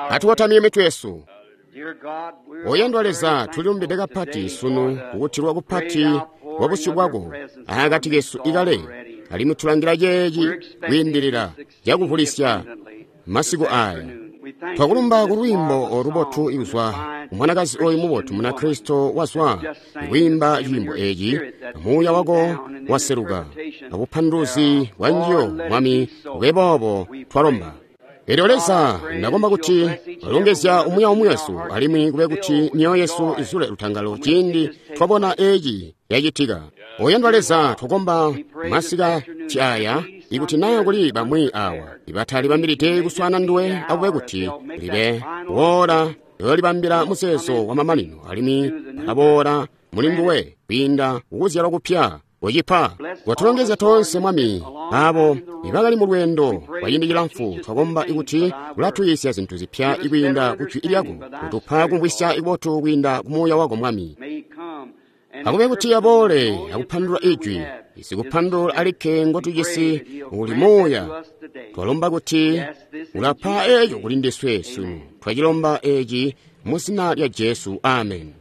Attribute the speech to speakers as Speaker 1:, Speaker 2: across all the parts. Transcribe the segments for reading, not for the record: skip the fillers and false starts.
Speaker 1: Atukotamye mitwe yesu. Oyandwa Leza, tulilumbide kapati sunu kukutilwa kupati kwa busyu bwako akati kesu ikale, alimwi tulangila ceeci kwiindilila cakuvulisya masiku aya. Twakulumba ku lwiimbo olubotu ikuzwa kumwanakazi oyu mubotu Munakristo wazwa ikwiimba ciimbo eci, muuya wako waseluka abupanduluzi bwa njiyo, Mwami, bube boobo twalomba. Elyo Leza, ndakomba kuti walongezya umwi aumwi wesu, alimwi kube kuti myoyo yesu izule lutangalo ciindi twabona eci yacitika. Oyandwa Leza, twakomba masika aya, ikuti naa kuli bamwi awa ibatalibambilide kuswana nduwe, akube kuti libe boola yoolibambila muzeezo wa mamanino, alimwi balaboola muli nguwe kwiinda kukuzyalwa kupya kucipa. Watulongezya toonse, Mwami, abo ibakali mu lweendo kwa ciindi cilamfu. Twakomba ikuti ulatuyisya zintu zipya ikwiinda ku jwi lyako, kutupa kumvwisya ibotu kwiinda ku Muuya wako, Mwami. Akube kuti aboole akupandulula ijwi, isikupandulula alikke ngotujisi uli Muuya. Twalomba kuti ulapa eco kuli ndiswe sunu. Twacilomba eci mu zina lya Jesu, amen.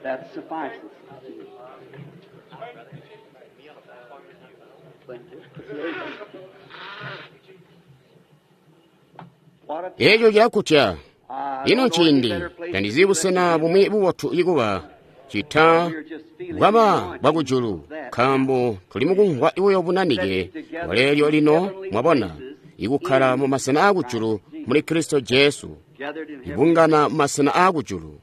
Speaker 2: That suffices.
Speaker 1: Eco cilakutya. Ino nciindi tandizi busena bumwi bubotu ikuba cita bwaba bwakujulu, nkaambo tuli mukumvwa buyo bunanike bwaleelyo lino, mwabona, ikukkala mu masena aakujulu muli Kristo Jesu, ibungana mu masena aakujulu.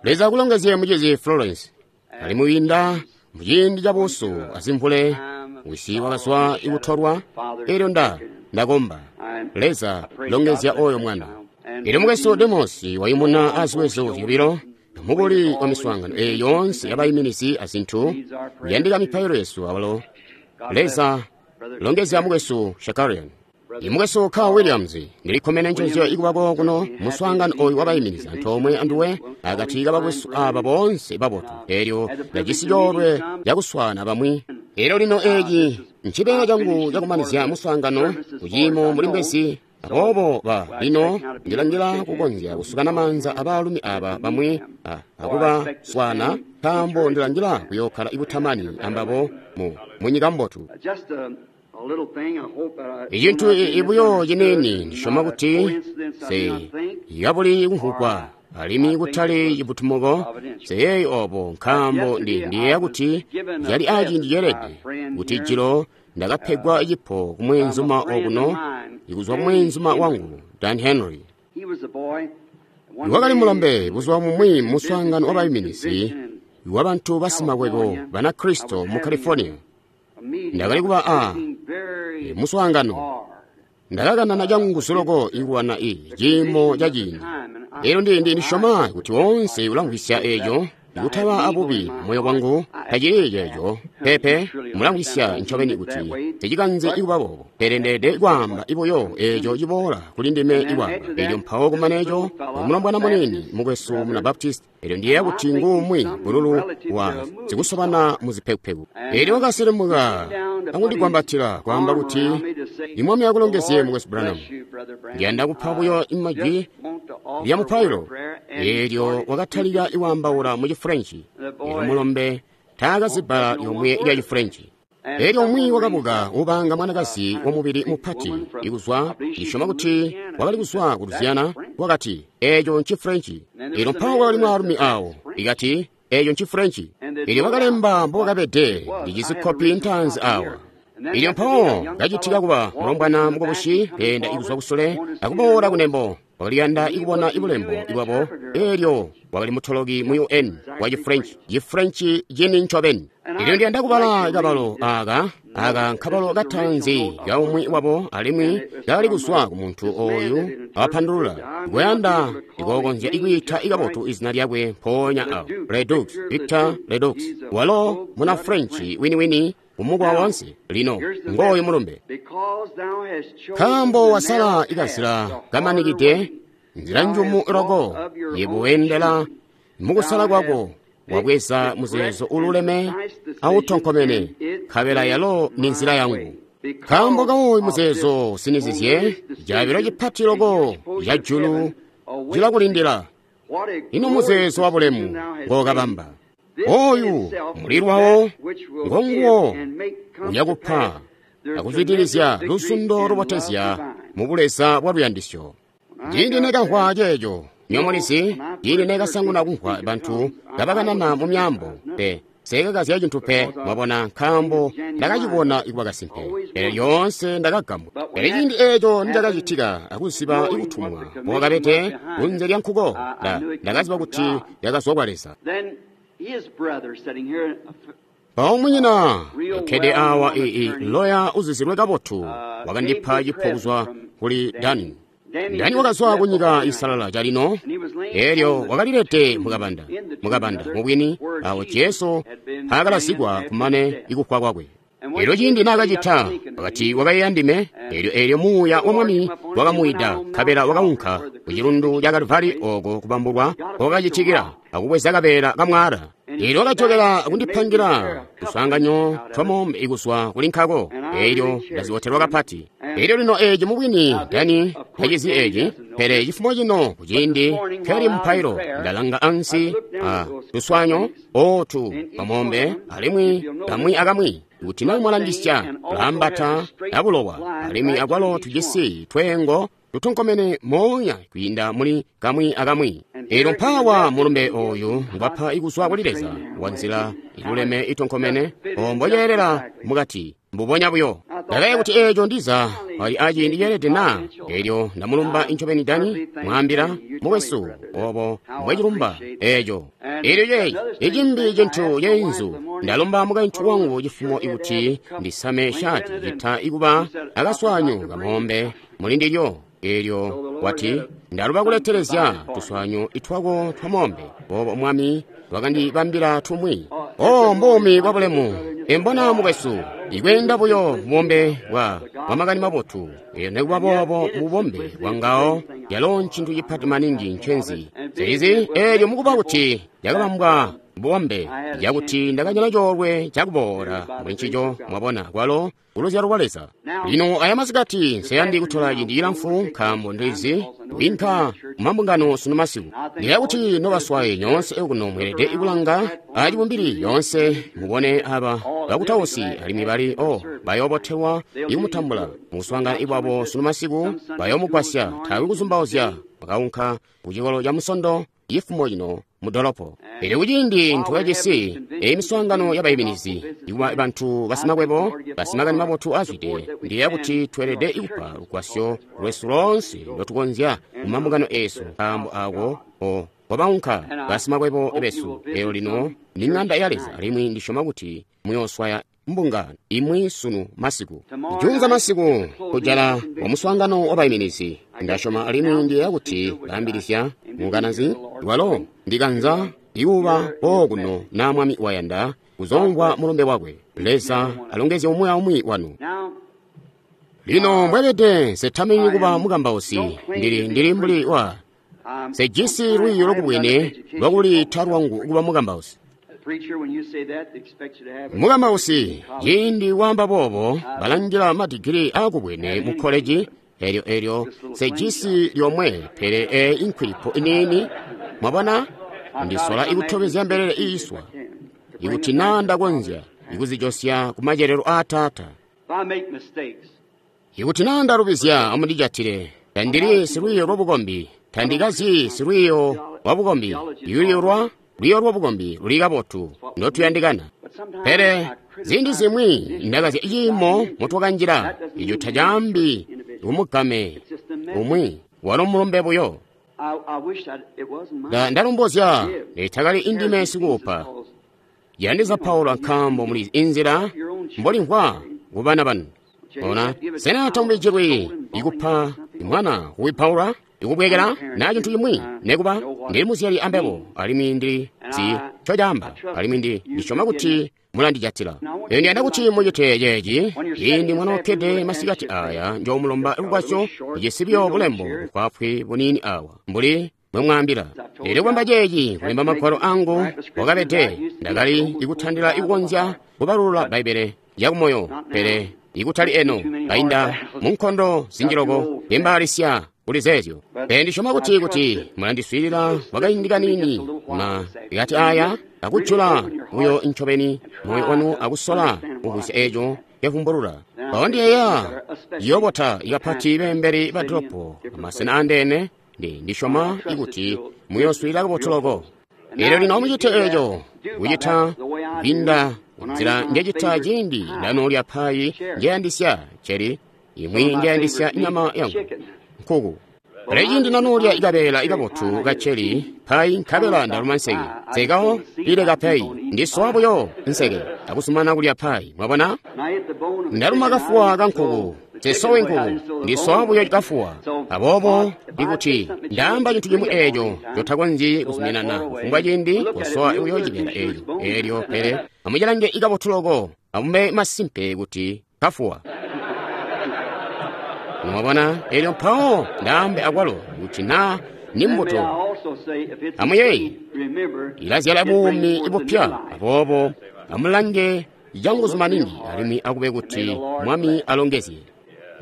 Speaker 1: Leza akulongezye mucizi Florence. Alimwi wiinda muciindi cabuusu azimvule, wisi wakazwa ikutolwa, elyo ndakomba Leza longezya oyo mwana. Elyo mukwesu Demos wayumuna aziwezo zyobilo mukuli wa miswaangano eyi yoonse yabayiminizi azintu kuyandika mipailo yesu awalo. Leza longezya mukwesu Shakarian. Imukwesu Carl Williams, ndilikkomene nconzyo ikubako kuno muswaangano oyu wabayiminizi antoomwe anduwe akati kabakwesu aba boonse babotu. Elyo ndajisi coolwe cakuswaana bamwi. Elyo lino eci ncibeela cangu cakumanizya muswaangano kuciimo muli mbwezi. Aboobo lino ndilangila kukonzya kusukana maanza abaalumi aba bamwi akubaswaana, nkaambo ndilangila kuyookkala ibutamani ambabo mu nyika mbotu. Icintu ibuyo ciniini ndisyoma kuti se yabuli kumvugwa alimwi kutali cibutumuko seyeeyi obo, nkaambo ndiyeeya kuti yali aciindi ceelede kuti jilo ndakapegwa cipo kumweenzuma okuno ikuzwa kumweenzuma wangu Dan Henry. Wakali mulombe buzuba bumwi muswaangano wabayiminizi wa bantu basimakwebo Banakristo mu California. Ndakali kuba a muswaangano, ndakakanana canguzu loko ikulwana ciimo ca ciindi. Elyo ndisyoma kuti woonse ulamvwisya eco, ikutaba abubi moyo wangu tacili ceeco pepe. Mulamvwisya ncobeni kuti tecikanze ikuba boobo, pele ndeede kwaamba ibuyo eco ciboola kuli ndime ikwaamba eco. Mpawo kumaneco umulombwana munini mukwesu muna Baptist, elyo ndiyeeya kuti nguumwi bululu wa zikusobana muzipekupeku. Elyo wakaselemuka akundigwambatila kwaamba kuti, Imwami akulongezye mukwesu Branham, ndiyanda kupa buyo imajwi lya mupailo. Elyo wakatalika ikwaambaula mu Chifrenchi. Elyo mulombe taakazi bbala lyomwe lya Chifrenchi. Elyo umwi wakabuka ubanga mwanakazi wamubili mupati ikuzwa, ndisyoma kuti wakali kuzwa ku Louisiana, wakati, eco Nchifrenchi. Elyo mpawo kwakali mwaalumi awo, ikati, eco Nchifrenchi. Elyo wakalemba mbowakabede, ndijisi kopi ntaanzi awa. Elyo mpawo kacitika kuba mulombwana mukubusi keenda ikuzwa kusule akuboola kunembo, wakaliyanda ikubona ibulembo ibwabo. Elyo wakali mutoloki mu UN wa Chifrenchi, Chifrenchi cini ncobeni. Elyo ndiyanda kubala kabalo aka nkabalo kataanzi kaumwi wabo, alimwi kakali kuzwa ku muntu oyu awapandulula. Kuyanda ikokonzya ikwiita ikabotu izina lyakwe mpoonya awo, Ledoux, Victor Ledoux, walo muna Frenchi winiwini umukwa wonse. Lino ngoyu mulumbe. Nkaambo wasala ikazila kamanikide, nzila njumu loko yebo wendela Mukusala kwako wabweza muzeezo ululeme autonkomene, nkabela yalo ni nzila yangu. Nkaambo kawoyu muzeezo usinizizye, caabilo cipati loko ca julu cilakulindila. Ino muzeezo wabulemu ngookabamba. Oyu mulilwawo ngonguwo uyakupa akuzwidilizya luzundo lubotezya mu buleza bwa luyandisyo. Ciindi nekamvwa ceeco, nyomulizi, ciindi nekasanguna kumvwa bantu kabakanana mu myaambo, pe nsekakazya cintu pe, mwabona, nkaambo ndakacibona ikuba kasimpe. Pele lyoonse ndakagambwa. Pele ciindi eeco nicakacitika akuziba ikutumwa mbokakabede kunze lya nkuko, ndakaziba kuti yakazwa kwa Leza. Mpawo munyina ukkede awa loya uzizilwe kabotu wakandipa cipo kuzwa kuli Dani. Dani wakazwa ku nyika isalala calino, elyo wakalilete mukabanda mubwini awo Jesu aakalazikwa kumane ikufwa kwakwe. Elyo ciindi naakacita, wakati wakayeeya ndime, elyo muuya wa Mwami wakamuyida, nkabela wakaunka ku cilundu ca Kalvari oko kubambulwa kwakacitikila akubweza kabeela kamwaala. Elyo wakajokela akundipangira tuswaanganyo twamoombe ikuzwa kuli nkako, elyo ndazibotelwa kapati. Elyo lino eeci mubwini Dani tacizi eeci, pele cifumo cino kuciindi nkeli mupailo ndalanga ansi a tuswaanyo ootu twamoombe alimwi kamwi akamwi. Kuti na mwalangisya tulambata abulowa, alimwi akwalo tujisi tweengo tutonkomene moonya kwiinda muli kamwi akamwi. Elyo mpaawa mulumbe oyu ngwapa ikuzwa kuli Leza wa nzila iluleme itonkomene, ombo yeelela mukati mbubonya buyo. Ndakayeeya kuti eeco ndiza ali aciindi ceelede na, elyo ndamulumba incobeni Dani, mwaambila mukwesu obo mbwecilumba eeco. Elyo ceeci icimbi cintu ceenzu, ndalomba mukaintu wangu cifumo ikuti ndisame shati cita ikuba akaswanyu kamoombe muli ndilyo. Elyo wati ndaluba kuletelezya tuswanyu itwako twamoombe, boobo Mwami wakandibambila tumwi. O mbuumi bwa bulemu, embona mukwesu, ikweenda buyo mubombe bwa makani mabotu. Elyo nekuba boobo mubombe bwangawo yalo ncintu cipati maningi ncenzi. Seizi elyo mukuba kuti yakabambwa bubombe, yakuti ndakanyala coolwe cakuboola muli ncico, mwabona, kwalo kuluzyalo lwa Leza. Lino aya masikati nseyandi kutola ciindi cilamfu, nkaambo ndizi kwinka mumambungano sunu masiku. Ndiyeeya kuti nobaswaye nyoonse okuno mweelede kulanga acibumbili yoonse mubone aba bakutausi alimwi bali bayoobotelwa ikumutambula mukuswaangana ikwabo sunu masiku, bayoomugwasya taakwe kuzumbauzya. Bakaunka ku cikolo ca Musondo cifumo cino mu dolopo. Elyo kuciindi ntukajisi eyi miswaangano yabayiminizi ikuba bantu basimakwebo basimakani mabotu azwide, ndiyeeya kuti tweelede kupa lugwasyo lwesu loonse ndotukonzya mu mambungano eesu, nkaambo ako kwabaunka basimakwebo besu. Elyo lino ni ŋanda ya Leza, alimwi ndisyoma kuti muyooswaya mbungano imwi sunu masiku. Juunza masiku kujala wa muswaangano wabayiminizi, ndasyoma alimwi ndiyeeya kuti baambilizya mukanazi walo ndikanza ikuba okuno na Mwami wayanda kuzomvwa mulumbe wakwe. Leza alongezye umwi aumwi wanu. Lino mbwebede nsetamenyi kuba mukambausi, ndili mbuli wa sejisi lwiiyo lwakubwene lwakulita lwangu kuba mukambausi. Mukambausi, ciindi waamba boobo, balangila madigiri aakubwene mu koleji, elyo sejisi lyomwe, pele eyi inkwilipo iniini, mwabona, ndisola ikutobezya mbelele iiswa, ikuti naa ndakonzya ikuzijosya ku macelelo aa Taata. Ikuti naa ndalubizya, amundijatile. Tandili silwiiyo lwabukombi, tandikazyi silwiiyo lwabukombi. Lwiiyo lwabukombi luli kabotu ndotuyandikana. Pele ziindi zimwi ndakazya ciimo mutwakanjila, ico tacaambi kumugame umwi, walo mulumbe buyo. Ndalombozya netakali indime sikuupa. Yandiza Paulo nkaambo muli inzila mbolimvwa kubana banu. Ona, sena tamubijilwi ikupa mwana kuwipaula ikubwekela na cintu cimwi? Nekuba ndili muzyali ambebo, alimwi ndili zi ncocaamba, alimwi ndisyoma kuti mulandijatila. Elyo ndiyanda kuti mucite ceeci ciindi mwanookkede masikati aya njoomulomba lugwasyo ijisi buyo bulembo bufwaafwi buniini awa mbuli Mbwe mwaambila. Elyo kwamba ceeci, kulemba magwalo angu wakabede, ndakali ikutandila ikukonzya kubalulula Bbaibbele yakumoyo, pele ikutali eno, kainda mu nkondo zinji loko, ndimbaalisya kuli zeezyo. Pele ndisyoma kuti kuti mulandiswiilila kwakaindi kaniini, ma ikati aya akujula buyo ncobeni moyo wanu akusola kumvwisya eeco nkevumbulula. Mpawo ndiyeeya ciyobota ikapati beembeli ba dolopo amasena andeene, ndisyoma ikuti muyooswiilila kabotu loko. Elyo lino amucite eeco, kucita kwiinda nzila njecita ciindi ndanoolya payi njeyandisya ceri, imwi njeyandisya nyama yangu, nkuku. Pele ciindi nanoolya ikabeela ikabotu kaceri payi nkabela ndaluma nseke, nsekawo ileka payi, ndisowa buyo nseke akusumana kulya payi. Mwabona? Ndaluma kafuwa kankuku, nsesowe nkuku, ndisowa buyo kafuwa. Aboobo ikuti ndaamba cintu cimwi eeco ncotakonzyi kuzuminana kufumbwa ciindi, kosowa buyo cibeela eeco eelyo, pele amucilange ikabotu loko, amube masimpe kuti kafuwa. Mwabona? Elyo mpawo ndaambe akwalo kuti naa ni mbuto, amuyeeye, ilazyala buumi bupya. Aboobo amulange canguzu maningi, alimwi akube kuti Mwami alongezye.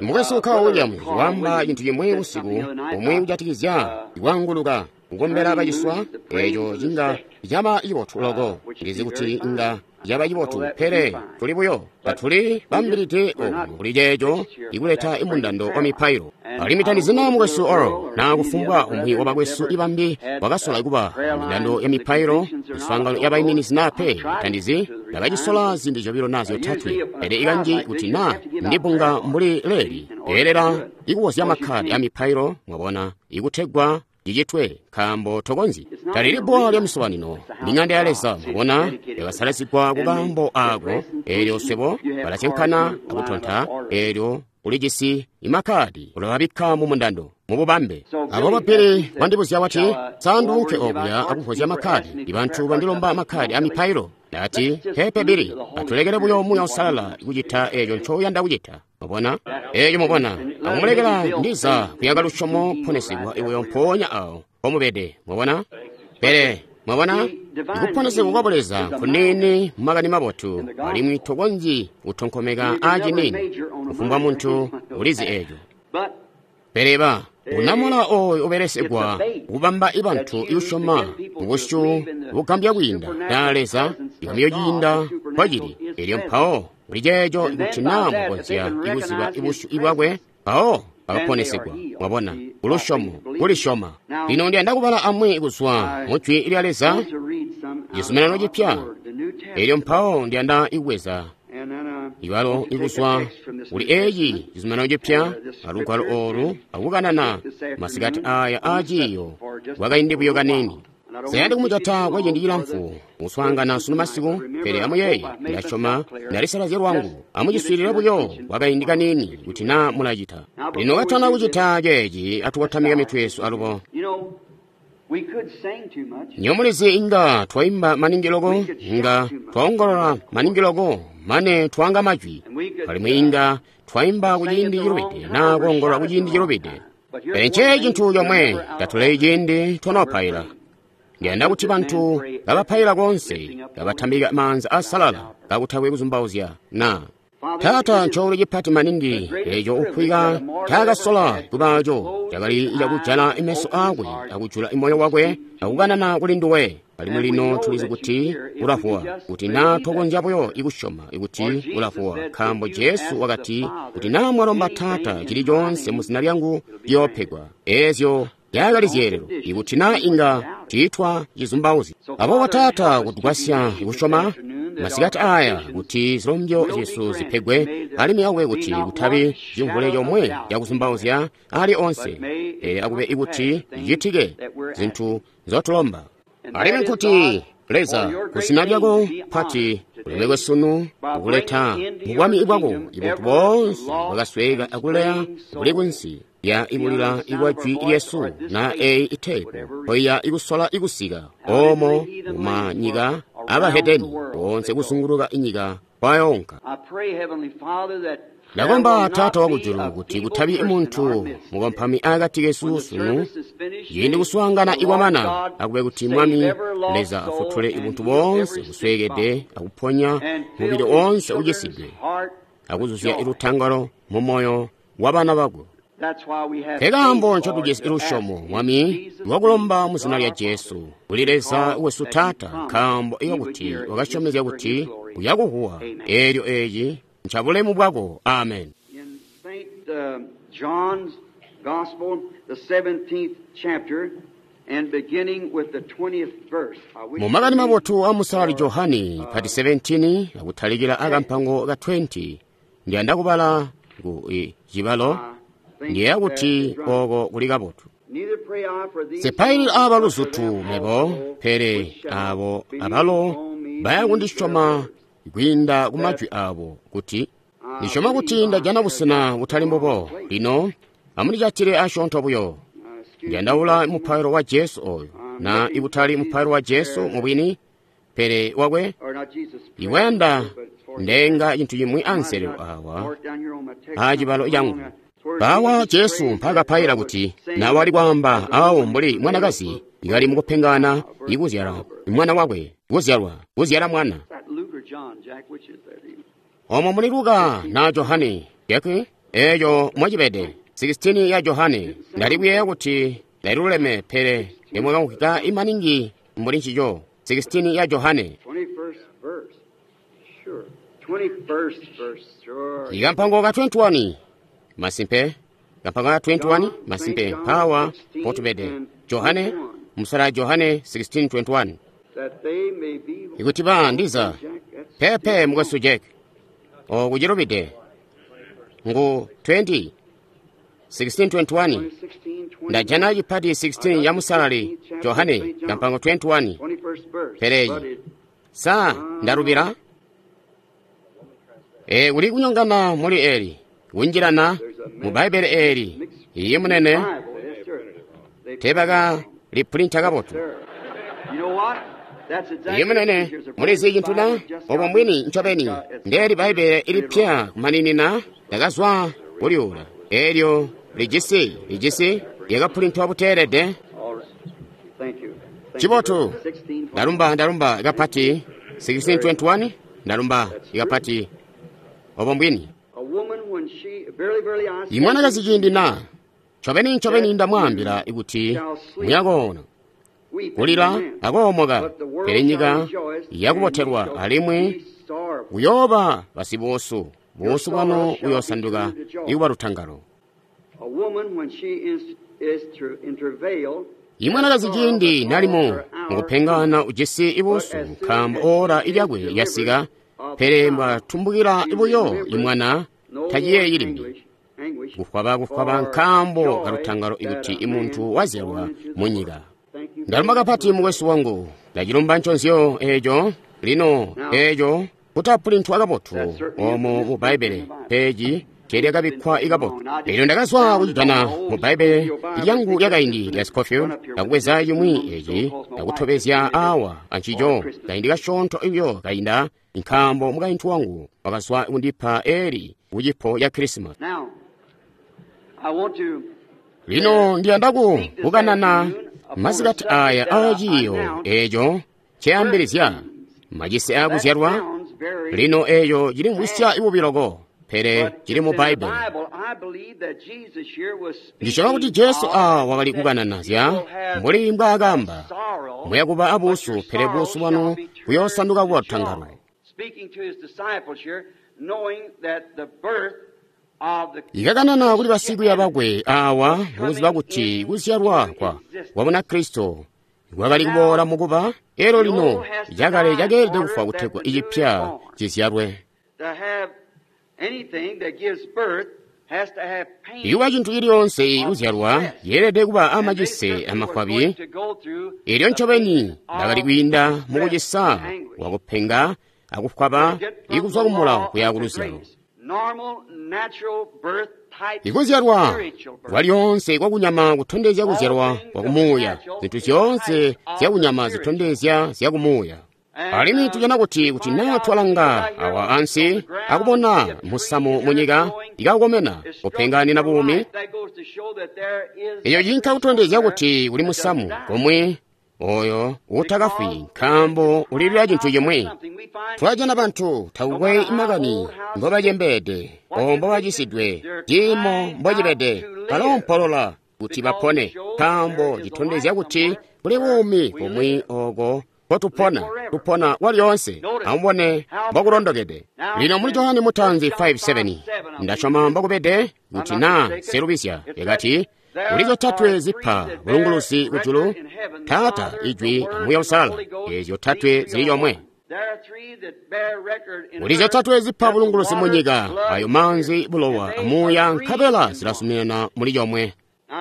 Speaker 1: Mukwesu Carl Williams waamba cintu cimwi usiku umwi kujatikizya kwaanguluka kukombela baciswa, eeco cinga caba cibotu loko. Ndizi kuti inga caba cibotu, pele tuli buyo tatuli bambilide oku kuli ceeco ikuleta imundando wa mipailo. Alimwi tandizina mukwesu Oral na kufumbwa umwi wa bakwesu ibambi wakasola kuba mindando ya mipailo miswaangano ya baiminizi na pe, tandizi ndakacisola ziindi zyobilo na zyotatwe, pele ikanji kuti na ndibunga mbuli leeli beelela ikuwozya makkadi a mipailo, mwabona, ikutegwa cicitwe, nkaambo tokonzyi. Talili bbuwa lya misobanino, ni ng'anda ya Leza, mwabona, yakasalazigwa ku kaambo aako. Eelyo swebo balasyankana akutonta, eelyo ulijisi imakkadi ulababikka mu mundando mububambe. Aboobo Billy wandibuzya wati, Sa nduunke okuya akuvozya makkadi? Ibantu bandilomba makkadi a mipailo. Ndati, Peepe Billy, atulekele buyo Muuya Uusalala kucita eeco ncouyanda kucita. Mwabona? Eeco mwabona, akumulekela ndiza kuyaka lusyomo kuponesegwa buyo mpoonya awo mpomubede. Mwabona? Pele mwabona, ikuponesegwa kwa Buleza nkuniini mumakani mabotu, alimwi tokonzyi kutonkomeka aaciniini. Kufumbwa muntu ulizi eeco. Pele ba unamola ooyo ubelesegwa kubamba ibantu iusyoma mubusyu bugambya kwiinda na Leza ikamyo ciinda mpocili. Elyo mpawo kuli ceeco ikuti naa mukonzya ikuziba ibusyu ibwakwe, mpawo bakaponesegwa. Mwabona, kulusyomo, kulisyoma. Lino ndiyanda kubala amwi kuzwa mu Jwi lya Leza, Cizuminano Cipya. Elyo mpawo ndiyanda ikubweza ibalo ikuzwa kuli eeci Cizuminano Cipya alugwalo oolu akukanana masikati aya aaciiyo kwakaindi buyo kaniini. Nseyandi kumujata kwa ciindi cilamfu kuswaangana sunu masiku, pele amuyeeye, ndasyoma ndalisalazya lwangu. Amuciswiilile buyo kwakaindi kaniini kuti naa mulacita. Lino katana kucita ceeci, atukotamike mitwe yesu alubo. Nyomulizi inga twaimba maningi loko, inga twaongolola maningi loko, mane twanga majwi, alimwi inga twaimba kuciindi cilubide naa kuongolola kuciindi cilubide. Pele nceeci cintu comwe, tatuleyi ciindi twanopaila. Ndiyanda kuti bantu kabapaila koonse, kabatambika maanza asalala, kakutakwe kuzumbauzya na. Taata, ncoolwe cipati maningi eeco ukwika ncaakasola kubaaco cakali cakujala meso aakwe akujula moyo wakwe akukanana kuli nduwe. Alimwi lino tulizi kuti ulavuwa, kuti naa tokonzya buyo ikusyoma kuti ulavuwa, nkaambo Jesu wakati, kuti naa mwalomba Taata cili coonse mu zina lyangu ciyoopegwa. Eezyo zyakali zyeelelo, ikuti naa inga tiitwa cizumbauzya. Aboobo Taata, kutugwasya kusyoma masikati aya kuti zilombyo zyesu zipegwe, alimwi akube kuti kutabi cimvule comwe cakuzumbauzya ali onse, pele akube ikuti cicitike zintu nzotulomba. Alimwi nkuti Leza, kuzina lyako pati ulemekwe sunu, ukuleta mubwami bwako ibuntu boonse bwakasweeka akuleya buli kunsi lya ibulila ibwa jwi lyesu na eyi iteepu mpoiya ikusola ikusika omo mumanyika abahedeni boonse kuzunguluka inyika kwayoonka. Ndakomba Taata wakujulu kuti kutabi muntu mukompami akati kesu sunu ciindi kuswaangana ikwamana, akube kuti Mwami Leza afutule ibuntu boonse busweekede akuponya mubili oonse ucisidwe akuzuzya ilutangalo mu moyo wa bana bako. Nkekaambo ncotujisi lusyomo, Mwami, lwakulomba mu zina lya Jesu kuli Leza wesu Taata, nkaambo ikakuti wakasyomezya kuti uyakuhuwa eelyo eeci ncabulemu bwako. Amen.
Speaker 2: In St. John's Gospel, the 17th chapter, and beginning with the 20th verse. I wish
Speaker 1: Mu makani
Speaker 2: to read
Speaker 1: mabotu a musalali Johani pati 17 akutalikira akampango ka 20 ndiyanda kubala ku cibalo
Speaker 2: I think
Speaker 1: ndiyeya
Speaker 2: that
Speaker 1: kuti
Speaker 2: is right.
Speaker 1: oko kuli kabotu.
Speaker 2: Neither pray I for these
Speaker 1: Sipaili
Speaker 2: alone,
Speaker 1: aba
Speaker 2: but for
Speaker 1: luzutu
Speaker 2: them
Speaker 1: mebo,
Speaker 2: also
Speaker 1: pele
Speaker 2: which shall
Speaker 1: abo
Speaker 2: believe
Speaker 1: abalo
Speaker 2: on me
Speaker 1: baya
Speaker 2: through their
Speaker 1: kundisyoma
Speaker 2: words.
Speaker 1: kwiinda ku majwi abo kuti ndisyoma kuti ndajana busena butali mbubo. Lino amundijatile asyoonto buyo.
Speaker 2: Excuse me
Speaker 1: Ndiyandaula
Speaker 2: just a moment.
Speaker 1: mupailo wa Jesu oyo,
Speaker 2: I'm
Speaker 1: na
Speaker 2: looking for
Speaker 1: ibutali mupailo
Speaker 2: Jesus'
Speaker 1: wa Jesu
Speaker 2: prayer,
Speaker 1: mubwini, pele wakwe
Speaker 2: or not Jesus' prayer,
Speaker 1: iwayanda
Speaker 2: but it's for his
Speaker 1: ndenga cintu cimwi
Speaker 2: I might have
Speaker 1: anselelo
Speaker 2: not
Speaker 1: awa
Speaker 2: marked down here on my text
Speaker 1: a cibalo
Speaker 2: something
Speaker 1: cangu.
Speaker 2: wrong. It's where
Speaker 1: Bawa
Speaker 2: Jesus
Speaker 1: Jesu
Speaker 2: prays that
Speaker 1: mpakapaila
Speaker 2: God would
Speaker 1: kuti
Speaker 2: sing
Speaker 1: nawe ali kwaamba
Speaker 2: as a
Speaker 1: awo
Speaker 2: woman
Speaker 1: mbuli
Speaker 2: travaileth
Speaker 1: mwanakazi
Speaker 2: for
Speaker 1: ikali mukupengana
Speaker 2: birth
Speaker 1: ikuzyala
Speaker 2: childbirth.
Speaker 1: mwana wakwe, kuzyalwa, kuzyala mwana.
Speaker 2: Is that Luke or John, Jack? Which is that?
Speaker 1: Omo muli Luka na Johane yakwe eyo mwacibede 16 ya Johane ndali kuyeeya kuti ndaliluleme pele ndimwakamvwika imaningi mbuli ncico 16 ya Johane
Speaker 2: 21st verse. Sure. 21st verse. Sure.
Speaker 1: ikampango ka 21 masimpe kampango ka 21
Speaker 2: John, St.
Speaker 1: masimpe
Speaker 2: John
Speaker 1: mpawa
Speaker 2: 16
Speaker 1: potubede
Speaker 2: and
Speaker 1: Johane
Speaker 2: 21.
Speaker 1: musala Johane 16:21
Speaker 2: That they may be.
Speaker 1: ikuti ba ndiza
Speaker 2: Jack, that's
Speaker 1: pepe
Speaker 2: still
Speaker 1: mukwesu
Speaker 2: wrong.
Speaker 1: Jack okuchilupide ngu 20 16:21
Speaker 2: 16,
Speaker 1: ndajana
Speaker 2: 21.
Speaker 1: chipati
Speaker 2: I
Speaker 1: 16
Speaker 2: got
Speaker 1: ya
Speaker 2: the
Speaker 1: musalali
Speaker 2: 16th chapter of
Speaker 1: Johane
Speaker 2: St. John,
Speaker 1: kampango 21
Speaker 2: 21st verse. But
Speaker 1: peleyi
Speaker 2: it,
Speaker 1: sa ndalupira kuli kunyongana muli eli kunjirana
Speaker 2: there's a
Speaker 1: mu
Speaker 2: mess
Speaker 1: Baibulo eli
Speaker 2: mixed
Speaker 1: iye
Speaker 2: in the
Speaker 1: munene
Speaker 2: Bible. Yes, sir. They printed it
Speaker 1: tebaka
Speaker 2: wrong.
Speaker 1: lipulinta
Speaker 2: Yes,
Speaker 1: kabotu
Speaker 2: sir. You know what? That's
Speaker 1: iye
Speaker 2: exactly the
Speaker 1: munene
Speaker 2: truth. Here's a brand
Speaker 1: mulizi
Speaker 2: new
Speaker 1: cinthu
Speaker 2: Bible
Speaker 1: na
Speaker 2: we just
Speaker 1: obo
Speaker 2: got.
Speaker 1: mbwini
Speaker 2: It's
Speaker 1: ncobeni
Speaker 2: got it's
Speaker 1: ndeli Baibulo
Speaker 2: printed wrong.
Speaker 1: ilipya kumaninina ndakazwa kuliula elyo lijisi lyakapulintwa buteelede.
Speaker 2: All right. Thank you. Thank you
Speaker 1: Chibotu
Speaker 2: very much. 1621.
Speaker 1: ndalumba ndalumba ikapati
Speaker 2: Very good.
Speaker 1: 1621 ndalumba
Speaker 2: That's true.
Speaker 1: ikapati obo mbwini.
Speaker 2: A woman, when she, verily, verily, I say
Speaker 1: Imwanakazi
Speaker 2: unto
Speaker 1: ciindi
Speaker 2: you,
Speaker 1: na ncobeni ncobeni
Speaker 2: that
Speaker 1: ndamwaambila
Speaker 2: you
Speaker 1: ikuti
Speaker 2: shall sleep,
Speaker 1: muyakoona
Speaker 2: weep and
Speaker 1: kulila
Speaker 2: lament,
Speaker 1: akoomoka,
Speaker 2: but the
Speaker 1: pele
Speaker 2: world shall
Speaker 1: nyika
Speaker 2: rejoice, and ye
Speaker 1: yakubotelwa
Speaker 2: shall
Speaker 1: alimwi
Speaker 2: be sorrowful.
Speaker 1: kuyooba basibuusu
Speaker 2: Your
Speaker 1: buusu
Speaker 2: sorrow
Speaker 1: bwanu
Speaker 2: shall be
Speaker 1: buyoosanduka
Speaker 2: turned to joy.
Speaker 1: ikuba lutangalo.
Speaker 2: A woman, when she is to in travail, has
Speaker 1: Imwanakazi
Speaker 2: sorrow
Speaker 1: ciindi
Speaker 2: because
Speaker 1: nalimo
Speaker 2: her hour cometh.
Speaker 1: mukupengana ujisi
Speaker 2: But
Speaker 1: ibuusu
Speaker 2: as soon
Speaker 1: nkaambo
Speaker 2: as
Speaker 1: ora
Speaker 2: she is
Speaker 1: ilyakwe
Speaker 2: delivered
Speaker 1: lyasika,
Speaker 2: of the
Speaker 1: pele
Speaker 2: child,
Speaker 1: mbwatumbukila
Speaker 2: she
Speaker 1: buyo
Speaker 2: remembereth
Speaker 1: imwana
Speaker 2: no more
Speaker 1: taciyeeyi limbi.
Speaker 2: anguish
Speaker 1: Kufwaba kufwaba
Speaker 2: for
Speaker 1: nkaambo
Speaker 2: joy
Speaker 1: kalutangalo
Speaker 2: that
Speaker 1: ikuti
Speaker 2: a man
Speaker 1: imuntu
Speaker 2: is born
Speaker 1: wazyalwa
Speaker 2: into the
Speaker 1: mu
Speaker 2: world.
Speaker 1: nyika.
Speaker 2: Thank you
Speaker 1: Ndalumba
Speaker 2: very much,
Speaker 1: kapati
Speaker 2: my brother.
Speaker 1: mukwesu wangu, ndacilumba nconzyo eco lino
Speaker 2: Now,
Speaker 1: eco kutapulintwa
Speaker 2: that
Speaker 1: kabotu
Speaker 2: certainly isn't
Speaker 1: omo mu
Speaker 2: misprinted in
Speaker 1: Baibulo
Speaker 2: the Bible.
Speaker 1: peji
Speaker 2: It's been
Speaker 1: teelyakabikkwa
Speaker 2: printed
Speaker 1: ikabotu.
Speaker 2: wrong. I
Speaker 1: Elyo
Speaker 2: just
Speaker 1: ndakazwa
Speaker 2: found it on
Speaker 1: kucijana
Speaker 2: my
Speaker 1: mu
Speaker 2: old
Speaker 1: Baibulo
Speaker 2: Scofield Bible.
Speaker 1: lyangu
Speaker 2: They just
Speaker 1: lyakaindi
Speaker 2: happened
Speaker 1: lya
Speaker 2: to
Speaker 1: Scofield
Speaker 2: run up here with
Speaker 1: ndakubweza
Speaker 2: this
Speaker 1: cimwi
Speaker 2: one so
Speaker 1: eci
Speaker 2: cause my wife just
Speaker 1: ndakutobezya
Speaker 2: printed it
Speaker 1: awa
Speaker 2: for
Speaker 1: ancico
Speaker 2: Christmas.
Speaker 1: kaindi kasyoonto ibyo kainda nkaambo mukaintu wangu wakazwa kundipa eli kucipo ya Krisimasi.
Speaker 2: Now, I want to
Speaker 1: Lino ndiyanda
Speaker 2: speak this
Speaker 1: kukanana
Speaker 2: afternoon upon a
Speaker 1: masikati
Speaker 2: subject
Speaker 1: aya
Speaker 2: that I
Speaker 1: aaciiyo
Speaker 2: announced,
Speaker 1: eco nceambilizya macise
Speaker 2: That
Speaker 1: akuzyalwa.
Speaker 2: sounds very
Speaker 1: Lino eco cilimvwisya
Speaker 2: bad,
Speaker 1: ibubiloko pele
Speaker 2: but
Speaker 1: cili
Speaker 2: it's
Speaker 1: mu
Speaker 2: in the
Speaker 1: Baibulo.
Speaker 2: Bible. I believe that Jesus here was
Speaker 1: Ndisyoma kuti
Speaker 2: speaking
Speaker 1: Jesu
Speaker 2: of
Speaker 1: awa wakali
Speaker 2: that
Speaker 1: kukanana
Speaker 2: you
Speaker 1: zya
Speaker 2: will have
Speaker 1: mbuli mbwaakamba
Speaker 2: sorrow,
Speaker 1: muyakuba
Speaker 2: but your
Speaker 1: abuusu pele
Speaker 2: sorrow
Speaker 1: buusu
Speaker 2: shall
Speaker 1: bwanu
Speaker 2: be turned
Speaker 1: buyoosanduka
Speaker 2: to
Speaker 1: kuba
Speaker 2: joy.
Speaker 1: lutangalo.
Speaker 2: Speaking to his disciples here, knowing that the birth of the
Speaker 1: Ikakanana kuli basikwiiya
Speaker 2: Christianity
Speaker 1: bakwe awa
Speaker 2: was
Speaker 1: mukuziba
Speaker 2: coming
Speaker 1: kuti kuzyalwa
Speaker 2: into
Speaker 1: kwa
Speaker 2: existence.
Speaker 1: kwa Bunakristo kwakali
Speaker 2: Now,
Speaker 1: kuboola mukuba elo
Speaker 2: the
Speaker 1: lino
Speaker 2: old has to
Speaker 1: cakale
Speaker 2: die in
Speaker 1: cakeelede
Speaker 2: order
Speaker 1: kufwa
Speaker 2: that
Speaker 1: kutegwa
Speaker 2: the new is
Speaker 1: icipya
Speaker 2: born.
Speaker 1: cizyalwe.
Speaker 2: To have anything that gives birth has to have
Speaker 1: Ikuba
Speaker 2: pain
Speaker 1: cintu ciliyoonse
Speaker 2: of
Speaker 1: kuzyalwa
Speaker 2: distress.
Speaker 1: yeelede kuba
Speaker 2: And they
Speaker 1: amacise
Speaker 2: certainly was
Speaker 1: amafwabi
Speaker 2: going to go through
Speaker 1: elyo
Speaker 2: the
Speaker 1: ncobeni
Speaker 2: pain
Speaker 1: ndakali
Speaker 2: of
Speaker 1: kwiinda
Speaker 2: distress
Speaker 1: mukucisa
Speaker 2: and anguish.
Speaker 1: wakupenga
Speaker 2: To
Speaker 1: akufwaba
Speaker 2: get from
Speaker 1: ikuzwa
Speaker 2: the
Speaker 1: kumulawo
Speaker 2: law
Speaker 1: kuya
Speaker 2: unto
Speaker 1: kuluzyalo.
Speaker 2: grace. Normal, natural birth type
Speaker 1: Ikuzyalwa
Speaker 2: spiritual birth.
Speaker 1: kwalyoonse kwakunyama kutondezya
Speaker 2: All
Speaker 1: kuzyalwa
Speaker 2: things of the
Speaker 1: kwakumuuya
Speaker 2: natural
Speaker 1: zinthu
Speaker 2: is
Speaker 1: zyoonse
Speaker 2: types of the
Speaker 1: zyakunyama
Speaker 2: spiritual.
Speaker 1: zitondezya zyakumuuya. Alimwi tujana kuti kuti naa twalanga awa ansi akubona musamu munyika ikakomena kupenganina buumi, eyo cinka kutondezya kuti kuli musamu komwe oyo utakafwi, nkaambo ulilila cintu cimwi. Twajana bantu takukwe makani mbobacembeede o mbobacisidwe, ciimo mbocibede, baloompolola kuti bapone, nkaambo citondezya kuti kuli buumi bumwi oko kotupona, tupona kwalyoonse. Amubone mbokulondokede. Lino muli Johane Mutanzi 5:7, ndasyoma mbokubede kuti naa selubisya, yakati kuli zyotatwe zipa bulunguluzi kujulu, Taata, Ijwi, Amuuya Uusalala. Eezyo tatwe zili yomwe. Kuli zyotatwe zipa bulunguluzi munyika, ayo maanzi, bulowa, amuuya, nkabela zilasuminana muli yomwe.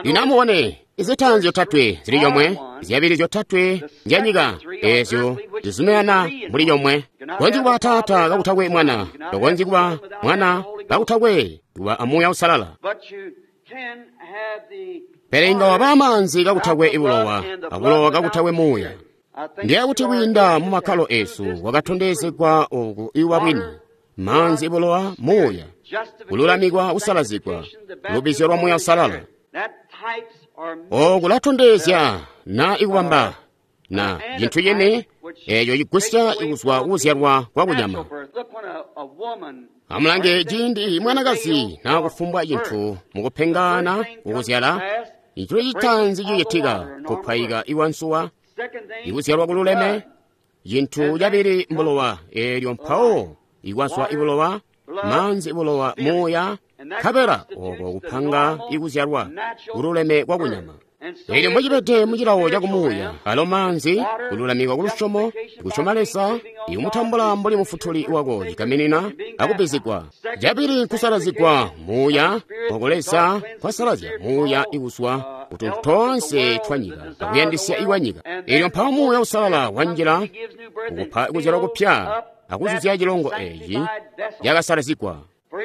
Speaker 1: Lino amubone, izitaanzi zyotatwe zili yomwe, zyabili zyotatwe nzyanyika, eezyo zizuminana muli yomwe. Tokonzyi kuba Taata kakutakwe Mwana, tokonzyi kuba Mwana kakutakwe kuba Amuuya Uusalala. Pele inga waba amaanzi kakutakwe bulowa, abulowa kakutakwe muuya. Ndiye kuti kwiinda mu makkalo eesu kwakatondezegwa oku iwa bwini, maanzi, bulowa, muuya, kululamikwa, kusalazigwa, lubizyo lwa Muuya Uusalala. Oku kulatondezya na ikubamba na cintu cini eeco cigusya kuzwa kuzyalwa kwa kunyama. Amulange ciindi mwanakazi naa kufumbwa cintu mukupengana kukuzyala, cintu citaanzi cicitika kupwayika iwansuwa, ikuzyalwa kululeme. Cintu cabili mbulowa, eelyo mpawo ikwazwa ibulowa, maanzi, bulowa, muuya, nkabela oko kupanga ikuzyalwa kululeme kwa kunyama. Eelyo mbocibede mucilawo cakumuuya, alo maanzi, kululamikwa kulusyomo, kusyoma Leza, ikumutambula mbuli mufutuli wako cigaminina akubbizigwa. Cabili nkusalazigwa muuya, oko Leza kwasalazya muuya ikuzwa kutuntu toonse twa nyika akuyandisya ikwa nyika. Eelyo mpawo Muuya Uusalala wanjila kukupa kuzyalwa kupya akuzuzya cilongo eeci cakasalazigwa.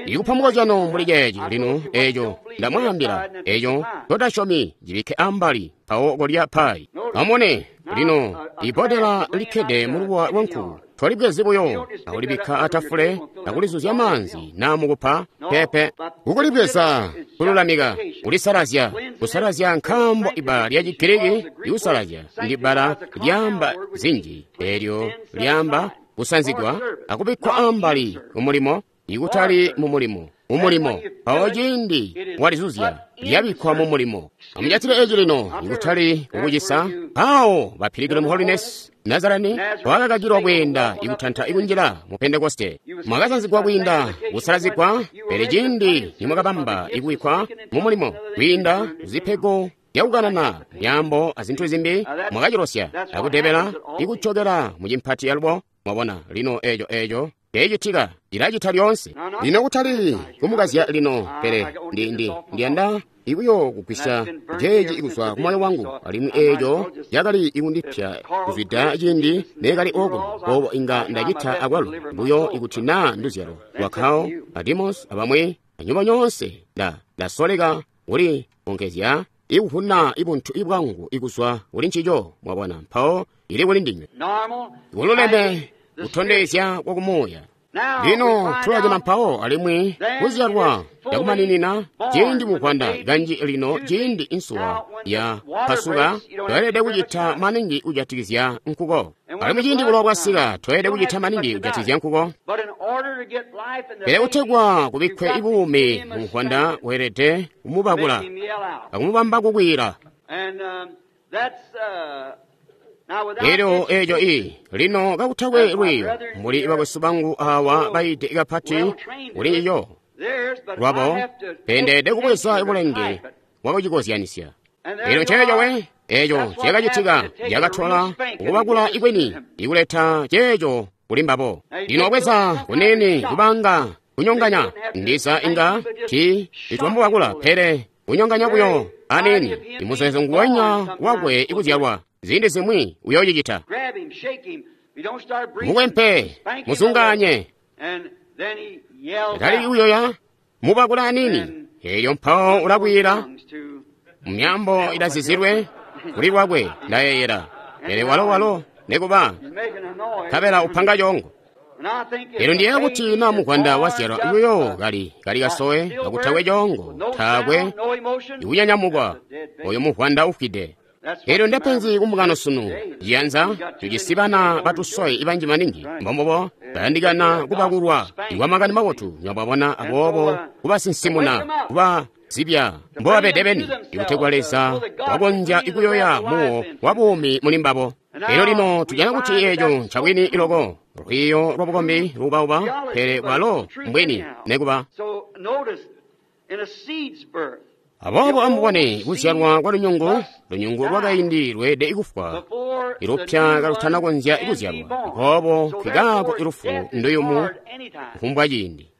Speaker 1: Ikupa mukozyano mbuli ceeci lino, eeco ndamwaambila, eeco totasyomi cibikke ambali mpawo kolya payi. Amubone lino ibbodela likkede mulubuwa lwanku, tolibwezi buyo akulibikka atafule akulizuzya maanzi naa mukupa pepe. Kukulibweza kululamika, kulisalazya, kusalazya, nkaambo ibbala lya Chigiriki likusalazya ndibbala lyaamba zinji, eelyo lyaamba kusanzigwa akubikkwa ambali kumulimo, ikutali mumulimo, mumulimo. Mpawo ciindi walizuzya lyabikkwa mumulimo. Amujatile eci lino, ikutali kukucisa. Mpawo ba Pilgrim Holiness Nazarene wakakakilwa kweenda ikutanta ikunjila mu Pentekoste. Mwakasanzigwa kwiinda kusalazigwa, pele ciindi nimwakabamba ikubikkwa mumulimo kwiinda zipego zyakukanana myaambo azintu zimbi, mwakacilosya akudebela ikucokela mucimpati alubo. Mwabona lino eeco eeco teecitika, cilacita lyoonse. Lino kutali kumukazya lino, pele ndiyanda ikuyo kugwisya ceeci kuzwa kumoyo wangu, alimwi eeco cakali ikundipya kuzwida ciindi neekali okuno. Boobo inga ndacita akwalo buyo ikuti naa nduzyalo lwa Carl, a Demos abamwi anyubo nyoonse. Ndasoleka kuli onkezya ikuvuna ibuntu ibwangu ikuzwa kuli ncico. Mwabona, mpawo ili kuli ndinywe kululeme kutondezya kwakumuuya. Lino tulajana mpawo alimwi kuzyalwa cakumaninina ciindi muvwanda kanji lino ciindi insuwa ya pasuka, tweelede kucita maningi kujatikizya nkuko. Alimwi ciindi bulowa bwasika, tweelede kucita maningi kujatikizya nkuko. Pele kutegwa kubikkwe ibuumi mu muvwanda, weelede kumubakula akumubamba kukwiila. Elyo eeco i lino kakutakwe lwiiyo, mbuli bakwesu bangu awa bayiide kapati kuli ncico lwabo, pendeede kubweza bulenge bwakucikozyanisya. Elyo nceeco we, eeco cakacitika, cakatola kukubakula ikweni ikuleta ceeco kuli mbabo. Lino wabweza kunene kubanga kunyonganya, ndiza inga ti itwamubakula, pele kunyonganya buyo anini, imuzeezo nguwenya wakwe ikuzyalwa. Ziindi zimwi uyoocicita. Mukwempe, muzunganye, tali uyoya, mubakula anini, elyo mpawo ulakwiila mumyaambo ilazizilwe kuli lwakwe, ndayeeyela. Pele walo Nekuba nkabela upanga coongo. Elyo ndiyeeya kuti na muvwanda wazyalwa buyo kali kali kasowe kakutakwe coongo, taakwe ikunyanyamukwa, oyo muvwanda ufwide. Elyo ndepenzi kumbungano sunu, ciyanza tujisi bana batusoyi ibanji maningi, mbombobo bayandikana kubakulwa ikwa makani mabotu, nywabwabona, aboobo kubasinsimuna, kuba zibya mbobabede beni, ikutegwa Leza wakonzya ikuyoya muwo wa buumi muli mbabo. Elyo lino tujana kuti eco ncabwini iloko, lwiiyo lwa bukombi luubauba, pele bwalo mbwini nekuba. Aboobo amubone kuzyalwa kwa lunyungu, lunyungu lwakaindi lweelede kufwa, ilupya kalutanakonzya kuzyalwa. Aboobo nkikaako ilufu nduyumu kufumbwa ciindi.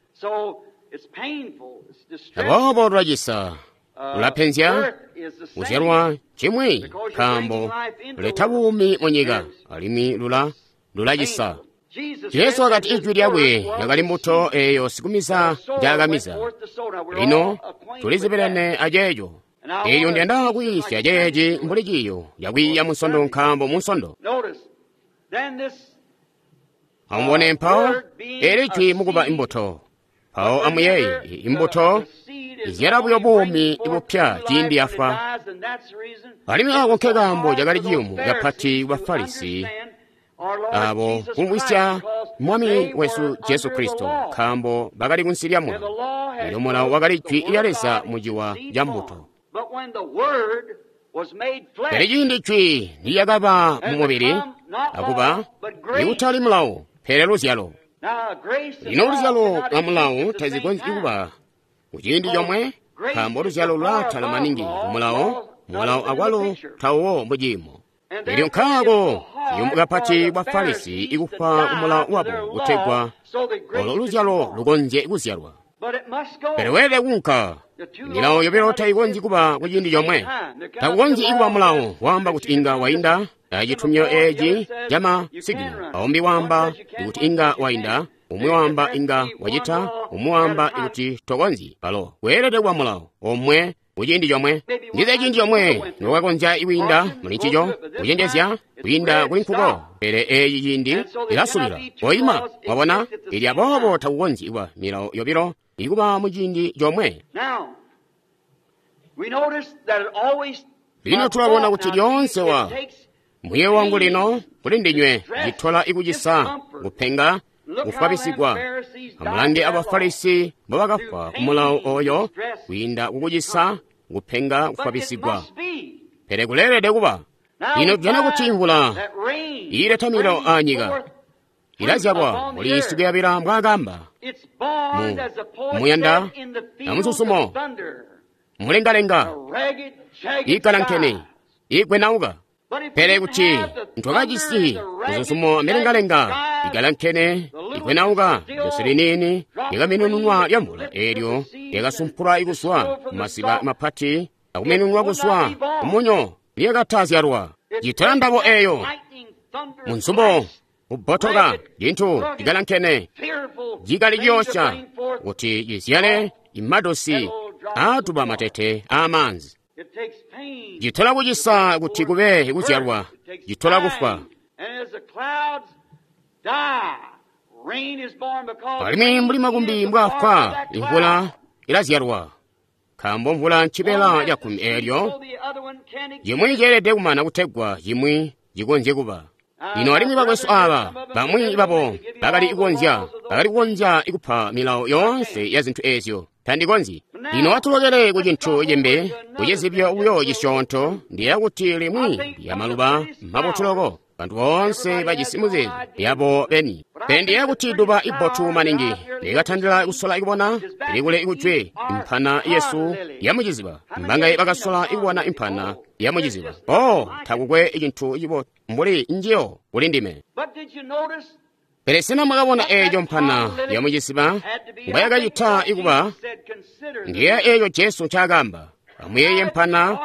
Speaker 1: Aboobo lulacisa, lulapenzya, kuzyalwa cimwi nkaambo luleta buumi mu nyika, alimwi lulacisa. Jesu wakati ijwi lyakwe lyakali mbuto eeyo sikumiza njaakamiza. Lino tulizibelene aceeco. Elyo ndiyanda kuyiisya ceeci mbuli ciiyo cakwiiya Munsondo, nkaambo Munsondo. Amubone mpawo eli jwi mukuba imbuto. Mpawo amuyeeye, imbuto izyala buyo buumi bupya ciindi yafwa. Alimwi ako nke kaambo cakali ciyumu kapati ku Bafarisi abo kumvwisya Mwami wesu Jesu Kristo, nkaambo bakali kunsi lya mulawo. Elyo mulawo wakali jwi lya Leza mu ciwa ca mbuto. Pele ciindi jwi nilyakaba mu mubili, akuba ikutali mulawo, pele luzyalo. Lino luzyalo lwa mulawo tazikonzyi kuba ku ciindi comwe, nkaambo luzyalo lulaatala maningi ku mulawo, mulawo akwalo tawuwo mu ciimo. Elyo nkaako ciyumu kapati kwa Farisi ikufwa ku mulawo wabo kutegwa olo luzyalo lukonzye kuzyalwa. Pele weelede kuunka. Milawo yobilo tayikonzyi kuba ku ciindi comwe. Takukonzyi kuba mulawo waamba kuti inga wainda acitumyo eeci camasigino, aumbi waamba kuti inga wainda, umwi waamba inga wacita, umwi waamba kuti tokonzyi. Balo weelede kuba mulawo omwe ku ciindi comwe. Ndiza ciindi comwe nokakonzya kwiinda muli ncico, kucenjezya kwiinda kuli nkuko, pele eeci ciindi ilasubila koima. Mwabona? Ili aboobo takukonzyi kuba milawo yobilo ikuba mu ciindi comwe. Lino tulabona kuti lyoonse wa muye wangu lino kuli ndinywe citola ikucisa, kupenga, kufwabisigwa. Amulange Abafarisi mbobakafwa ku mulawo oyo kwiinda kukucisa, kupenga, kufwabisigwa. Pele kuleelede kuba. Lino tujana kuti imvula iileta milawo aanyika ilazyalwa mbuli sikuyabila mbwaakamba mu muyanda amususumo, mulengalenga, iikalankene, iigwenauka. Pele kuti ntwakajisi mususumo amilengalenga ikalankene igwenauka, josi liniini lyakaminununwa lya mvula eelyo lyakasumpulwa ikuzwa mumasiba mapati akuminununwa kuzwa kumunyo lyakatazyalwa. Citola ndabo eeyo munsumbo kubbotoka cintu cikalankene cikali ciyoosya kuti cizyale imadosi aatuba matete aamaanzi. Citola kucisa kuti kube kuzyalwa, citola kufwa. Alimwi mbuli makumbi mbwaafwa, imvula ilazyalwa, nkaambo mvula ncibeela cakkumi eelyo cimwi ceelede kumana kutegwa cimwi cikonzye kuba. Lino alimwi bakwesu aaba bamwi babo bakali kukonzya kupa milawo yoonse ya zintu eezyo. Tandikonzyi. Lino atulokele ku cintu cimbi, kucizibyo buyo cisyoonto. Ndiyeeya kuti limwi lya maluba mabotu loko. Bantu boonse bajisi muzeezo yabo beni. Pele ndiyeeya kuti duba ibbotu maningi likatandila kusola ikubona ilikule ikujwe impana yesu yamuciziba. Mbangaye bakasola ikubona impana yamuciziba. Oh, takukwe cintu cibotu mbuli njiyo kuli ndime. Pele sena mwakabona eeco mpana yamuciziba mbwayakacita ikuba? Ndiyeeya eeco Jesu ncaakaamba. Amuyeeye mpana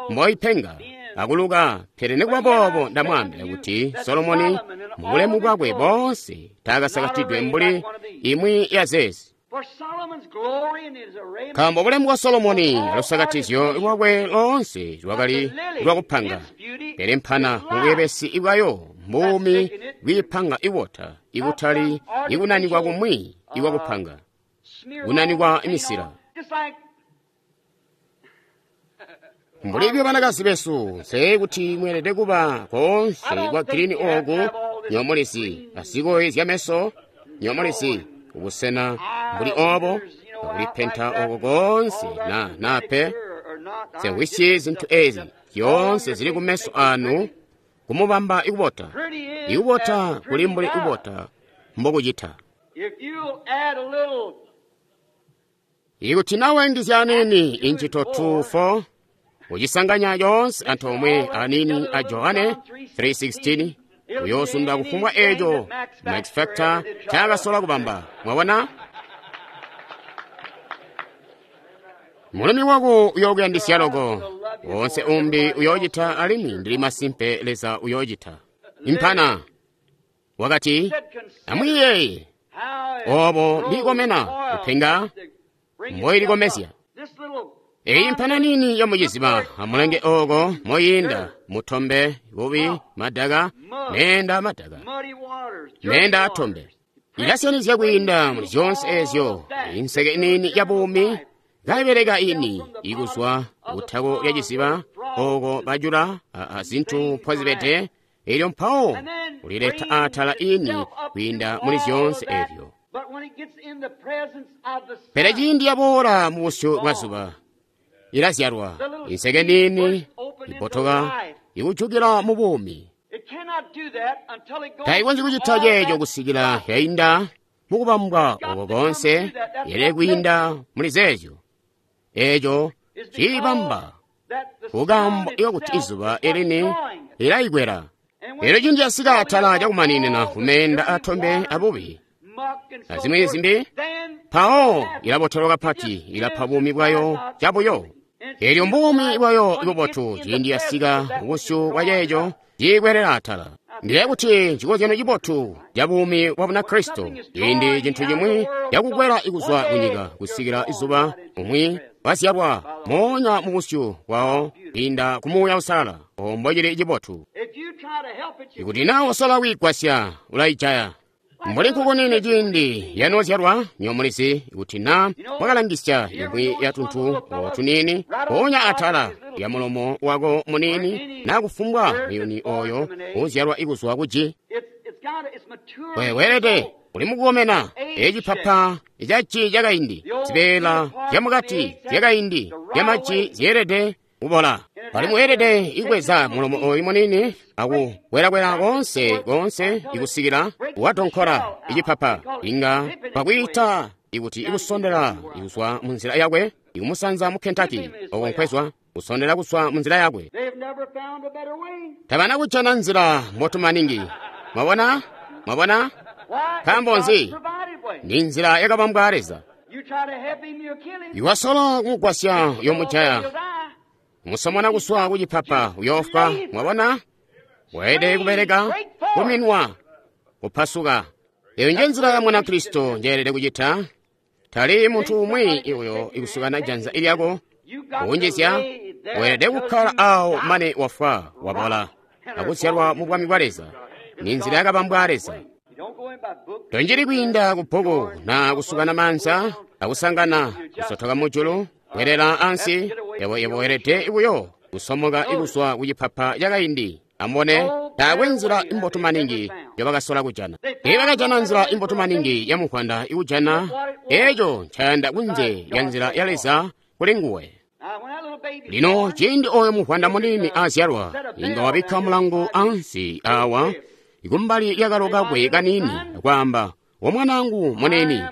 Speaker 1: mboipenga akuluka, pele nikuba boobo ndamwaambila kuti Solomoni mubulemu bwakwe boonse taakasakatidwe mbuli imwi ya zeezi. Nkaambo bulemu bwa Solomoni alusakatizyo lwakwe loonse lwakali lwakupanga, pele mpana mubweebesi bwayo mbuumi bwiipanga ibota, ikutali ikunanikwa kumwi ikwakupanga, kunanikwa imisila. Mbuli buyo banakazi besu, nse kuti mweelede kuba koonse kwa girini oku, nyoomulisi, azikoyi zyameso, nyoomulisi, kubusena mbuli obo, akulipenta oko koonse na pe. Nse zintu ezi zyoonse zili kumeso anu kumubamba ikubota. Ikubota kuli mbuli kubota mbokucita. Ikuti nawe ngizya anini inchito 2:4 ucisanganya yoonse antoomwe anini a Johane 3:16 uyosunda kufumbwa eco Max Factor ncaakasola kubamba. Mwabona? Mulumi wako uyokuyandisya loko, wonse umbi uyocita alimwi ndili masimpe Leza uyocita. Impana wakati, amwiiyeeye obo mbiikomena kupenga mboilikomezya. Eyi mpana nini yomuciziba amulenge oko moyinda mutombe bubi madaka meenda madaka meenda atombe ilasyanizya kwiinda muli zyonse ezyo. Inseke inini ya buumi kaibeleka ini ikuzwa kutako lya ciziba oko bajula azintu mpozibede, elyo mpawo kulileta atala ini kwiinda muli zyonse ezyo. Pele ciindi yaboola mu busyu bwa zuba ilazyalwa inseke nini ibotoka ikujukila mu buumi. Taikonzyi kucita ceeco kusikila yainda mukubambwa oko konse, yele kwiinda muli zeezyo. Eco ciibamba kukambo ikakuti izuba elini lilayikwela. Elyo ciindi yasika atala cakumaninina kumeenda atombe abubi azimwi zimbi, mpawo ilabotelwa kapati, ilapa buumi bwayo cabuyo. Elyo mbuumi bwayo ibubotu ciindi yasika ubusyu bwa ceeco ciikwelela atala. Ndiye kuti chikozyano chibotu cha buumi bwa Bunakristo, ciindi cintu chimwi cakukwela ikuzwa kunyika kusikila izuba umwi wazyalwa moonya mu busyu bwawo kwiinda ku Muuya Uusalala. Ombo chili chibotu. Ikuti naa wasola kuyigwasya, ulayijaya. Mbuli nkuku nini ciindi yanoozyalwa, nyomulizi ikuti naa mwakalangisya imwi ya tuntu tuniini mpoonya atala lya mulomo wako muniini naa kufumbwa muyuni oyo uuzyalwa ikuzwa kuji. Weelede uli mukukomena ecipapa caci cakaindi, zibeela zyamukati zyakaindi zyamaji zyeelede kubola. Pali mweelede ikweza mulomo oyu munini akukwelakwela konse konse ikusikila wadonkola icipapa, inga pakwiita ikuti ikusondela ikuzwa mu nzila yakwe ikumusanza mu Kentucky oko nkwezwa kusondela kuzwa mu nzila yakwe. Tabana kujana nzila mbotu maningi. Mwabona? Mwabona? Nkaambo nzi? Ni nzila yakabambwa Leza. Iwasola kumugwasya uyomujaya. Musomona kuswa kucipapa uyofwa. Mwabona? Weelede kubeleka, kuminwa, kupasuka. Eyo nje nzila ya Mwanakristo njeelede kucita. Tali muntu umwi uyo ikusukana janza ilyako kunjizya. Weelede kukkala awo mane wafwa wabola akuzyalwa mu bwami bwa Leza. Ni nzila yakabambwa Leza. Tonjili kwiinda ku bbuku na kusukana manza akusangana kusotoka mujulu kwelela ansi. Yebo weelede buyo kusomoka ikuzwa kucipapa cakaindi. Amubone, taakwe nzila imbotu maningi njobakasola kujana. Teebakajana nzila imbotu maningi ya muvwanda ikujana eco ncayanda kunze lya nzila ya Leza kuli nguwe. Lino ciindi oyo muvwanda munini azyalwa, inga wabikka mulangu ansi awa kumbali lyakalo kakwe kanini akwaamba, "Womwanaangu munini,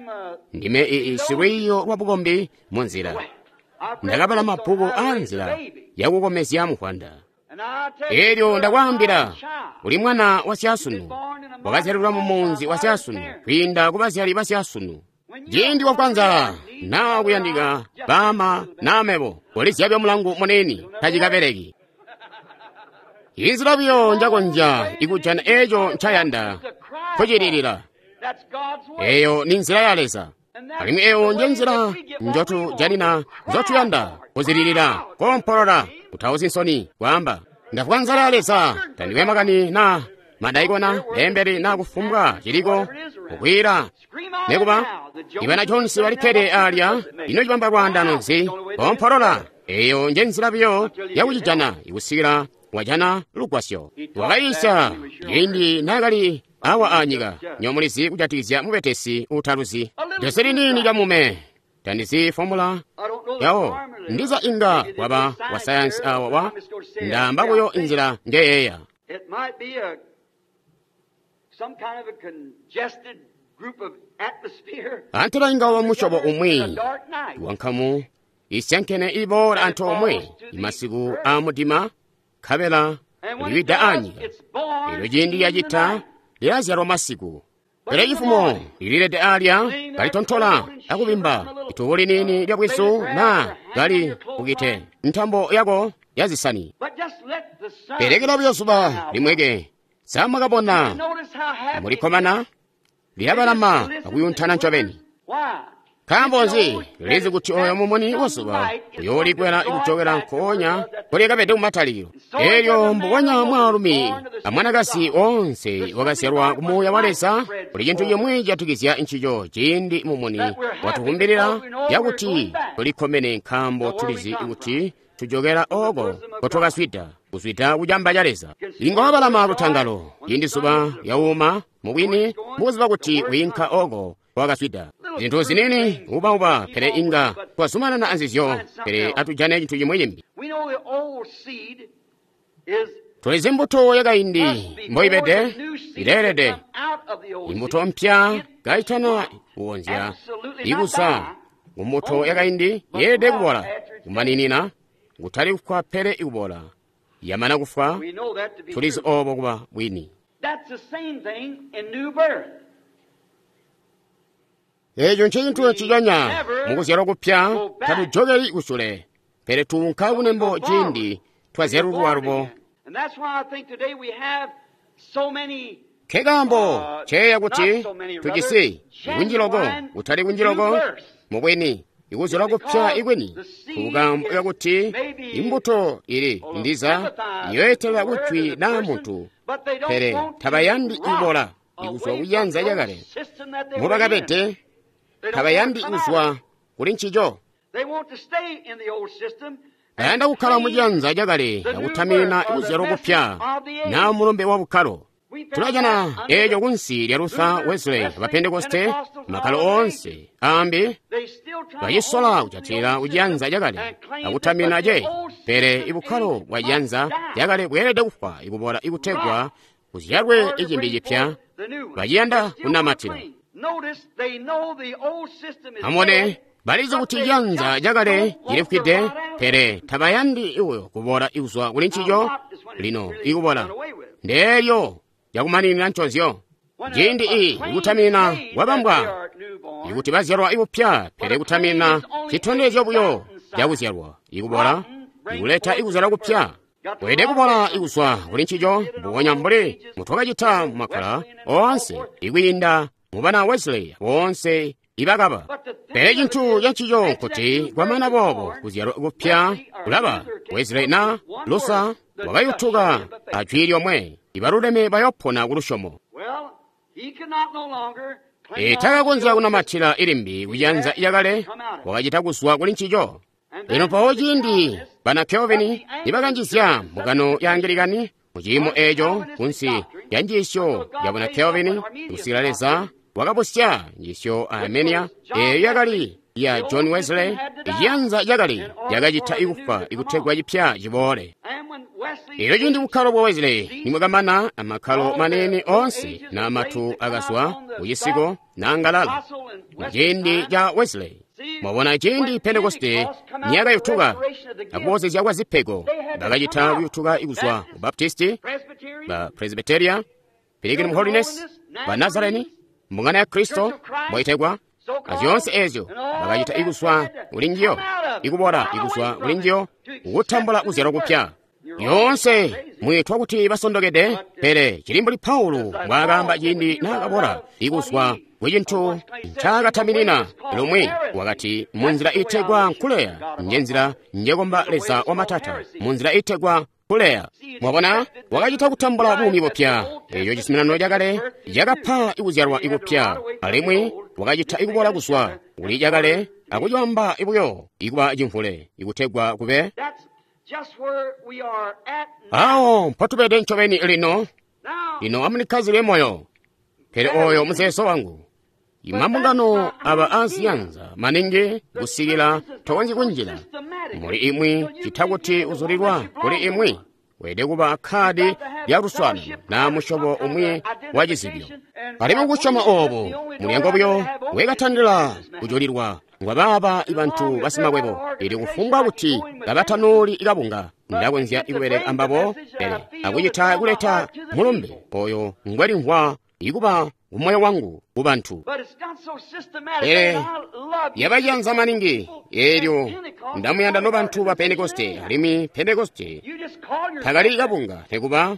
Speaker 1: ndime silwiiyo lwa bukombi mu nzila. Ndakabala mabbuku aa nzila yakukomezya muvwanda. Elyo ndakwaambila, uli mwana wa syasunu, wakazyalilwa mu munzi wa syasunu kwiinda ku bazyali ba syasunu. Ciindi wafwa nzala naa kuyandika baama naa mebo, ulizyabya mulangu munini tacikabeleki. Inzila buyo njakonzya ikujana eco ncayanda kucililila. Eyo ni nzila ya Leza. Alimwi eyo nje nzila njotujanina nzotuyanda kuzililila, koompolola, kutauzi nsoni, kwaamba, ndafwa nzala ya Leza, tandiwe makani na Madaikona, beembeli na kufumbwa ciliko kukwiila. Nekuba, ibana Jones balikkede alya, ino cibamba lwaandano nzi? Kompolola. Eyo nje nzila biyo yakucijana ikusikila wajana lugwasyo. Wakayiisya ciindi naakali awa anyika, nyomulizi kujatikizya mubetesi utaluzi. Jose liniini lyamume tandizi fomula yawo ndiza inga waba wa sayansi awa wa ndaamba buyo inzila njeyeeya. Antela inga waba musyobo umwi wankamu isyankene iboola antoomwe imasiku aamudima nkabela liwida anyika. Elyo ciindi lyacita lyazyalwa masiku. Pele cifumo lililede alya kalitontola akubimba itubu liniini lya bwizu naa kali bukite ntambo yako yazisani. Pelekela buyo zuba limweke samwakabona mulikkomana lyabalama akuyuntana ncobeni. Nkaambo nzi lizi kuti oyo mumuni wazuba uyoolikwela ikujokela nkoonya kulyakabede kumatalikilo. Elyo mbubonya mwaalumi amwanakazi onse wakazyalwa ku Muuya wa Leza, kuli cintu cimwi cijatikizya ncico ciindi mumuni watukumbilila yakuti tulikkomene nkaambo tulizi kuti tujokela oko kotwakazwida, kuzwida kucamba ca Leza. Inga wabalama lutangalo ciindi zuba lyawuma mubwini mukuziba kuti wiinka oko wakazwida. Zintu zinini ubauba, pele inga twazumanana anzizyo, pele atujane cintu cimwi cimbi. Tulizi mbuto yakaindi mboibede, ileelede. Imbuto mpya kaitana kuwonzya ikuza kumbuto yakaindi yeelede kubola kumaninina, kutali kufwa pele ikubola. Yamana kufwa, tulizi obo kuba bwini. Eco ncecintu nciconya mukuzyalwa kupya, tatujokeli kusule, pele tuunka kunembo ciindi twazyalulwa lubo. Nkekaambo nceeya kuti tujisi kunji loko, kutali kunji loko mubwini, ikuzyalwa kupya ikwini, kukaambo kakuti imbuto ili ndiza iyoetela kujwi naa muntu, pele tabayandi ibola ikuzwa kuyanza cakale mubakabede, tabayandi kuzwa kuli ncico. Bayanda kukkala muciyanza cakale akutaminina ikuzyalwa kupya naa mulumbe wa bukkalo. Tulajana eeco kunsi lya Luther, Wesley, abapentekoste, makkalo oonse ambi bacisola kujatilila kuciyanza cakale akutaminina ce, pele ibukkalo bwa ciyanza cakale bweelede kufwa ikubola ikutegwa kuzyalwe icimbi cipya. Baciyanda kunamatila. Amubone, balizi kuti ciyanza cakale cilifwide, pele tabayandi iwe kubola ikuzwa kuli ncico. Lino ikubola ndeelyo lyakumaninina nconzyo. Ciindi ikutaminina kwabambwa ikuti bazyalwa ikupya, pele kutaminina citondezyo buyo cakuzyalwa ikubola ikuleta ikuzyalwa kupya. Weelede kubola ikuzwa kuli ncico mbubonya mbuli mutwakacita mumakkala oonse ikwiinda mubana Wesley boonse ibakaba. Pele cintu cancico nkuti kwamana boobo kuzyalwa kupya kulaba. Wesley na Luther wakayutuka ajwi lyomwe, ibaluleme bayopona ku lusyomo. Takakonzya kunamatila ilimbi kuciyanza cakale, wakacita kuzwa kuli ncico. Lino mpawo ciindi bana Calvin nibakanjizya mbungano ya Angilikani muciimo eeco kunsi lya njiisyo ya buna Calvin, kusikila Leza wakabusya njiisyo Armenia eeyo yakali ya John Wesley, iciyanza cakale cakacita ikufa ikutegwa cipya ciboole. Elyo ciindi bukkalo bwa Wesley nimwakamana, amakkalo manene oonse na matu akazwa kucisiko na ngalala muciindi ca Wesley. Mwabona ciindi Pentekoste niyakayutuka akuboozezya kwa zipego, bakacita kuyutuka ikuzwa ku Baptisti, ba Presbyteria, Pilgrim Holiness, ba Nazareni, mbungano ya Kristo mboitegwa, azyoonse ezyo bakacita ikuzwa kuli njiyo, ikubola ikuzwa kuli njiyo, kutambula kuzyalwa kupya. Yoonse mwitwa kuti basondokede, pele cili mbuli Paulo mbwaakaamba ciindi naakabola ikuzwa kucintu ncaakataminina lumwi, wakati munzila itegwa nkuleya njenzila njekomba Leza wa matata, munzila itegwa kuleya. Mwabona, wakacita kutambula buumi bupya. Eco cizuminano cakale cakapa ikuzyalwa ikupya, alimwi wakacita ikubola kuzwa kuli cakale akucibamba buyo ikuba cimvule ikutegwa kube awo mpotubede ncobeni lino. Lino amulikkazile moyo, pele oyo muzeezo wangu. Imambungano aba aziyanza maningi kusikila tokonzyi kunjila muli imwi cita kuti uzulilwa kuli imwi. Weelede kuba kkaadi lya luswaanano na musyobo umwi wa cizibyo. Alimwi kusyoma oobo mulyango buyo wekatandila kujulilwa ngwa baaba bantu basimakwebo. Ili kufumbwa kuti kabatanuli kabunga, ndakonzya kubeleka ambabo, pele akucita kuleta mulumbe oyo ngwelimvwa ikuba kumoyo wangu kubantu. Pele yabayanza maningi eelyo ndamuyanda nobantu ba Pentekoste, alimwi Pentekoste takali kabunga nekuba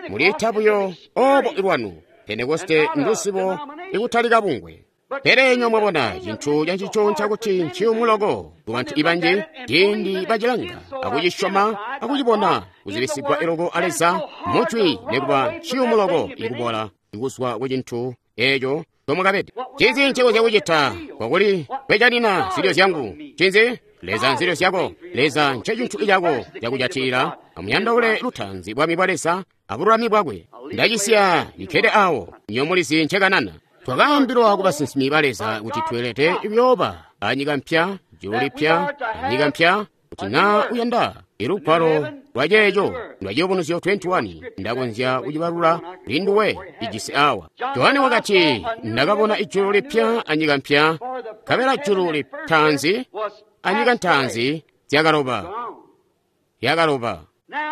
Speaker 1: muliita buyo obo lwanu. Pentekoste ndusibo ikutali kabungwe. Pele inywe mwabona cintu cancico ncakuti nciyumu loko kubantu ibanji ciindi bacilanga akucisyoma akucibona kuzibisigwa iloko a Leza mujwi, nekuba nciyumu loko ikubola ikuzwa ku cintu eco comwakabede. Ncinzi ncekonzya kucita kwakuli kwecanina zilyo zyangu? Ncinzi? Leza nzilyo zyako. Leza ncecintu cako cakujatilila. Amuyandaule lutaanzi bwami bwa Leza abululami bwakwe. Ndacisiya likkede awo, inywe mulizi ncekanana. Twakaambilwa ku basinsimi ba Leza kuti tweelede kuyooba anyika mpya, julu lipya, anyika mpya. Kuti naa uyanda ilugwalo lwa ceeco lwa Ciyubunuzyo 21, ndakonzya kucibalula kuli nduwe ijisi awa. Johane wakati, ndakabona ijulu lipya anyika mpya, nkabela julu litaanzi anyika ntaanzi zyakaloba, yakaloba.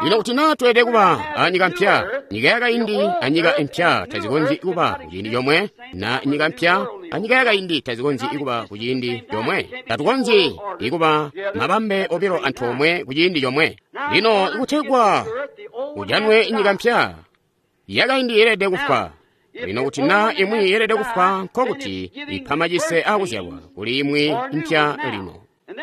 Speaker 1: Lino kuti naa tweelede kuba anyika mpya, nyika yakaindi anyika impya tazikonzyi kuba kuciindi comwe, na nyika mpya anyika yakaindi tazikonzyi kuba kuciindi comwe. Tatukonzyi kuba mabambe obilo antoomwe kuciindi comwe. Lino ikutegwa kujanwe nyika mpya, yakaindi yeelede kufwa. Lino kuti naa imwi yeelede kufwa, nkokuti ipa macise akuzyalwa kuli imwi mpya lino.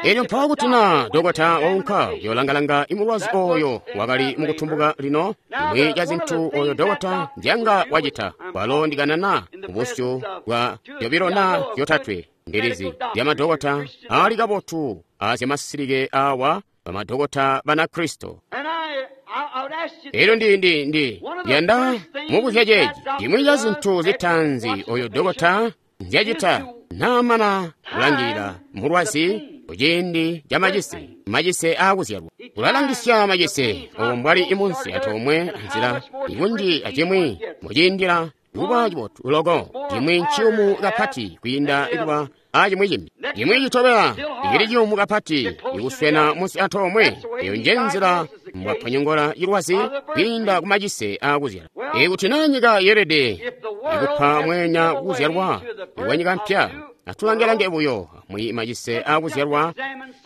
Speaker 1: Elyo mpawo kuti naa dokota waunka kuyolangalanga imulwazi oyo wakali mukutumbuka lino, imwi ya zintu oyo dokota ndyanga wacita, walo ndikanana kubusyu bwa zyobilo na zyotatwe ndilizi zya madokota ali kabotu azyamasilike awa bamadokota Banakristo. Elyo ndi yanda mubuzya ceeci, imwi ya zintu zitaanzi oyo dokota nzyacita naamana kulangilila mulwazi kuciindi ca macise, macise aakuzyalwa. Ulalangisya macise obo mbwali imunsi antoomwe anzila ikunji acimwi muciindila kuba cibotu loko, cimwi nciyumu kapati kwiinda kuba acimwi cimbi, cimwi citobela icili ciyumu kapati ikuswena munsi antoomwe. Eyo nje nzila mbwaponyongola cilwazi kwiinda kumacise aakuzyala. Ikuti naa nyika yeelede ikupa mweenya kukuzyalwa kwa nyika mpya, atulange-lange buyo amwi macise aakuzyalwa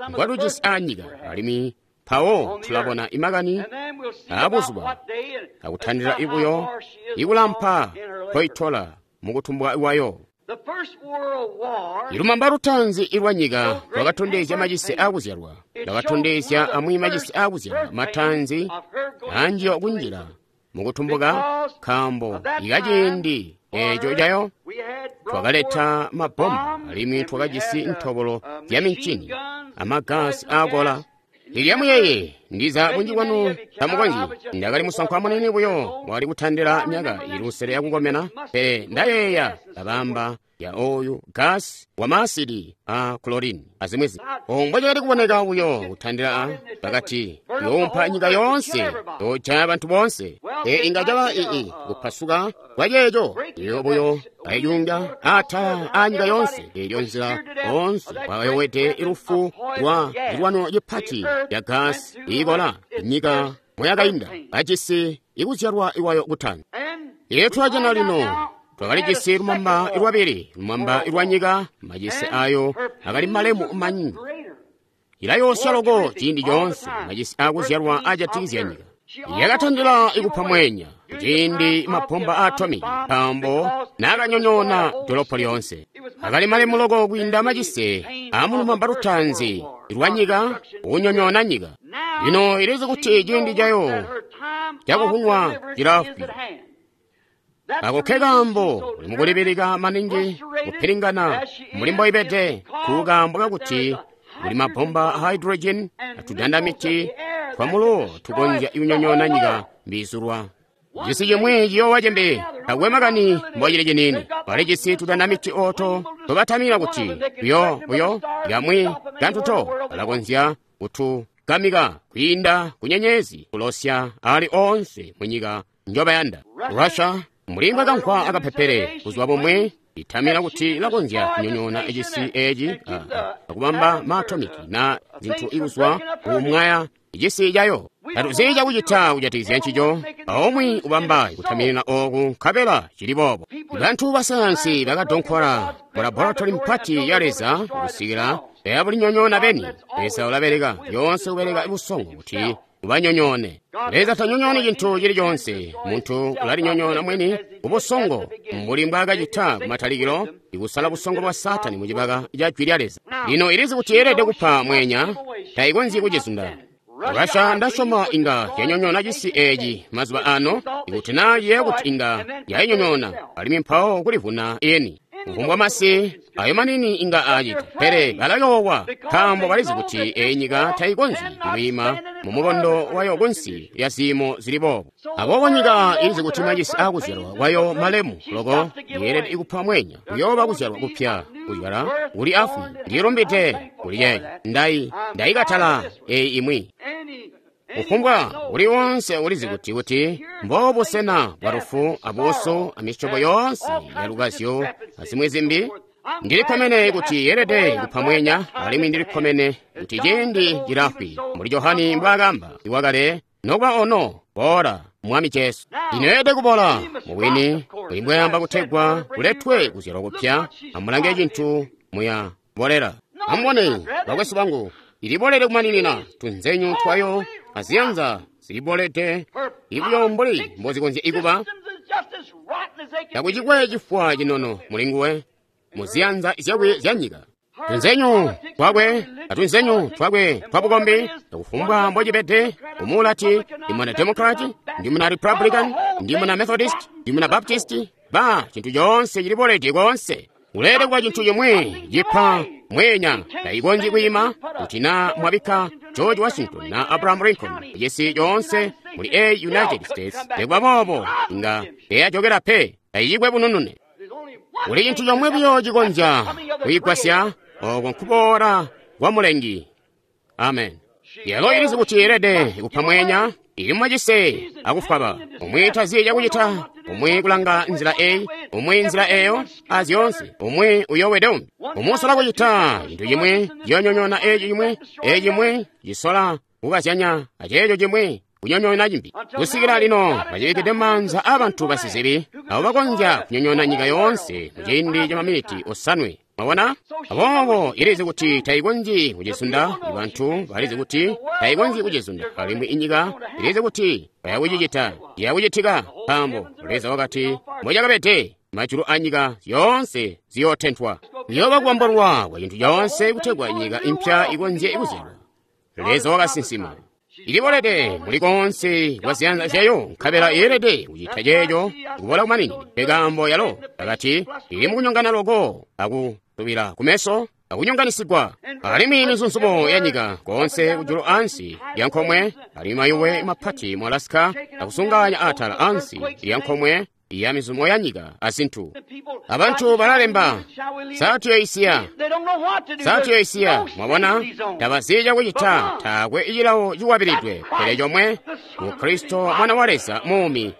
Speaker 1: mbwatujisi aanyika, alimwi mpawo tulabona imakani aabuzuba akutandila ibuyo ikulampa mpoitola mukutumbwa kwayo. Ilumamba lutaanzi ilwa nyika lwakatondezya macise aakuzyalwa, lwakatondezya amwi macise aakuzyalwa mataanzi anjiyo kunjila mukutumbuka, nkaambo ikaciindi eeco cayo twakaleta mabomba alimwi twakajisi ntobolo zya mincini amagasi aakola. Ilyamuyeye ndiza bunji bwanu tamukonzyi. Ndakali musankwa munene buyo wakali kutandila myaka ili lusele yakukomena, pele ndayeeya kabamba ya oyu gasi wa maasidi a chlorine azimwi zimbi. Omwe cakali kuboneka buyo kutandila a bakati yoompa nyika yoonse, yoojaya bantu boonse. E inga caba ii kupasuka kwa ceeco iyo buyo ayiyunga atala a nyika yoonse. Elyo nzila onse wakayowede ilufu lwa zilwano cipati ya gasi iikola nyika moyakainda bajisi ikuzyalwa iwayo kutanda. Iyo twajana lino twakalijisi lumamba lwabili, lumamba lwa nyika, macise ayo akali malemu manyi. Ilayoosya loko ciindi coonse macise akuzyalwa ajatikizya nyika. Yakatandila ikupa mwenya kuciindi mabomba a atomic, nkaambo naakanyonyoona dolopo lyoonse. Akali malemu loko kwiinda macise amulumamba lutaanzi lwanyika kunyonyoona nyika. Lino ilizi kuti ciindi cayo cakuvunwa cilaafwi. Ako ke kaambo uli mukulibilika maningi kupilingana mbuli mboibede ku kaambo kakuti kuli mabomba a hydrogen atudandamiti twamulo tukonzya kunyonyoona nyika mbizulwa. Cisi cimwi ciyoowa cimbi, takwe makani mbocili ciniini. Bali cisi tudandamiti ooto tobatamina kuti buyo buyo kamwi kantuto balakonzya kutugamika kwiinda kunyenyezi kulosya ali oonse munyika njobayanda. Russia mbuli mbwakamvwa akapepele kuzwa bomwe itamina kuti ilakonzya kunyonyoona cisi eci akubamba maatomiki na zinthu ikuzwa kumwaya cisi cayo. Tatuzi cakucita kujatikizya ncico, aumwi ubamba kutaminina ooku nkabela cili boobo. Bantu basayansi bakadonkola mu laboratory mpati ya Leza kusikila bayabulinyonyoona beni. Leza ulabeleka lyoonse kubeleka busongo kuti ubanyonyoone. Leza tanyonyooni cintu cili coonse. Muntu ulalinyonyoona mwini ubusongo mbuli mbwaakacita kumatalikilo ikusala busongo bwa Saatani mucibaka ca jwi lya Leza. Lino ilizi kuti yeelede kupa mwenya, tayikonzyi kucizunda. Russia ndasyoma inga yanyonyoona cisi eci mazuba ano, ikuti naa ciyeeya kuti inga yayinyonyoona, alimwi mpawo kulivuna yeni. Kufumbwa masi ayo manini inga acita, pele balayoowa nkaambo balizi kuti eyi nyika tayikonzyi kwiima mumukondo wayo kunsi lya ziimo zili boobo. Aboobo nyika ilizi kuti macisi aakuzyalwa kwayo malemu loko yeelede kupa mwenya kuyooba kuzyalwa kupya kuzyala kuli afwi. Ndilumbide kuli ceeco. Ndayikatala eyi imwi. Kufumbwa uli wonse ulizi kuti mbobusena bwa lufu abuusu amisyobo yoonse ya lukazyo azimwi zimbi. Ndilikkomene kuti yeelede kupa mwenya, alimwi ndilikkomene kuti ciindi cilafwi mbuli Johani mbwaakamba iwakale nokuba ono boola Mwami Jesu. Lino yeelede kuboola mubwini buli mbwayamba kutegwa kuletwe kuzyalwa kupya. Amulange cintu muya bolera. Amubone bakwesu bangu, ilibolede kumaninina tunzenyu twayo aziyanza zilibolede ibuyo mbuli mbozikonzya ikuba. Takuchikwe chifwa chinono mulinguwe muziyanza zyakwe zya nyika. Tunzenyu twakwe atunzenyu twakwe twabukombi takufumbwa mbocibede. Umwi ulati ndi muna Democrat, ndi muna Republican, ndi muna Methodist, ndi muna Baptist. Ba cinthu chonse chilibolede konse. Ulere kuba chinthu chomwe chipha mwenya tayikonzi kuyima kuti na mwabikha George Washington na Abraham Lincoln chisi chonse muli a United States ndikuba bobo inga teyachokera pe tayichikwe bununune. Kuli chinthu chomwe buyo chikonzya kuyigwasya oko nkuboola kwa Mulengi. Amen. Yelo ilizi kuti yeelede kupha mwenya ili mwacise akufwaba umwi taziye chakuchita, umwi kulanga nzila eyi, umwi nzila eyo, azyonse umwi uyowede umbi. Umwi usola kucita chinthu chimwe chiyonyonyoona echi chimwe, echi chimwe chisola kukazyanya aceecho chimwe kunyonyoona chimbi. Kusikila lino bachibikide m'manza a bantu basizibi abo bakonzya kunyonyoona nyika yoonse mu ciindi cha maminiti osanwe. Mwabona? Aboobo ilizi kuti tayikonzyi kucizunda. Bantu balizi kuti tayikonzyi kucizunda, alimwi inyika ilizi kuti bayakucicita. Ciyakucitika nkaambo Leza wakati mbocakabede majulu a nyika zyoonse ziyootenthwa. Kuyooba kubambolwa kwa cinthu coonse kutegwa nyika impya ikonzye kuzyalwa. Leza wakasinsima. Ilibolede muli konse kwa ziyanza zyayo, nkabela yeelede kucita ceeco kubola kumaningi. Pekaambo yalo pakati ili mukunyongana loko akutubila kumeso akunyonganisigwa, alimwi mizunzumo ya nyika konse kujulu ansi ya nkomwe, alimwi mayuwe mapati mu Alaska akusunganya atala ansi ya nkomwe ya mizumo ya nyika azinthu. Abantu balalemba satiyoisiya satiyoisiya mwabona tabaziya kuchita taakwe ichilawo chikwabilidwe pele chomwe ku Kristo mwana wa Leza muumi.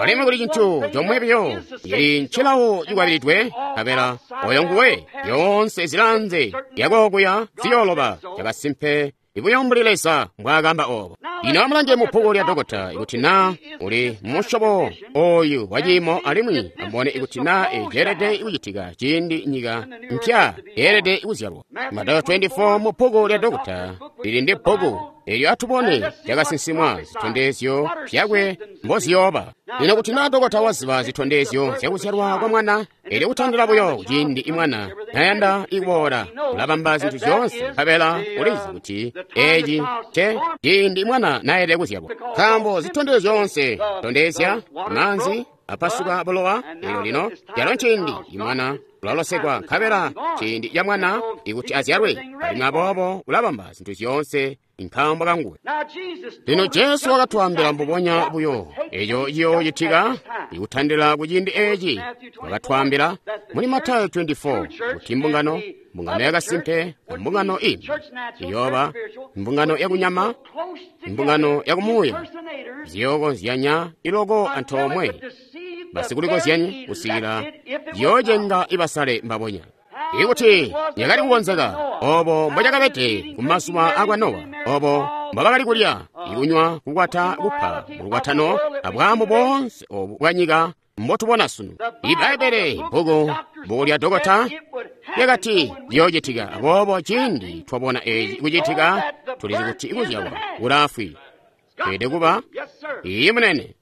Speaker 1: Alimwi kuli chinthu chomwe biyo ili nchilawo chikwabilidwe kapela oyo nguwe yonse zilanze yakokuya ziyoloba chakasimpe ibuyo mbuli Leza mbwaakamba obo. Lino amulange mu bbuku lya dokota ikuti naa uli musyobo oyu wa ciimo, alimwi amubone ikuti naa ceelede kucitika ciindi nyika mpya yeelede kuzyalwa. Matayo 24 mu bbuku lya dokota lili ndi bbuku elyo atubone cakasinsimwa zitondezyo zyakwe mboziyooba. Lino kuti naa dokota waziba zitondezyo zyakuzyalwa kwa mwana, elyo kutandila buyo ciindi mwana nayanda kuboola, ulabamba zintu zyoonse, nkabela ulizi kuti eci nce ciindi mwana nayelede kuzyalwa. Nkaambo zitondezyo zyoonse zitondezya maanzi apasuka bulowa, elyo lino calo nciindi imwana ulalosekwa, nkabela ciindi ca mwana ikuti azyalwe, alimwi aboobo ulabamba zintu zyoonse nkaambo kanguwe. Lino Jesu wakatwaambila mbubonya buyo eco ciyoocitika ikutandila ku ciindi eci. Wakatwaambila muli Matayo 24 kuti mbungano yakasimpe na mbungano imbi iyooba mbungano yakunyama, mbungano yakumuuya, ziyookonzyanya iloko antoomwe, basikulikozyanyi kusikila ziyoocenga ibasale mbabonya. Ikuti yakali kukonzeka obo mbocakabede kumazuba akwa Nowa, obo mbobakali kulya, ikunywa, kukwata, kupa mulukwatano, abwaamu boonse obu bwanyika mbotubona sunu. Ibbaibbele bbuku lya dokota lyakati liyoocitika. Aboobo ciindi twabona eci kucitika, tulizi kuti kuzyalwa kulaafwi. Tweelede kuba iyi munene.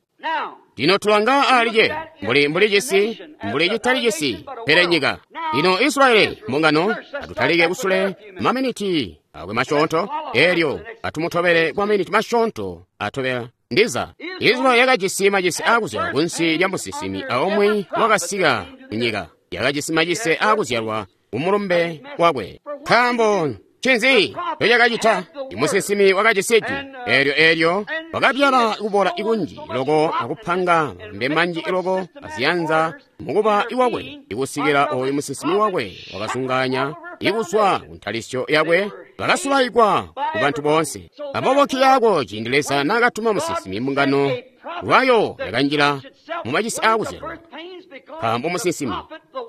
Speaker 1: Lino tulanga alije mbuli cisi, mbuli citali cisi, pele nyika. Lino Israyeli mbungano, atutalike kusule maminiti akwe masyoonto, elyo atumutobele kwa maminiti masyoonto atobela. Ndiza Israyeli yakajisi macise aakuzyalwa kunsi lya musinsimi aumwi wakasika kunyika, yakajisi macise aakuzyalwa kumulumbe wakwe. Nkaambo ncinzi ncocakacita? Imusinsimi wakajisi ijwi eelyo wakabyala kubola ikunji loko akupanga malumbe manji loko aziyanza mukuba iwakwe, ikusikila oyu musinsimi wakwe wakazunganya ikuzwa kuntalisyo yakwe, bakasulaikwa ku bantu boonse. Aboobo nkikaako ciindi Leza naakatuma musinsimi, mbungano lwayo yakanjila mumacise aakuzyalwa. Nkaambo musinsimi,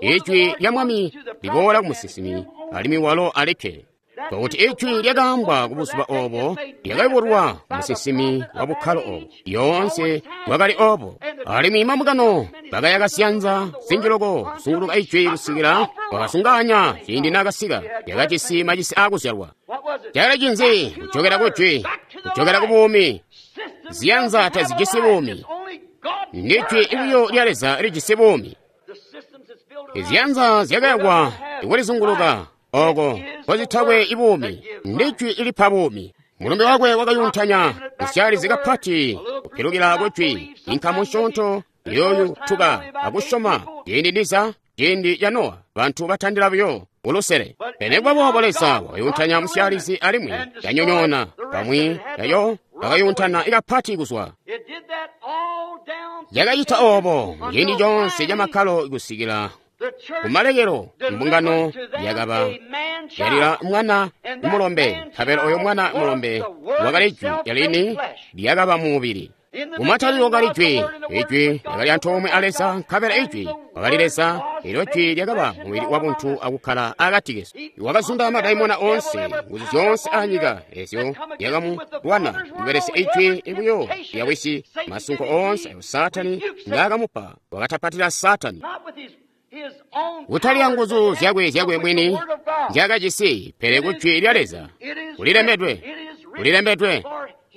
Speaker 1: ijwi lya Mwami liboola ku musinsimi, alimwi walo alikke. Pakuti ijwi lyakaambwa ku buzuba obo lyakayubulwa musinsimi wa bukkalo obo, yoonse bwakali obo. Alimwi mambungano bakayaka ziyanza zinji loko kuzunguluka ijwi kusikila wakasunganya ciindi naakasika, yakajisi macise aakuzyalwa. Cakali cinzi? Kujokera ku jwi, kujokera ku buumi. Ziyanza tazijisi buumi, ndi jwi buyo lya Leza lijisi buumi. Iziyanza zyakayakwa ikulizunguluka oko kozitakwe ibuumi, ndi jwi ilipa buumi. Mulumbe wakwe wakayuntanya kusyalizi kapati kupilukila ku jwi, inkamu nsyoonto iyooyutuka akusyoma. Ciindi ndiza ciindi ca Nowa, bantu batandila buyo ulusele. Pele nikuba boobo Leza wakayuntanya musyalizi alimwi yanyonyoona bamwi yayo bakayuntana kapati kuzwa. Yakacita obo ciindi coonse camakkalo kusikila kumalekelo mbungano yakaba yalila mwana mulombe, nkabela oyo mwana mulombe wakali jwi lyalini lyakaba mumubili. Kumatalikilo kali jwi, ijwi lyakali antoomwe a Leza, nkabela ijwi wakali Leza, elyo jwi lyakaba mubili wabuntu akukkala akati kesu. Wakazunda madaimona oonse, nguzu zyoonse anyika ezyo lyakamulwana kubelesya ijwi buyo lya Wisi. Masunko oonse ayo Saatani ngaakamupa wakatapatila Saatani. Kutali nguzu zyakwe mwini nzyakajisi, pele ku jwi lya Leza. Kulilembedwe, kulilembedwe,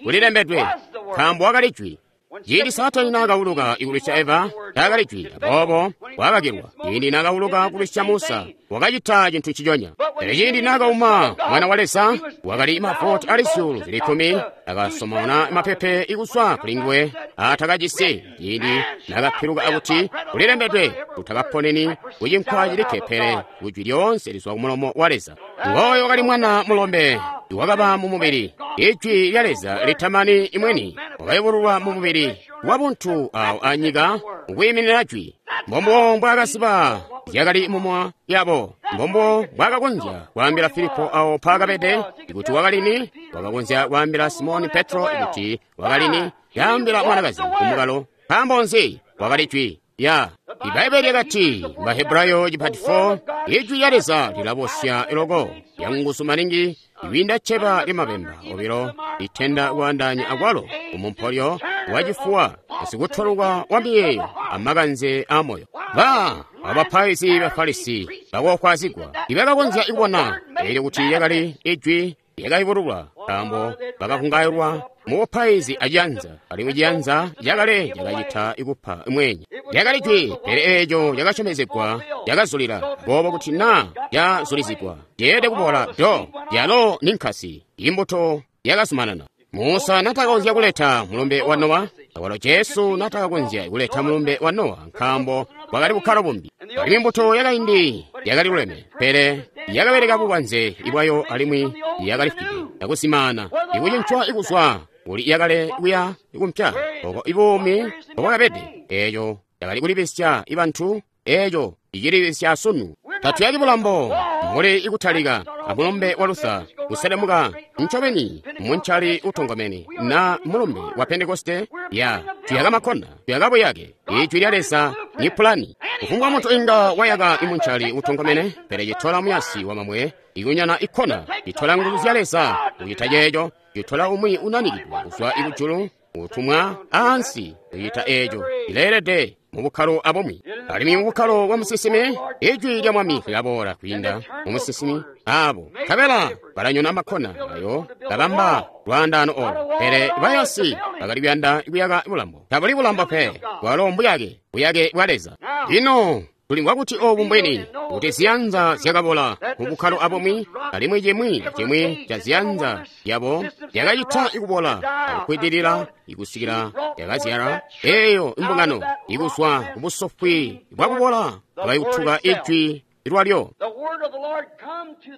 Speaker 1: kulilembedwe, nkaambo wakali jwi. Ciindi Saatani naakauluka ikulwisya Eva, taakali jwi, aboobo wakakilwa. Ciindi naakauluka kulwisya Musa, wakacita cintu nciconya. Pele ciindi naakauma Mwana wa Leza, wakali mavoti ali 10,000, akasomona mapepe ikuzwa kuli nguwe atakajisi. Ciindi naakapiluka akuti kulilembedwe, utakaponeni kucinkwa cilikke, pele kujwi lyoonse lizwa kumulomo wa Leza. Ngooyo wakali mwana mulombe wakaba mumubili, ijwi lya Leza litamani imweni wakayubululwa mumubili wabuntu awo anyika ukwiiminina jwi. Mbombo mbwaakasiba zyakali mumwa yabo, mbombo mbwaakakonzya kwaambila Filipo awo mpaakabede ikuti wakalini, wakakonzya kwaambila Simoni Petro ikuti wakalini, yaambila mwanakazi kumukalo. Nkaambo nzi? Wakali jwi. Ya Ibaibbele lyakati Bahebrayo chipati 4 Ijwi lya Leza lilabosya loko lyanguzu maningi iwinda cheba limapemba obilo litenda kuandanya akwalo umumpolyo wachifuwa sikutoluka wa miyeyo amakanze a moyo. Ba abapaizi Bafarisi bakokwazigwa ibakakonzya kubona elyo kuti yakali ijwi lyakayubululwa nkaambo bakakungayulwa mu bupaizi aciyanza alimwi ciyanza cakale cakacita ikupa mwenye. Lyakali jwi, pele eeco lyakasyomezegwa lyakazulila boobo kuti naa lyazulizigwa lyeelede kuboola do lyalo ni nkasi imbuto yakazumanana. Musa natakakonzya kuleta mulumbe wa Nowa, awalo Jesu natakakonzya kuleta mulumbe wa Nowa nkaambo bwakali bukkalo bumbi. Alimwi imbuto yakaindi yakali luleme, pele yakabeleka bubanze ibwayo alimwi yakalifwide akuzimaana ikucincwa ikuzwa kuli yakale kuya ikumpya oko ibuumi mbobwakabede. Eeco yakali kulibisya ibantu, eeco icilibisya sunu. Tatuyaki bulambo mbuli ikutalika amulumbe wa Luther kuselemuka ncobeni munchali utongomene na mulumbe wa Pentekoste ya tuyaka makhona tuyaka buyake. Ijwi lya Leza ni pulani. Kufumbwa munthu inga wayaka imunchali utongomene, pele citola muyasi wa mamwe ikunyana ikhona citola nguzu zya Leza kuchita checho, citola umwi unanikidwa kuzwa ikujulu utumwa ansi kuchita echo ileelede mu bukkalo abumwi. Alimwi mu bukkalo bwa musinsimi ijwi lya Mwami lilaboola kwiinda mu musinsimi abo nkabela balanyona makhona ayo kabamba lwaandaano olo. Pele bayasi bakali kuyanda kuyaka bulambo. Tabuli bulambo pe, bwalo mbuyake, buyake bwa Leza. Lino tulimvwa kuti obu mbwini kuti ziyanza zyakabola mu bukkalo abumwi, alimwi chimwi chimwi cha ziyanza yabo yakacita ikubola akukwidilila ikusikila yakazyala eyo imbungano ikuzwa kubusofwi bwakubola bakayutuka ijwi lwalyo.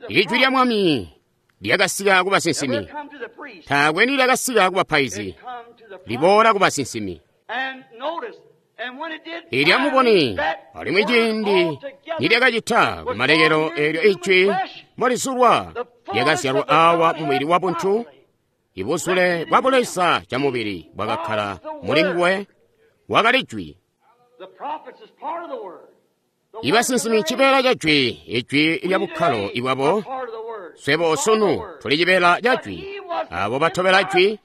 Speaker 1: Ijwi lya Mwami lyakasika ku basinsimi, taakwe nilyakasika ku bapaizi, liboola ku basinsimi. Ilya muboni alimwi ciindi nilyakacita kumalekelo eelyo ijwi mbolizulwa lyakazyalwa awa mumubili wa buntu, ibuzule bwa buleza ca mubili bwakakkala muli nguwe, wakali jwi. Ibasinsimi cibeela ca jwi, ijwi lya bukkalo ibwabo. Swebo sunu tuli cibeela ca jwi, abo batobela jwi,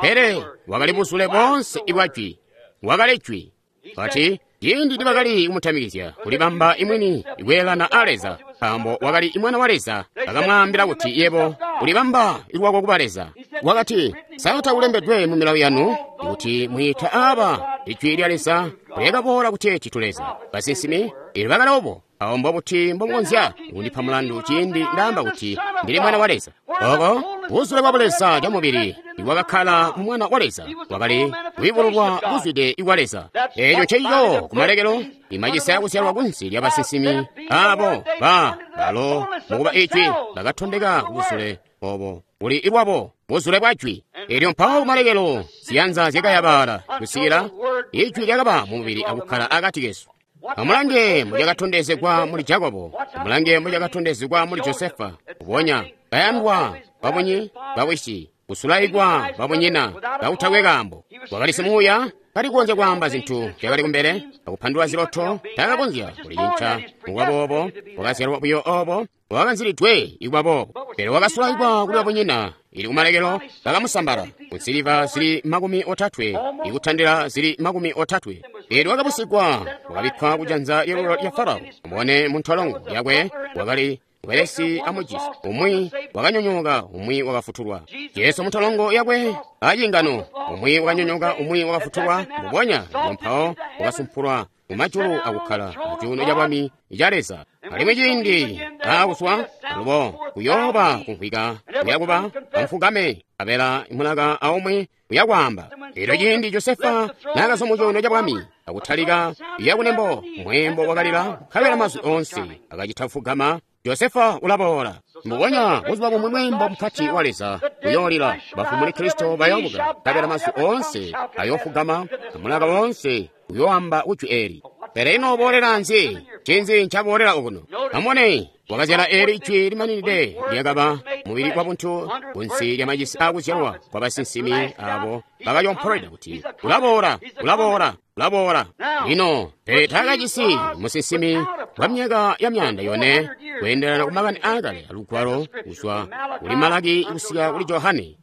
Speaker 1: pele wakali buzule boonse ibwa jwi, wakali jwi. Kati ciindi nibakali kumutamikizya kulibamba imwini ikweelana a Leza, nkaambo wakali imwana wa Leza, bakamwaambila kuti yebo ulibamba lwako kuba Leza. Wakati, sa takulembedwe mu milawo yanu kuti mwiita aaba ijwi lya Leza lyakaboola kuteeti tuleza basinsimi ili bakali obo awo mbobuti mbomukonzya kundipa mulandu ciindi ndaamba kuti ndili mwana wa Leza? Oko buzule bwa buleza ca mubili iwakakkala mu mwana wa Leza wakali kuyubululwa buzwide ikwa Leza. Eeco nceico kumalekelo imacisa yakuzyalwa kunsi lya basinsimi abo ba balo mukuba ijwi bakatondeka kubuzule obo buli ilwabo buzule bwa jwi. Elyo mpawo kumalekelo ziyanza zyakayabala kusikila ijwi lyakaba mu mubili akukkala akati kesu. Amulange mulyakatondezegwa muli Jakobo, amulange mulyakatondezegwa muli Josefa, kubonya kayandwa babunyi bawisi, kusulaikwa babunyina kautakwe kaambo. Wakali simuuya, kali kukonzya kwaamba zintu zyakali kumbele, akupandula ziloto, takakonzya kulicinca mukuba boobo, wakazyalwa buyo obo, wakanzilidwe ikuba boobo. Pele wakasulaikwa kuli babunyina, ili kumalekelo bakamusambala kunsiliva zili 30 ikutandila zili 30. Elyo wakabusigwa, wakabikkwa kujanza lyalulyo lya Farao. Mubone muntolongo yakwe wakali welesi amujisi, umwi wakanyonyoka, umwi wakafutulwa. Jesu muntolongo yakwe acingano, umwi wakanyonyoka, umwi wakafutulwa. Mbubonya mpawo wakasumpulwa kumajulu akukkala mucuuno ca bwami ca Leza. Alimwi ciindi aakuswa alubo kuyooba kumvwika kuyakuba amufugame abela mulaka aumwi uyakwaamba. Elyo ciindi Josefa naakazwa mu cuuno ca bwami akutalika yakunembo, mweembo wakalila nkabela mazwi oonse akacita kufugama. Josefa ulaboola. Mbubonya buzuba bumwi mweembo mupati wa Leza uyoolila, bafu muli Kristo bayoobuka, nkabela mazwi oonse ayoofugama, amulaka woonse uyooamba kujwi eeli. Pele ino uboolela nzi? Ncinzi ncaboolela okuno? Amubone, wakazyala eeli ijwi limaninide lyakaba mubili wabuntu kunsi lya macisi aakuzyalwa kwa basinsimi abo bakayompolweda kuti ulaboola, ulaboola, ulaboola. Lino, pele taakajisi musinsimi wa myaka ya 400 kweendelana ku makani aakale alugwalo kuzwa kuli Malaki kusika kuli Johane.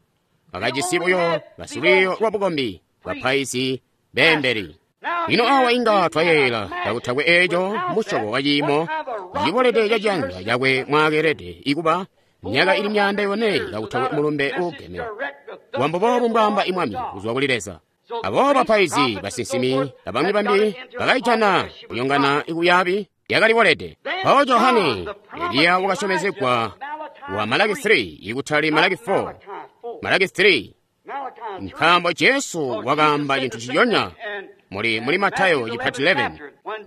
Speaker 1: Bakajisi buyo basilwiiyo lwa bukombi, bapaizi, beembeli. Lino awa inga twayeeyela kakutakwe eeco musyobo wa ciimo cibolede ca ciyanza cakwe mwaakeelede ikuba myaka ili 400 kakutakwe mulumbe uugeme. Wambo boobu mbwaamba Mwami kuzwa kuli Leza. Aboobo bapaizi, basinsimi, abamwi bambi bakaijana kunyongana ikuyaabi yakalibolede. Mpawo Johane, Eliya wakasyomezegwa wa Malaki 3 ikutali Malaki 4, Malaki 3, nkaambo Jesu wakaamba cintu ciyonya muli Matayo chipati 11.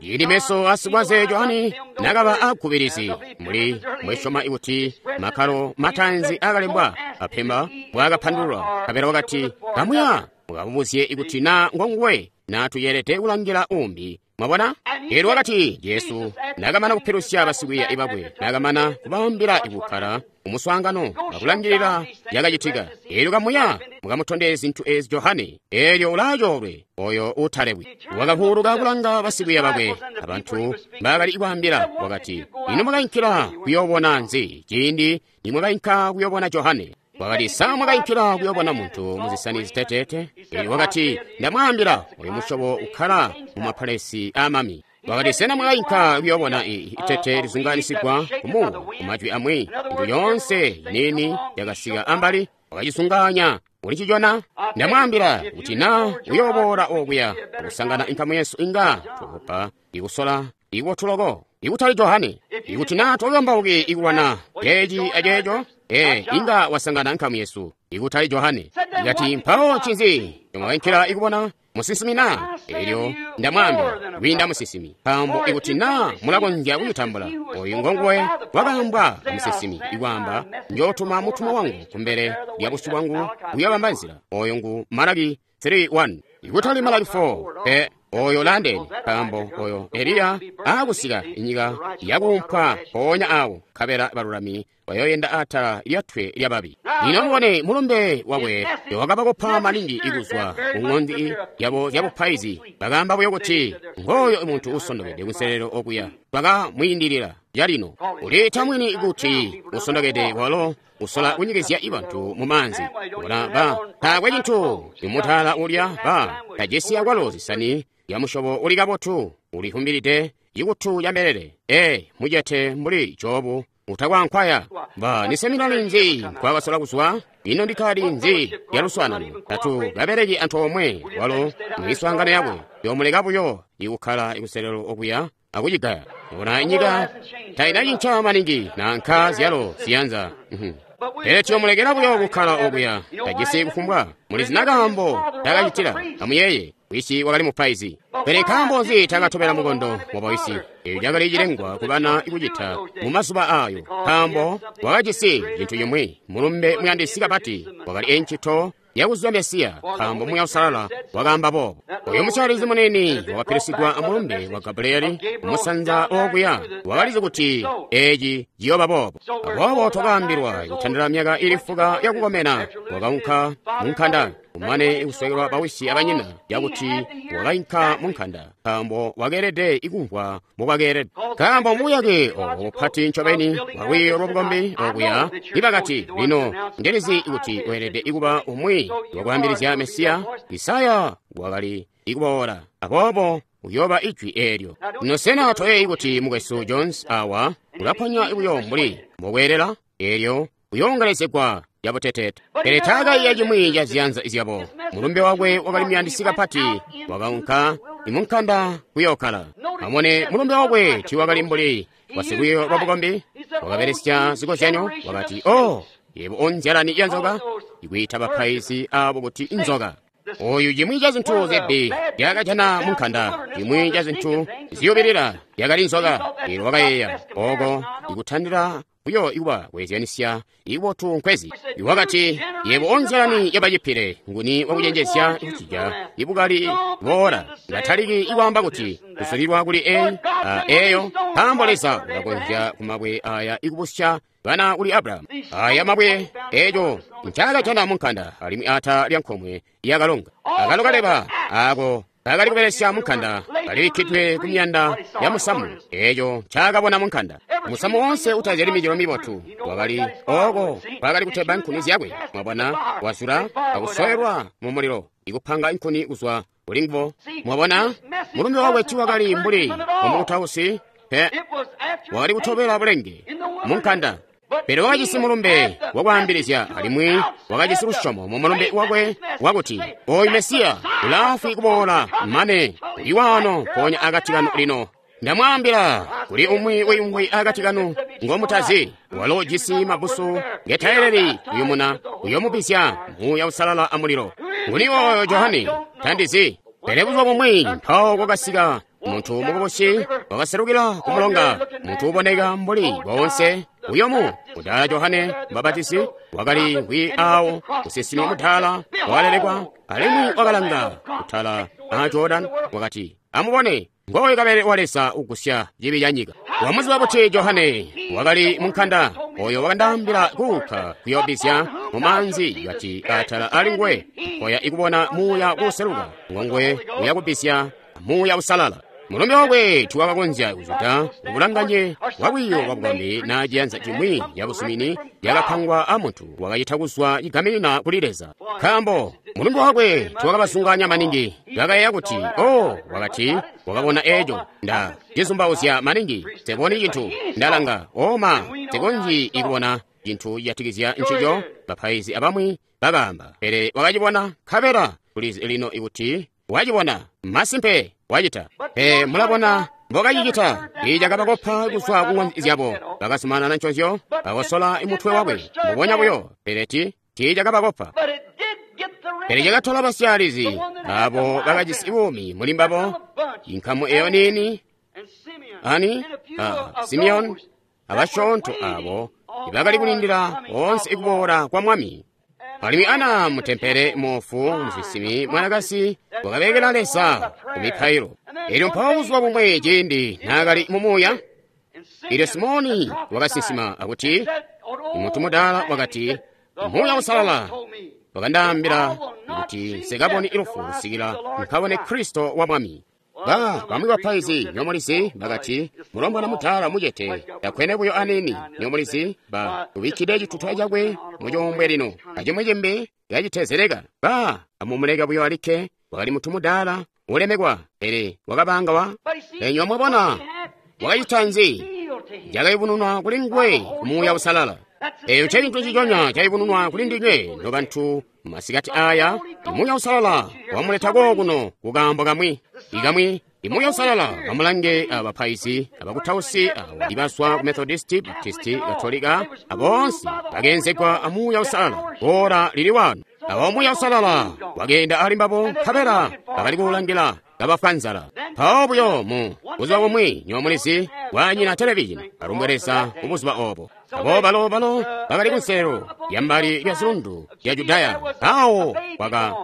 Speaker 1: Ili meso asikwaze Johane nakaba akubirizi muli mwesyoma ikuti makalo matanzi akalembwa apemba bwakapandululwa kabela wakati kamuya mukabubuzye ikuti na ngonguwe na tuyelede kulangila umbi. Mwabona? Elyo wakati Jesu nakamana kupilusya basikwiiya bakwe, nakamana kubaambila ikukkala umuswaangano akulangilila yakacitika. Elyo kamuya mukamutondeze zintu ezi Johane, elyo ulaacoolwe oyo utalebwi. Wakavuuluka kulanga basikwiiya bakwe abantu mbaakali kwaambila, wakati, ino mwakainkila kuyoobona nzi ciindi nimwakainka kuyoobona Johane? Wakati, sa mwakainkila kuyoobona muntu muzisani ziteteete? Elyo wakati, ndamwaambila, oyo musyobo ukkala mu mapalesi aamami. Wakati, sena mwakainka kuyoobona itete lizunganisigwa kumuuwo? Kumajwi amwi, intu yoonse nini yakasika ambali, wakacizunganya ulicicona. Ndamwaambila kuti na uyooboola okuya akusangana inkamu yesu inga tukopa ikusola ikotuloko ikutali Johane. Ikuti na tokambauki ikulwana ceeci aceeco, inga wasangana nkamu yesu ikutali Johane. Ikati mpawo ncinzi mwakainkila ikubona musinsimi na? Elyo ndamwaambila kwiinda musinsimi, nkaambo ikuti na mulakonzya kumutambula oyu ngonguwe wakaambwa musinsimi ikwaamba, njootuma mutumwa wangu kumbele lya busyu bwangu kuyobamba nzila. Oyo ngu Malaki 3:1 ikutali Malaki 4. Pe oyo landeni, nkaambo oyo Eliya aakusika inyika yakuumpwa mpoonya awo, nkabela balulami bayoyenda atala lyatwe lyababi. Lino mubone mulumbe wakwe wakabakopa maningi ikuzwa ku ng'ondi yabo zyabupaizi. Bakaamba buyo kuti ngooyo muntu usondokede kunselelo okuya, bakamwiindilila calino. Uliita mwini kuti usondokede walo usola kunyikizya bantu mu maanzi. Bona ba taakwe cintu imutaala ulya ba tajisi akwalo zisani ya musyobo uli kabotu, ulihumbilide ikutu ya mbelele. Mucete mbuli Jobu utakwankwaya. Ba niseminari nzi nkwakasola kuzwa? Ino ndikali nzi ya luswaanano? Tatu kabeleki antoomwe walo mwiswaangano yakwe, yomuleka buyo ikukkala ikuselelo okuya akucigaya. Bona inyika tainacinca maningi nanka zyalo ziyanza. Pele tuyomulekela buyo kukkala okuya, tajisi kufumbwa. Mulizi na kaambo takacitila. Amuyeeye, wisi wakali mupaizi. Pele nkaambo nzi takatobela mukondo wa bawisi? Eeyo cakali cilengwa kubana ikucita mu mazuba aayo, nkaambo wakajisi cintu cimwi, mulumbe muyandisi kapati, wakali encito yakuzwa Mesiya, nkaambo Muuya Uusalala wakaamba boobo. Oyo musyalizi munini wakapilusigwa amulumbe wa Gabrieli kumusanza okuya, wakalizi kuti eeci ciyooba boobo. Aboobo twakaambilwa kutandila myaka ili 4 yakukomena, wakaunka munkanda, kumane kuswekelwa bawisi abanyina, yakuti wakainka munkanda, nkaambo wakeelede ikumvwa mbokwakeelede. Nkaambo mubuyake obo bupati ncobeni bwalwiiyo lwabukombi okuya, ibakati, lino ndilizi kuti weelede ikuba umwi wakwaambilizya Mesiya. Isaya wakali ikuboola, aboobo uyooba ijwi eelyo. Lino sena toyeeyi kuti mukwesu Jones awa ulaponya buyo mbuli mbokweelela? Eelyo uyoongelezegwa yabuteteete. Pele taakaiya cimwi ca ziyanza zyabo. Mulumbe wakwe wakali muyandisi kapati, wakaunka imunkanda kuyookkala. Amone mulumbe wakwe tiiwakali mbuli wasilwiiyo lwa bukombi, wakabelesya zikozyanyo, wakati, "Oh, yebo onzyalani ya nzoka," ikwiita bapaizi abo kuti nzoka. Oyu cimwi ca zintu zibbi yakajana munkanda, cimwi ca zintu ziyubilila yakali nzoka. Elyo wakayeeya oko ikutandila Buyo ikuba kweezyanisya ikubotu nkwezi. Wakati, yebo onzyalani yabacipile, nguni wakucenjezya kucija ibukali boola. Ngataliki ikwaamba kuti kusulilwa kuli eyi eyo, nkaambo Leza ulakonzya kumabwe aya ikubusya bana kuli Abrahamu. Aya mabwe eco ncakajana munkanda alimwi ata lya nkomwe yakalonga. Akalo kaleba ako kakali kubelesya munkanda kalibikkidwe ku miyanda ya musamu eco ncakabona munkanda. Musamu wonse utazyali micelo mibotu wakali oko kwakali kuteba nkuni zyakwe. Mwabona, wazula akusowelwa mu mulilo ikupanga nkuni kuzwa kuli nguwo. Mwabona, mulumbe wakwe tiwakali mbuli wamukutausi pe, wakali kutobela bulenge munkanda. Pele wakajisi mulumbe wakwaambilizya alimwi wakajisi lusyomo mu mulumbe wakwe wakuti oyu Mesiya ulaafwi kuboola mane iwano mpoonya akati kanu lino. Ndamwaambila kuli umwi wiimvwi akati kanu ngomutazi, walo ujisi mabusu ngetayeleli kuyumuna uyomubisya Muuya Uusalala amulilo. Nguni oyo Johane? Tandizi. Pele buzuba bumwi mpawo kwakasika muntu mukubusi wakaselukila ku mulonga, muntu uboneka mbuli boonse uyomu. Mudaala Johane Mubapatizi wakali ngwi awo, musinsimi mudaala wakalelekwa, alimwi wakalanga kutala a Jordan, wakati, amubone, ngoyu kabelele wa Leza ugusya cibi ca nyika. Wamuziba buti Johane? Wakali munkanda oyo wakandaambila kuuka kuyobizya mu maanzi, kati atala ali nguwe nkoya ikubona Muuya kuseluka, ngonguwe uya kubisya Muuya Uusalala. Mulumbe wakwe tiwakakonzya kuzuta ubulanganye bwa lwiiyo lwa bukombi na ciyanza cimwi ya busumini yakapangwa a muntu wakacita kuzwa cigaminina kuli Leza. Nkaambo mulumbe wakwe tiwakabasunganya maningi, bakayeeya kuti, oh, wakati wakabona eco, nda cizumbauzya maningi, seboni cintu, ndalanga, oma, sekonji ikubona cintu cijatikizya ncico. Bapaizi abamwi bakaamba, pele wakacibona, nkabela tulizi lino ikuti wacibona, masimpe wacita. Pe mulabona mbokacicita, icakabakopa kuzwa ku ng'onzi zyabo, bakazumanana nconzyo, bakosola mutwe wakwe mbubonya buyo, pele tiicakabakopa. Pele cakatola basyaalizi abo bakajisi buumi muli mbabo, inkamu eyo niini, ani Simeoni abasyoonto abo ibakali kulindila boonse ikuboola kwa Mwami. Alimwi Ana mutempele moofu musinsimi mwanakazi wakabelekela Leza ku mipailo. Elyo mpawo buzuba bumwe ciindi naakali mu Muuya, elyo Simoni wakasinsima akuti, muntu mudaala wakati, Muuya Uusalala wakandaambila kuti nsikaboni lufu kusikila nkabone Kristo wa Mwami. Bamwi bapaizi nyomulizi bakati, mulombwana mudaala mucete takwene buyo anini nyomulizi, ubikkide cituta cakwe mucuumbwe lino acimwi cimbi kacitezeleka. Amumuleka buyo alikke, wakali muntu mudaala ulemekwa, pele wakabanga wa enywa. Mwabona wakacita nzi? Cakayubununwa kuli nguwe ku Muuya Uusalala. Eyo ncecintu ciconya cayubununwa kuli ndinywe nobantu masikati aya. Muuya Uusalala wamuleta kookuno kukaambo kamwi ikamwi. Muuya Uusalala amulange abapaizi abakutausi abo ibazwa ku Methodisti, Baptisti, Katolika, aboonse bakeenzegwa a Muuya Uusalala ora lili wano. Awo Muuya Uusalala wakeenda ali mbabo, nkabela bakali kuulangila kabafwa nzala. Mpawo buyo mu buzuba bumwi nyomulizi wanyina televizhini alumbwe Leza ku buzuba obo. Abo balo bakali kunselelo lyambali lya zilundu lya Judaya, awo kwaka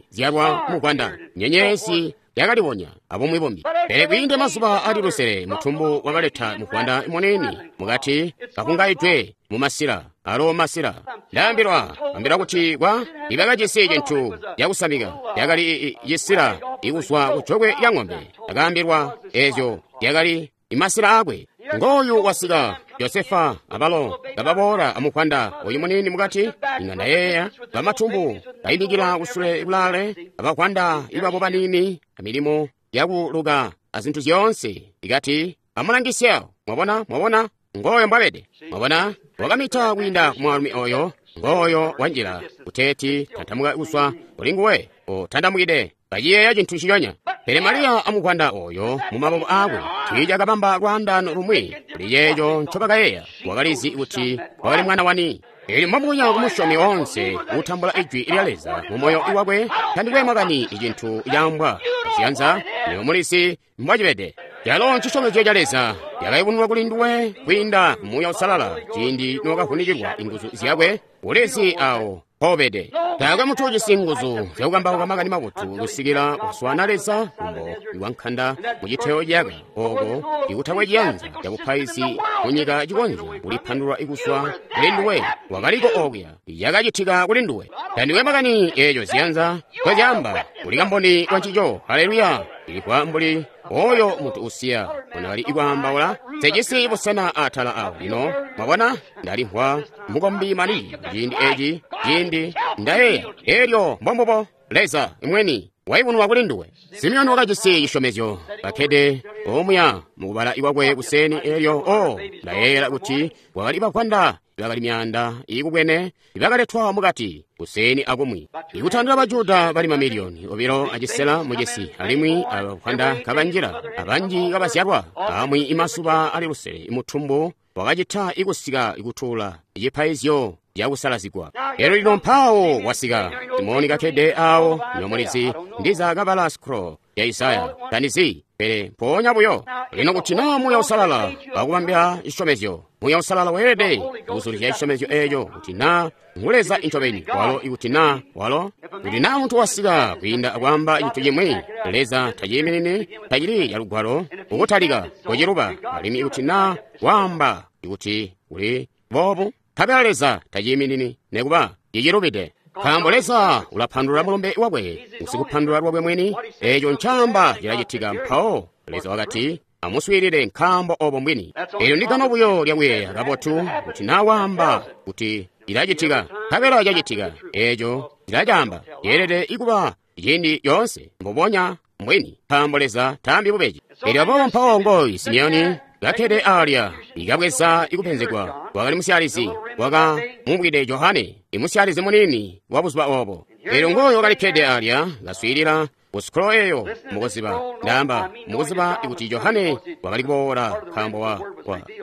Speaker 1: zyalwa mugwanda nyenyezi yakalibonya abumwi bumbi. Pele kwiinde mazuba ali lusele mutumbu wakaleta mugwanda munini mukati kakungaidwe mu masila alo masila. Ndaambilwa ambila kuti kwa ibakajisi cintu cakusamika yakali cisila ikuzwa kujokwe lya ng'ombe. Akaambilwa ezyo yakali imasila akwe. Ngoyu wasika Josefa abalo kababoola amugwanda oyu munini mukati. Inga ndayeeya bamatumbu kaimikila kusule kulaale abagwanda ibabo banini amilimo yakuluka azintu zyoonse. Ikati amulangisye, mwabona, mwabona ngoyo mbwabede. Mwabona wakamita kwiinda kumwaalumi oyo, ngoyo wanjila kuteeti tantamuka kuzwa kuli nguwe otandamukide kaciyeeya cintu ciconya. Pele Mariya amugwanda oyo mu maboko akwe tiicakabamba lwaandano lumwi kuli yeeco ncobakayeeya. Wakalizi kuti wakali mwana wani. Elyo mwamunya kumusyomi onse utambula ijwi lya Leza mu moyo wakwe, tandikwe makani icintu caambwa ziyanza, niyo mulisi mbwacibede. Calo ncisyomezyo ca Leza yakayubununwa kuli nduwe kwiinda Muuya Uusalala ciindi nokavunikilwa inguzu zyakwe, ulizi awo mpobede. Taakwe muntu ujisi nguzu zyakukambauka makani mabotu kusikila kuswaana Leza kumbo iwankanda mu citeyo ciyaka, oko ikutakwe ciyanza cabupaizi munyika cikonzya kulipandulula ikuswa kuli nduwe. Wakaliko okuya, yakacitika kuli nduwe. Tandiwe makani eeco ziyanza nkozyaamba, uli kamboni wa ncico. Haleluya! Ilikwa mbuli oyo muntu usiya unali ikwaambaula sejisi busena atala awo. Lino mwabona, ndalimvwa mukombi mali ciindi eci, ciindi ndayeeya elyo mbombubo Leza imweni waibunwa kuli nduwe. Simeoni wakajisi cisyomezyo, kakkede omuya mukubala ikwakwe kuseni elyo o ndayeeyela kuti kwakali bavwanda bakali myaanda iikubwene ibakaletwa mukati kuseni akumwi. Ikutandila Bajuda bali mamiliyoni 2.5 mucisi, alimwi abavwanda kabanjila abanji kabazyalwa amwi imasuba ali lusele imutumbu wakacita ikusika ikutuula cipaizyo cakusalazigwa. Elyo lino mpawo wasika Simoni kakkede awo nyomulizi ndiza kabala scroll ya Isaya tandizi, pele mpoonya buyo lino kuti naa Muuya Uusalala wakubambila cisyomezyo, Muuya Uusalala weelede kuzulizya cisyomezyo eeco kuti naa ngu Leza incobeni walo, ikuti naa walo, kuti naa muntu wasika kwiinda akwaamba cintu cimwi Leza taciiminini, tacili calugwalo ukutalika kuciluba, alimwi ikuti naa waamba ikuti kuli boobu, nkabela Leza taciiminini nekuba cicilubide. Nkaambo Leza ulapandulula mulumbe wakwe, usikupandulula lwakwe mwini, eeco ncaamba cilacitika. Mpawo Leza wakati, amuswiilile nkaambo obo mbwini. Eelyo ndigano buyo lyakuyeeya kabotu kuti naa waamba kuti cilacitika, nkabela cacitika, eeco cilacaamba ceelede ikuba ciindi yoonse mbubonya mbwini, nkaambo Leza taambi bubeji. Eelyo aboobo mpawo ngoyu Simeoni kakkede alya, ikabweza ikupenzegwa, wakali musyalizi, wakamubwide Johane, imusyalizi munini wa buzuba obo. Eelyo ngoyo wakalikkede alya, kaswiilila ku scroll eyo, mukuziba, ndaamba, mukuziba ikuti Johane wakali kuboola, nkaambo wa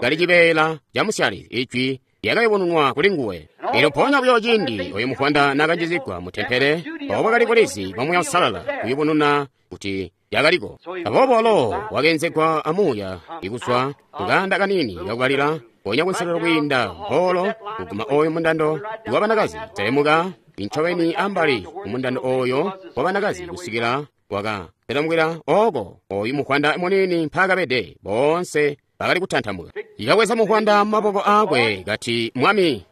Speaker 1: kali cibeela ca musyalizi, ijwi lyakayubununwa kuli nguwe. Eelyo mpoonya buyo ciindi oyo muvwanda naakanjizigwa mu tempele, obo bwakali bulizi bwa Muuya Uusalala kuyubununa kuti yakaliko. Aboobo walo wakeenzegwa amuuya ikuzwa kukaanda kanini kakubalila, ponya kunselelo kwiinda mpoolo kuguma oyo mundando wa banakazi, selemuka incobeni ambali kumundando oyo wa banakazi kusikila waka selemukila oko oyu muvwanda munini mpaakabede. Boonse bakali kutantamuka. Ikabweza muvwanda mu maboko aakwe kati, Mwami,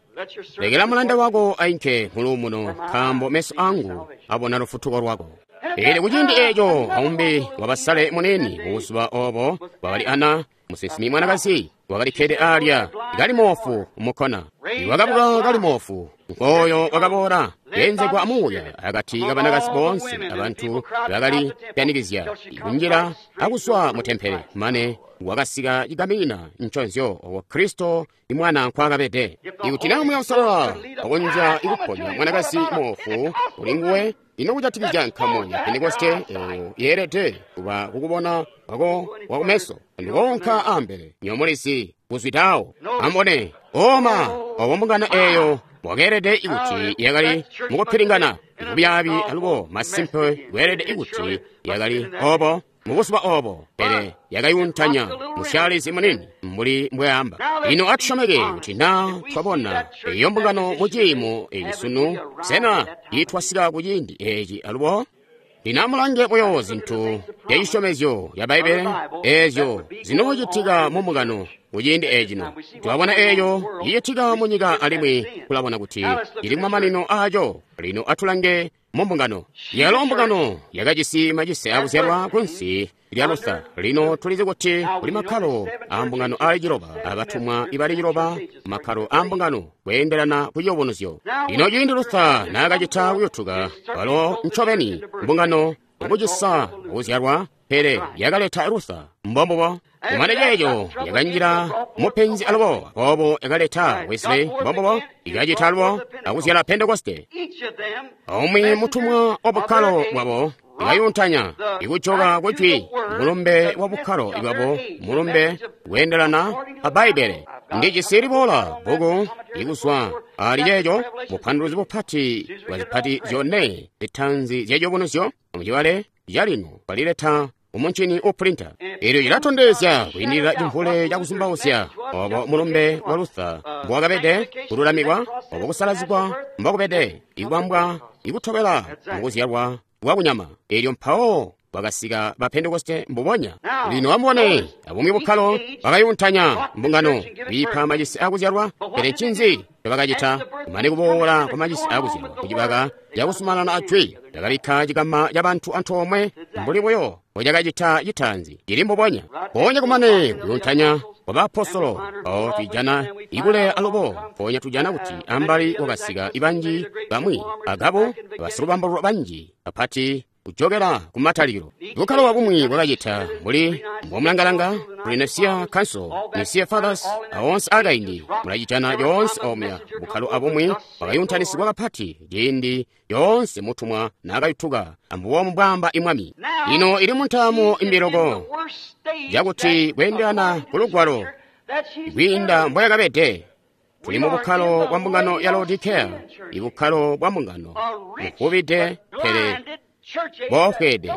Speaker 1: lekela mulanda wako ainke muluumuno, nkaambo meso angu abona lufutuko lwako. Pele kuciindi eeco aumbi wabasale munini mubuzuba obo wakali Ana, musinsimi mwanakazi, wakalikkede alya kali moofu mukkona. Wakabuka kali moofu, nkooyo wakaboola keenzegwa amuuya akati kabanakazi boonse abantu bakali pyanikizya kunjila akuswa mu tempele, mane wakasika cigamina nconzyo owo Kristo imwana nkwaakabede. Ikuti naa Muuya Uusalala wakonzya ikuponya mwanakazi moofu kuli nguwe, ino kujatikizya nkamu ya Pentekoste eyo yeelede kuba kukubona kwako kwakumeso ndikoonka ambele nyomulizi kuzwitawo. Ambone oma obo mbungano eyo wakeelede ikuti yakali mukupilingana kubyaabi, alubo masimpe kweelede ikuti yakali obo mubuzuba obo, pele yakayuntanya musyalizi munini mbuli mbweamba. Lino atusyomeke kuti naa twabona eyo mbungano mu ciimo eci sunu, sena itwasika ku ciindi eci alubo? Lino amulange buyo zintu zya cisyomezyo ya Bbaibbele eezyo zinoocitika mu mbungano kuciindi ecino. Twabona eeyo icitika mu nyika alimwi tulabona kuti ili kumamanino aaco. Lino atulange mu mbungano. Yalo mbungano yakajisi macise akuzyalwa kunsi lya Luther. Lino tulizi kuti kuli makkalo a mbungano ali ciloba, abatumwa ibali ciloba, makkalo a mbungano kweendelana ku ciyubunuzyo. Lino ciindi Luther naakacita kuyutuka, walo ncobeni mbungano mukucisa kuzyalwa, pele yakaleta Luther. Mbombubo. Kumane ceeco yakanjila mupenzi alubo, aboobo yakaleta Wesley. Mbombubo. Ikacita alubo akuzyala Pentekoste. Aumwi mutumwa wa bukkalo bwabo ikayuntanya ikujoka kujwi mulumbe wa bukkalo bwabo, mulumbe weendelana a Bbaibbele. Ndijisi liboola bbuku ikuzwa ali ceeco, bupanduluzi bupati bwa zipati zyone zitanzi zya ciyubunuzyo mucibale calino balileta kumuncini upulinta. Elyo cilatondezya kwiindilila cimvule cakuzumbauzya obo mulumbe wa Luther mbowakabede, kululamikwa, obo kusalazigwa mbokubede, ikubambwa, ikutobela mukuzyalwa kwa kunyama. Elyo mpawo bakasika ba Pentekoste mbubonya. Lino amubone, abumwi bukkalo bakayuntanya mbungano, biipa macisi akuzyalwa, pele ncinzi ncobakacita? Kumane kuboola kwa macisi akuzyalwa kucibaka cakusumanana ajwi, bakabikka cikama ca bantu antoomwe mbuli buyo mbocakacita citaanzi, cili mbubonya. Mpoonya kumane kuyuntanya kwa baapostolo, mpawo twijana ikuleya alubo, mpoonya tujana kuti ambali kwakasika banji bamwi, agabo basilubambo banji bapati kujokela ku matalikilo. Bukkalo bwabumwi bwakacita mbuli mbomulangalanga kuli Nicaea Council, Nicaea Fathers, aonse akaindi mulacitana lyoonse omuya. Bukkalo abumwi bwakayuntanisigwa kapati ciindi lyoonse mutumwa naakayutuka ambubomu bwaamba imwami. Lino ili muntaamo imbiloko yakuti kweendelana ku lugwalo kwiinda mboyakabede. Tuli mu bukkalo bwa mbungano ya Laodicea, ibukkalo bwa mbungano buvubide pele boofweede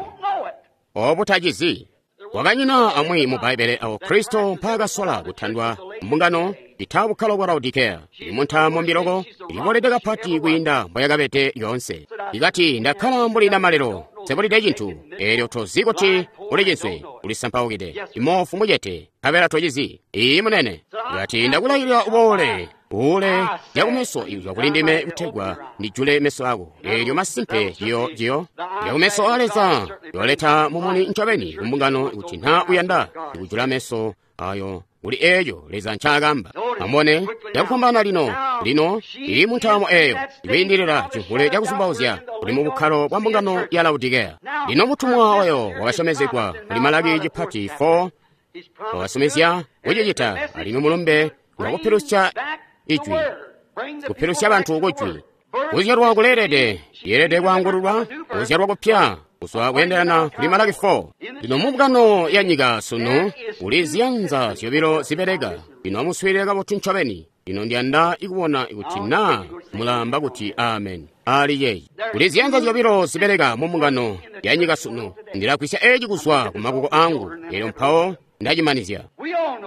Speaker 1: obutacizi. Kwakanyina amwi mu Bbaibbele awo Kristo mpaakasola kutandwa mbungano ita bukkalo bwa Laodicea. Ili muntaamo mbiloko ilibolede kapati kwiinda mboyakabede lyoonse. Ikati ndakkala mbuli namalelo, sebulide cintu, eelyo tozi kuti uli cinswe, ulisampaukide, imoofu mucete, nkabela tocizi. Iyi munene. Ikati ndakulailila uboole, uule zyakumeso izwa kuli ndime kutegwa ndijule meso ako. Eelyo masimpe jiyo zyakumeso a Leza yoleta mumuni ncobeni kumbungano kuti nta uyanda ikujula meso ayo kuli eeyo Leza ncaakamba. Amubone cakufwambaana lino, lino ili muntaamo eeyo ikwiindilila cimvule cakuzumbauzya kuli mu bukkalo bwa mbungano ya Laodicea. Lino mutumwa oyo wakasyomezegwa kuli Malaki cipati 4 wakasomezya kucicita alimwi mulumbe wakupilusya ijwi, kupilusya bantu kujwi. Kuzyalwa kuleelede, yeelede kwaangululwa, kuzyalwa kupya kuzwa kweendelana kuli Malaki 4. Lino mumbungano ya nyika sunu kuli ziyanza zyobilo zibeleka. Lino amuswiilile kabotu ncobeni. Lino ndiyanda ikubona kuti naa mulaamba kuti amen ali yeyi. Kuli ziyanza zyobilo zibeleka mu mbungano ya nyika sunu. Ndilagwisya eeci kuzwa ku makuko angu, elyo mpawo ndacimanizya.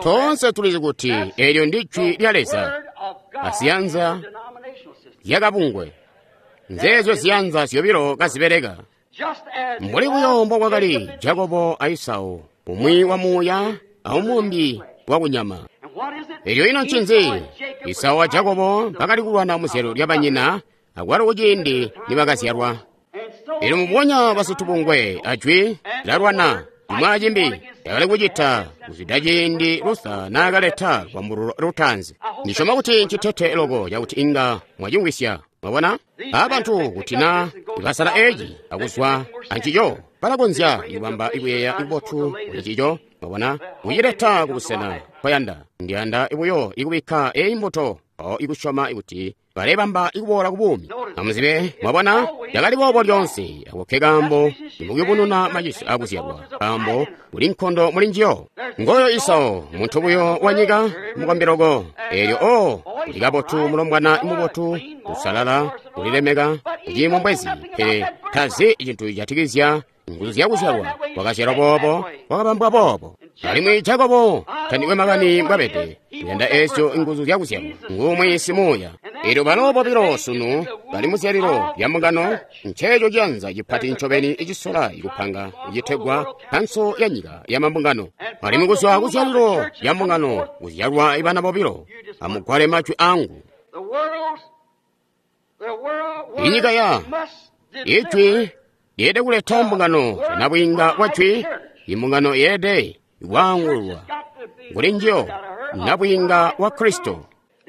Speaker 1: Toonse tulizi kuti eelyo ndi jwi lya Leza aziyanza zyakabungwe. Nzeezyo ziyanza zyobilo kazibeleka. Mbuli buyo mbokwakali Jakobo a Esau, umwi wa muuya aumbi wa kunyama. Elyo ino ncinzi? Esau a Jakobo bakali kulwana muzyalo lya banyina akwalo kuciindi nibakazyalwa. Elyo mubonya basitubungwe ajwi lalwana imwe acimbi yakali kucita kuzwida ciindi Luther naakaleta lwambulo lutaanzi. Ndisyoma kuti ncitete loko cakuti inga mwacimvwisya. Mwabona? Abantu kuti na basala eeci akuzwa ancico balakonzya kubamba ikuyeeya kubotu kuli cico. Mwabona? Kucileta kubusena nkoyanda. Ndiyanda buyo ikubikka eyi mbuto mpawo ikusyoma kuti balebamba ikuboola ku buumi. Amuzibe, mwabona, yakali boobo lyoonse. Ako ke kaambo nimukuyubununa macisi akuzyalwa, nkaambo kuli nkondo muli njiyo. Ngoyo Esau, muntu buyo wa nyika, mukombiloko. Eelyo o, uli kabotu mulombwana mubotu, usalala, ulilemeka, uciimo mbwezi, pele tazi cintu cijatikizya nguzu zyakuzyalwa. Wakazyalwa boobo, wakabambwa boobo. Alimwi Jakobo tandikwe makani mbwabede, uyanda eezyo nguzu zyakuzyalwa, ngumwi simuuya. Eelyo balo bobilo sunu bali muzyalilo lya mbungano, nceeco ciyanza cipati ncobeni icisola ikupanga icitegwa Kkanso ya Nyika ya Mambungano. Alimwi kuzwa kuzyalilo lya mbungano kuzyalwa ibana bobilo. Amugwale majwi angu. Inyika ya ijwi yeelede kuleta mbungano nabwiinga bwa jwi. Imbungano yeelede kwaangululwa kuli njiyo nabwiinga wa Kristo.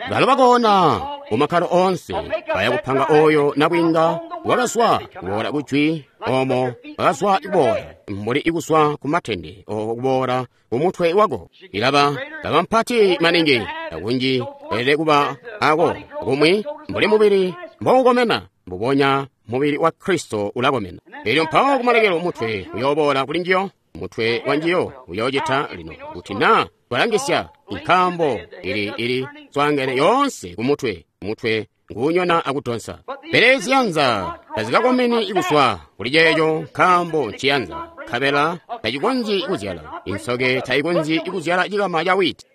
Speaker 1: Balo bakoona mumakkalo oonse baya kupanga oyo nabwiinga wakazwa kuboola kujwi omo bakazwa kuboola mbuli ikuzwa ku matende oko kuboola ku mutwe wako. Ilaba laba mpati maningi akunji elede kuba ako kumwi mbuli mubili mboukomena mbubonya mubili wa Kristo ulakomena. Elyo mpawo kumalekelo mutwe uyoboola kuli njiyo. Mutwe wa njiyo uyoocita lino kuti naa twalangisya nkaambo ili swaangene yoonse ku mutwe. Mutwe nguunyona akudonsa. Pele ziyanza tazikakomeni kuzwa kuli ceeco, nkaambo nciyanza, nkabela tacikonzyi kuzyala. Insoke tayikonzyi kuzyala cikama ca wiiti.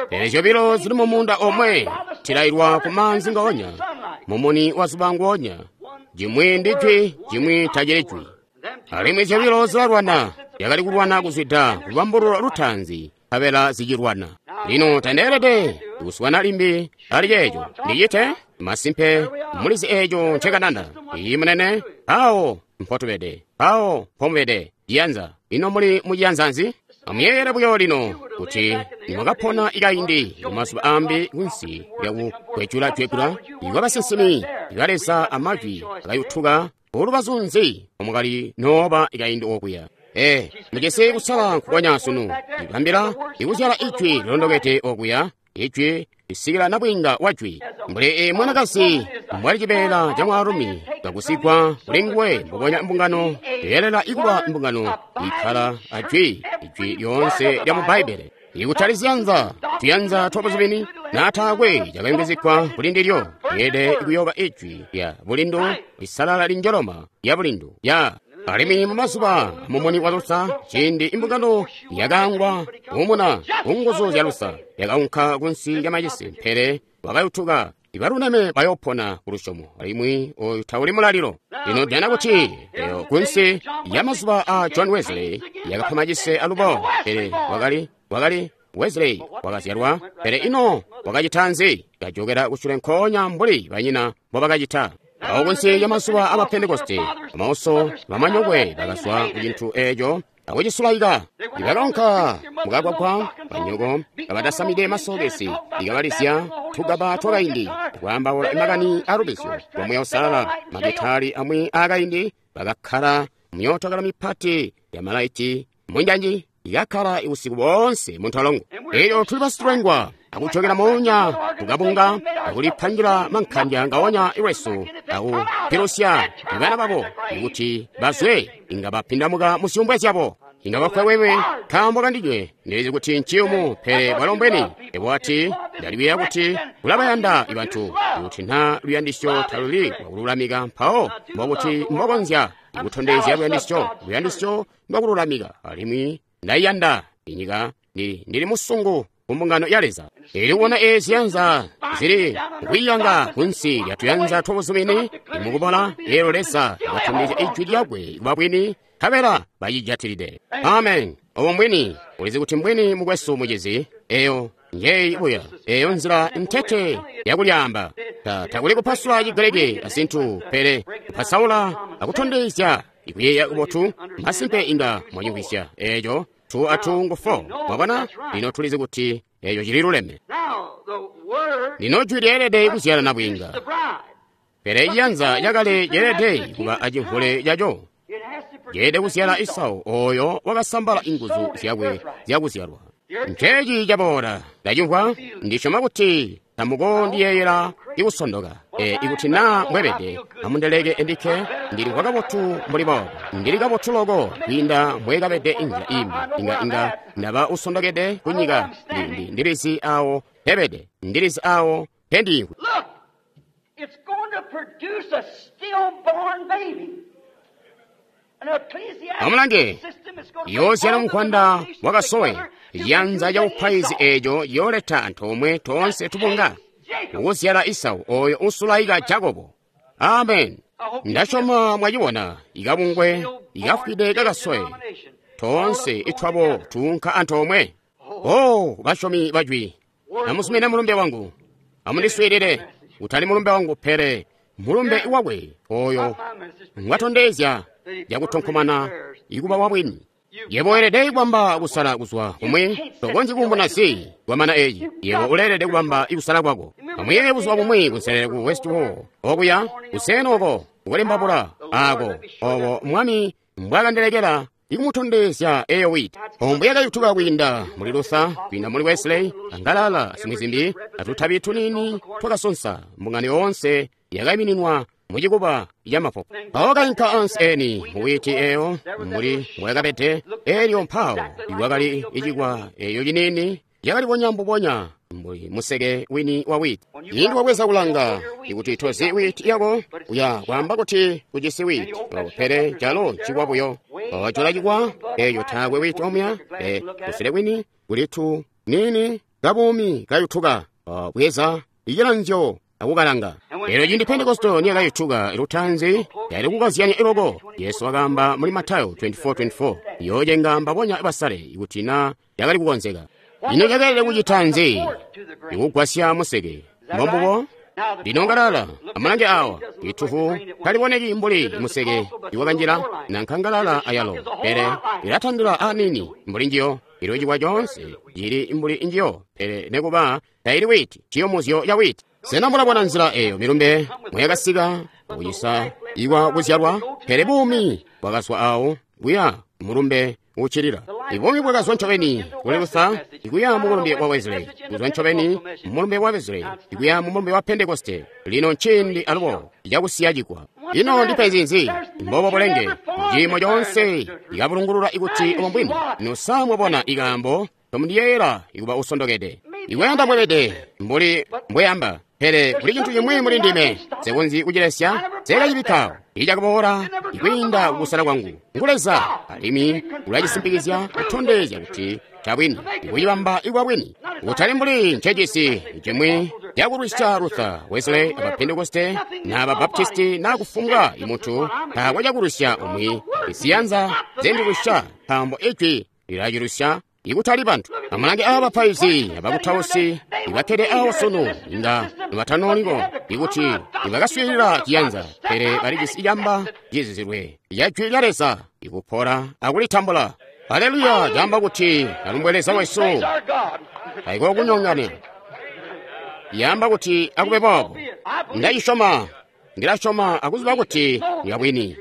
Speaker 1: Pele zyobilo zili mumuunda omwe, tilailwa ku maanzi ngaonya, mumuni wa zuba nguonya. Cimwi ndi jwi, cimwi tacili jwi. Alimwi zyobilo zilalwana, yakali kulwana kuzwida kulubambululo lutaanzi, nkabela zicilwana. Lino tandeelede kuswana limbi ali ceeco. Ndicite masimpe mulizi eeco ncekanana. Iyi munene, awo mpotubede, awo mpomubede. Ciyanza, ino muli muciyanza nzi? Amuyeeyele buyo lino kuti nimwakapona ikaindi mumazuba ambi kunsi lyakukwejula-jwegula ikwa basinsimi ba Leza amajwi akayutuka ulubazu nzi omwakali nooba ikaindi okuya. Mujisi kusala nkukonya sunu, ibambila ikuzyala ijwi lilondokede okuya, ijwi lisikila nabwiinga wa jwi. Mbuli mwanakazi mbwali cibeela ca mwaalumi kakusigwa kuli nguwe, mbubonya mbungano yeelela ikuba mbungano ikkala a jwi, ijwi lyoonse lya mu Bbaibbele. Ikutali ziyanza, tuyanza twabuzumini, naataakwe cakayungizigwa kuli ndilyo, lyeelede kuyooba ijwi lya bulindu lisalala linjoloma lya bulindu ya. Alimwi mumazuba mumuni wa Lusa, ciindi imbungano yakaangwa kuumuna kunguzu zya Lusa, yakaunka kunsi lya macisi, pele wakayutuka. Ibaluleme bayoopona ku lusyomo, alimwi oyu tauli mulalilo. Lino jana kuti eyo kunsi ya mazuba a John Wesley yakapa macise alubo, pele wakali Wesley wakazyalwa, pele ino wakacita nzi? Kajokera kusule nkoonya mbuli banyina mbobakacita. Awo kunsi ya mazuba aba Pentekoste, bamauso bamanyokwe bakazwa ku cintu eeco akucisulaika. Ibakaunka mukagwagwa, banyoko kabatasamide masokesi, ikabalizya tugaba twakaindi, kwaambaula makani alubizyo lwa Muuya Uusalala, magitali amwi aakaindi, bakakkala myootokala mipati ya malaiti munjanji, ikakkala usiku boonse muntolongo. Elyo tuli basitulengwa akujokera moonya kukabunga akulipangila mankhanja ngaonya lwesu akupilusya bana babo kuti bazwe inga bapindamuka muzyumbwe zyabo. Inga bafwa wewe nkaambo kandinywe, ndilizi kuti nciyumu, pele bwalo mbweni. Ebo ati ndaliwiya kuti ulabayanda bantu, kuti na luyandisyo taluli lwakululamika, mpawo mbokuti mbokonzya kutondezya luyandisyo, luyandisyo ndwakululamika. Alimwi ndayiyanda inyika, ndili musungu ku mbungano ya Leza. Ili kubona eezi yanza zili kwiyanga kunsi lya tuyanza twabuzumini mukubola, eelyo Leza wakatondezya ijwi lyakwe kuba bwini, nkabela bacijatilide. Amen. Obo mbwini. Ulizi kuti mbwini, mukwesu mucizi. Eyo njeyi buya, eyo nzila ntete yakulyaamba. Takuli kupasula Cigriki azintu, pele kupasaula akutondezya ikuyeeya kubotu. Masimpe inga mwacimvwisya eeco. 2 a 2 ngu 4. Mwabona? Lino tulizi kuti eeco cili luleme. Lino jwi lyeelede kuzyala nabwiinga, pele ciyanza cakale ceelede kuba acimvule caco. Ceelede kuzyala Esau oyo wakasambala inguzu zyakwe zyakuzyalwa. Nceeci caboola. Ndacimvwa, ndisyoma kuti tamukondiyeeyela ikusondoka. Ikuti naa mbwebede, amundeleke endikke, ndilimvwa kabotu mbuli boobo. Ndili kabotu loko kwiinda mbwekabede inzila imbi. Inga ndaba usondokede kunyika. Ndilizi awo mpebede, ndilizi awo mpendiimvwi. Amulange, yoozyala muvwanda wakasowe, ciyanza ca bupaizi eeco ciyooleta antoomwe toonse tubunga kukuzyala Esau oyo usulaika Jakobo. Amen. Ndasyoma mwacibona ikabungwe ikafwide kakasowe, toonse itwabo tuunka antoomwe. Oh, basyomi bajwi, amuzumine mulumbe wangu, amundiswiilile, kutali mulumbe wangu pele mulumbe wakwe oyo ngwatondezya yakutonkomana ikuba wabwini. Yebo weelede kubamba kusala kuzwa kumwi, tokonzyi kumbuna zi kwamana eeci. Yebo uleelede kubamba ikusala kwako. Amuyeeye buzuba bumwi kunselele ku West Hall, okuya kuseeni oko kukulembabula ako, obo Mwami mbwakandelekela ikumutondezya eyo witi. Ombo yakayutuka kwiinda muli Luther, kwiinda muli Wesley, angalala zimwi zimbi, atutabi tuniini twakasonsa. Mbungano yoonse yakaimininwa mucikuba ca mapopo. Mpawo kainka ansi eni muwiti eyo mbuli mbwakabede, elyo mpawo ikwakali icikwa eyo ciniini yakalibonya mbubonya Mbuli museke wini wa witi. Cindi wabweza kulanga, ikuti tozi witi yako, uya kwaamba kuti ujisi witi, pele calo ncikwa buyo. Wajola cikwa, eyo taakwe witi omuya, kusele kwini kuli tu nini kabuumi kayutuka, bweza icilanzyo akukalanga. Elyo cindi Pentekoste niyakayutuka lutaanzi, yali kukazyanya iloko. Yesu wakaamba muli Matayo 24:24, yocenga mbabonya basale ikuti na yakali kukonzeka. Ino cakeelede kucita nzi? Ikugwasya museke. Mbombubo? Lino ngalala, amulange awa, itufu taliboneki mbuli museke iwakanjila nanka ngalala ayalo, pele ilatandila anini mbuli njiyo. Ilo cikwa coonse cili mbuli njiyo, pele nekuba taili witi, ciyumuzyo ca witi. Sena mulabona nzila eyo milumbe mweyakasika kucisa ikwa kuzyalwa, pele buumi bwakazwa awo kuya mulumbe ucilila. Ibuumi bwakazwa ncobeni kuli Luther ikuya mu mulumbe wa Wesley, kuzwa ncobeni mu mulumbe wa Wesley ikuya mu mulumbe wa Pentekoste. Lino nciindi alubo cakusiya cikwa. Ino ndipenzi nzi? Mbobo bulenge ciimo coonse ikabulungulula ikuti obo mbwini. Nusa mwabona ikaambo tomundiyeeyela ikuba usondokede. Ikuyanda mbwebede mbuli mbweyamba, pele kuli cintu cimwi muli ndime nsekonzyi kucilesya, nsekacibikkawo. Icakaboola ikwiinda kukusala kwangu ngu Leza, alimwi ulacisimpikizya kutondezya kuti cabwini, ikucibamba ikuba bwini. Kutali mbuli ncecisi cimwi cakulwisya Luther, Wesley, aba Pentekoste, na aba Baptisti, na kufumbwa imuntu, taakwe cakulwisya umwi. Isiyanza zendilwisya, nkaambo ijwi lilacilusya ikutali bantu. Amulange aba bapaizi abakutausi ibakkede awo sunu, inga nibatanoliko ikuti nibakaswiilila ciyanza, pele balijisi camba cizizilwe ca jwi lya Leza ikupola akulitambula. Haleluya! Camba kuti alumbwe Leza wesu, taikokunyongana. Yamba kuti akube boobo. Ndacisyoma, ndilasyoma akuziba kuti ni bwini.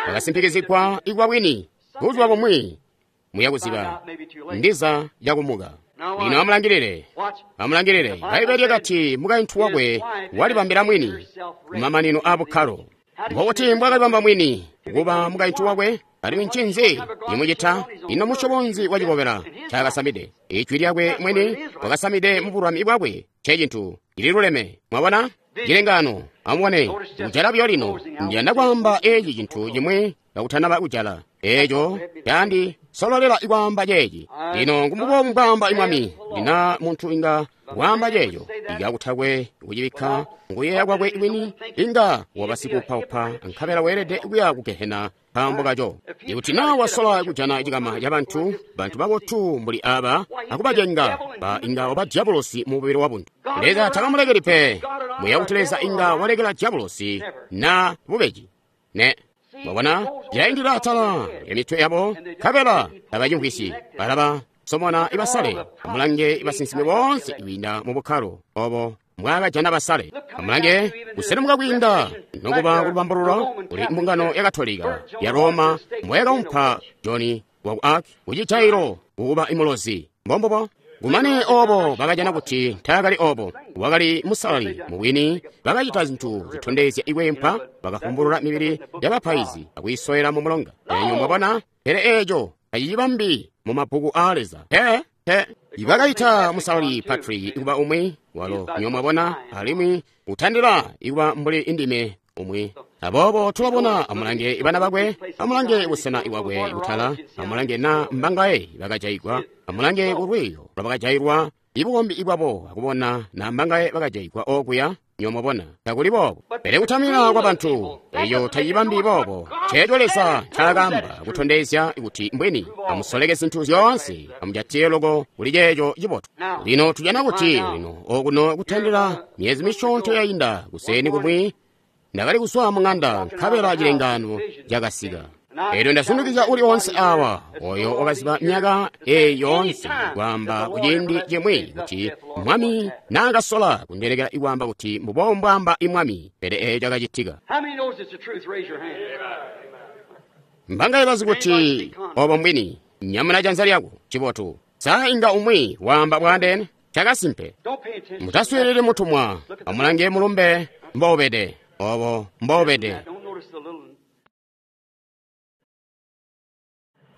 Speaker 1: Bakasimpikizigwa ikuba bwini buzuba bumwi muya kuziba ndiza yakumuka. Lino amulangilile, amulangilile. Bbaibele lyakati mukaintu wakwe walibambila mwini kumamanino a bukkalo. Mbokuti mbwakalibamba mwini kuba mukaintu wakwe, alimwi ncinzi cimucita? Ino musyobo nzi wa cikobela ncaakasamide? Ijwi lyakwe mwini wakasamide mu bulwami bwakwe, ncecintu cililuleme. Mwabona cilengano? Amubone kujala buyo lino. Ndiyanda kwaamba eci cintu cimwi kakutanaba kujala. Eco candi sololela ikwaamba ceeci. Lino ngumbubo mbwaamba imwami. Lina muntu inga waamba ceeco ikakutakwe kucibikka nguyeeya kwakwe mwini, inga wabasikuupaupa nkabela weelede kuya ku gehena nkaambo kaco. Ikuti na wasola kujana cikama ca bantu, bantu babotu mbuli aba akubacenga, ba inga waba diabolosi mu mubili wa buntu. Leza takamulekeli pe. Muya kuti Leza inga walekela diabolosi na bubeji. Ne. Mwabona, cilaindila atala emitwe yabo, nkabela tabacimvwisyi. Balaba somona ibasale, amulange ibasinsimi boonse kwiinda mu bukkalo obo mbwaakajana basale. Amulange kuselemuka kwiinda nokuba kulubambululo kuli mbungano ya Katolika ya Roma mbwayakaumpa John waku Arc kucijailo kukuba imulozi. Mbombubo. Kumane obo bakajana kuti taakali obo, wakali musalali mubwini. Bakacita zintu zitondezya ikwempa, bakafumbulula mibili yabapaizi akuyisowela mu mulonga. Enyo mwabona, pele eco tacicibambi mu mabbuku aa Leza. Pe ibakaita musalali Patrick ikuba umwi walo, nyo mwabona, alimwi utandila ikuba mbuli indime umwi. Aboobo tulabona, amulange ibana bakwe, amulange busena bwakwe butala, amulange na mbangaye bakajaigwa, amulange kulwiyo lwabakajailwa ibukombi bwabo, akubona na mbangaye bakajaigwa okuya. Nyo mwabona, takuli boobo. Pele kutamina kwa bantu eyo tacibambi boobo. Ceeco Leza ncaakaamba kutondezya kuti mbwini. Amusoleke zintu zyoonse, amujatiye loko kuli ceeco cibotu. Lino tujana kuti lino okuno kutandila myezi misyoonto yainda kuseeni kumwi ndakali kuzwa mu ŋanda nkabela cilengano cakasika. Elyo ndasundikizya uli onse awa oyo wakaziba myaka eyi yoonse kwaamba kuciindi cimwi kuti mwami naakasola kundelekela ikwaamba kuti mbubo mbwaamba imwami, pele eco cakacitika. Mbangaye bazi kuti obo mbwini? Nyamuna janza lyako. Cibotu. Sa inga umwi waamba bwaandeene? Cakasimpe. Mutaswiilili mutumwa. Amulange mulumbe mboubede. Obo mboubede.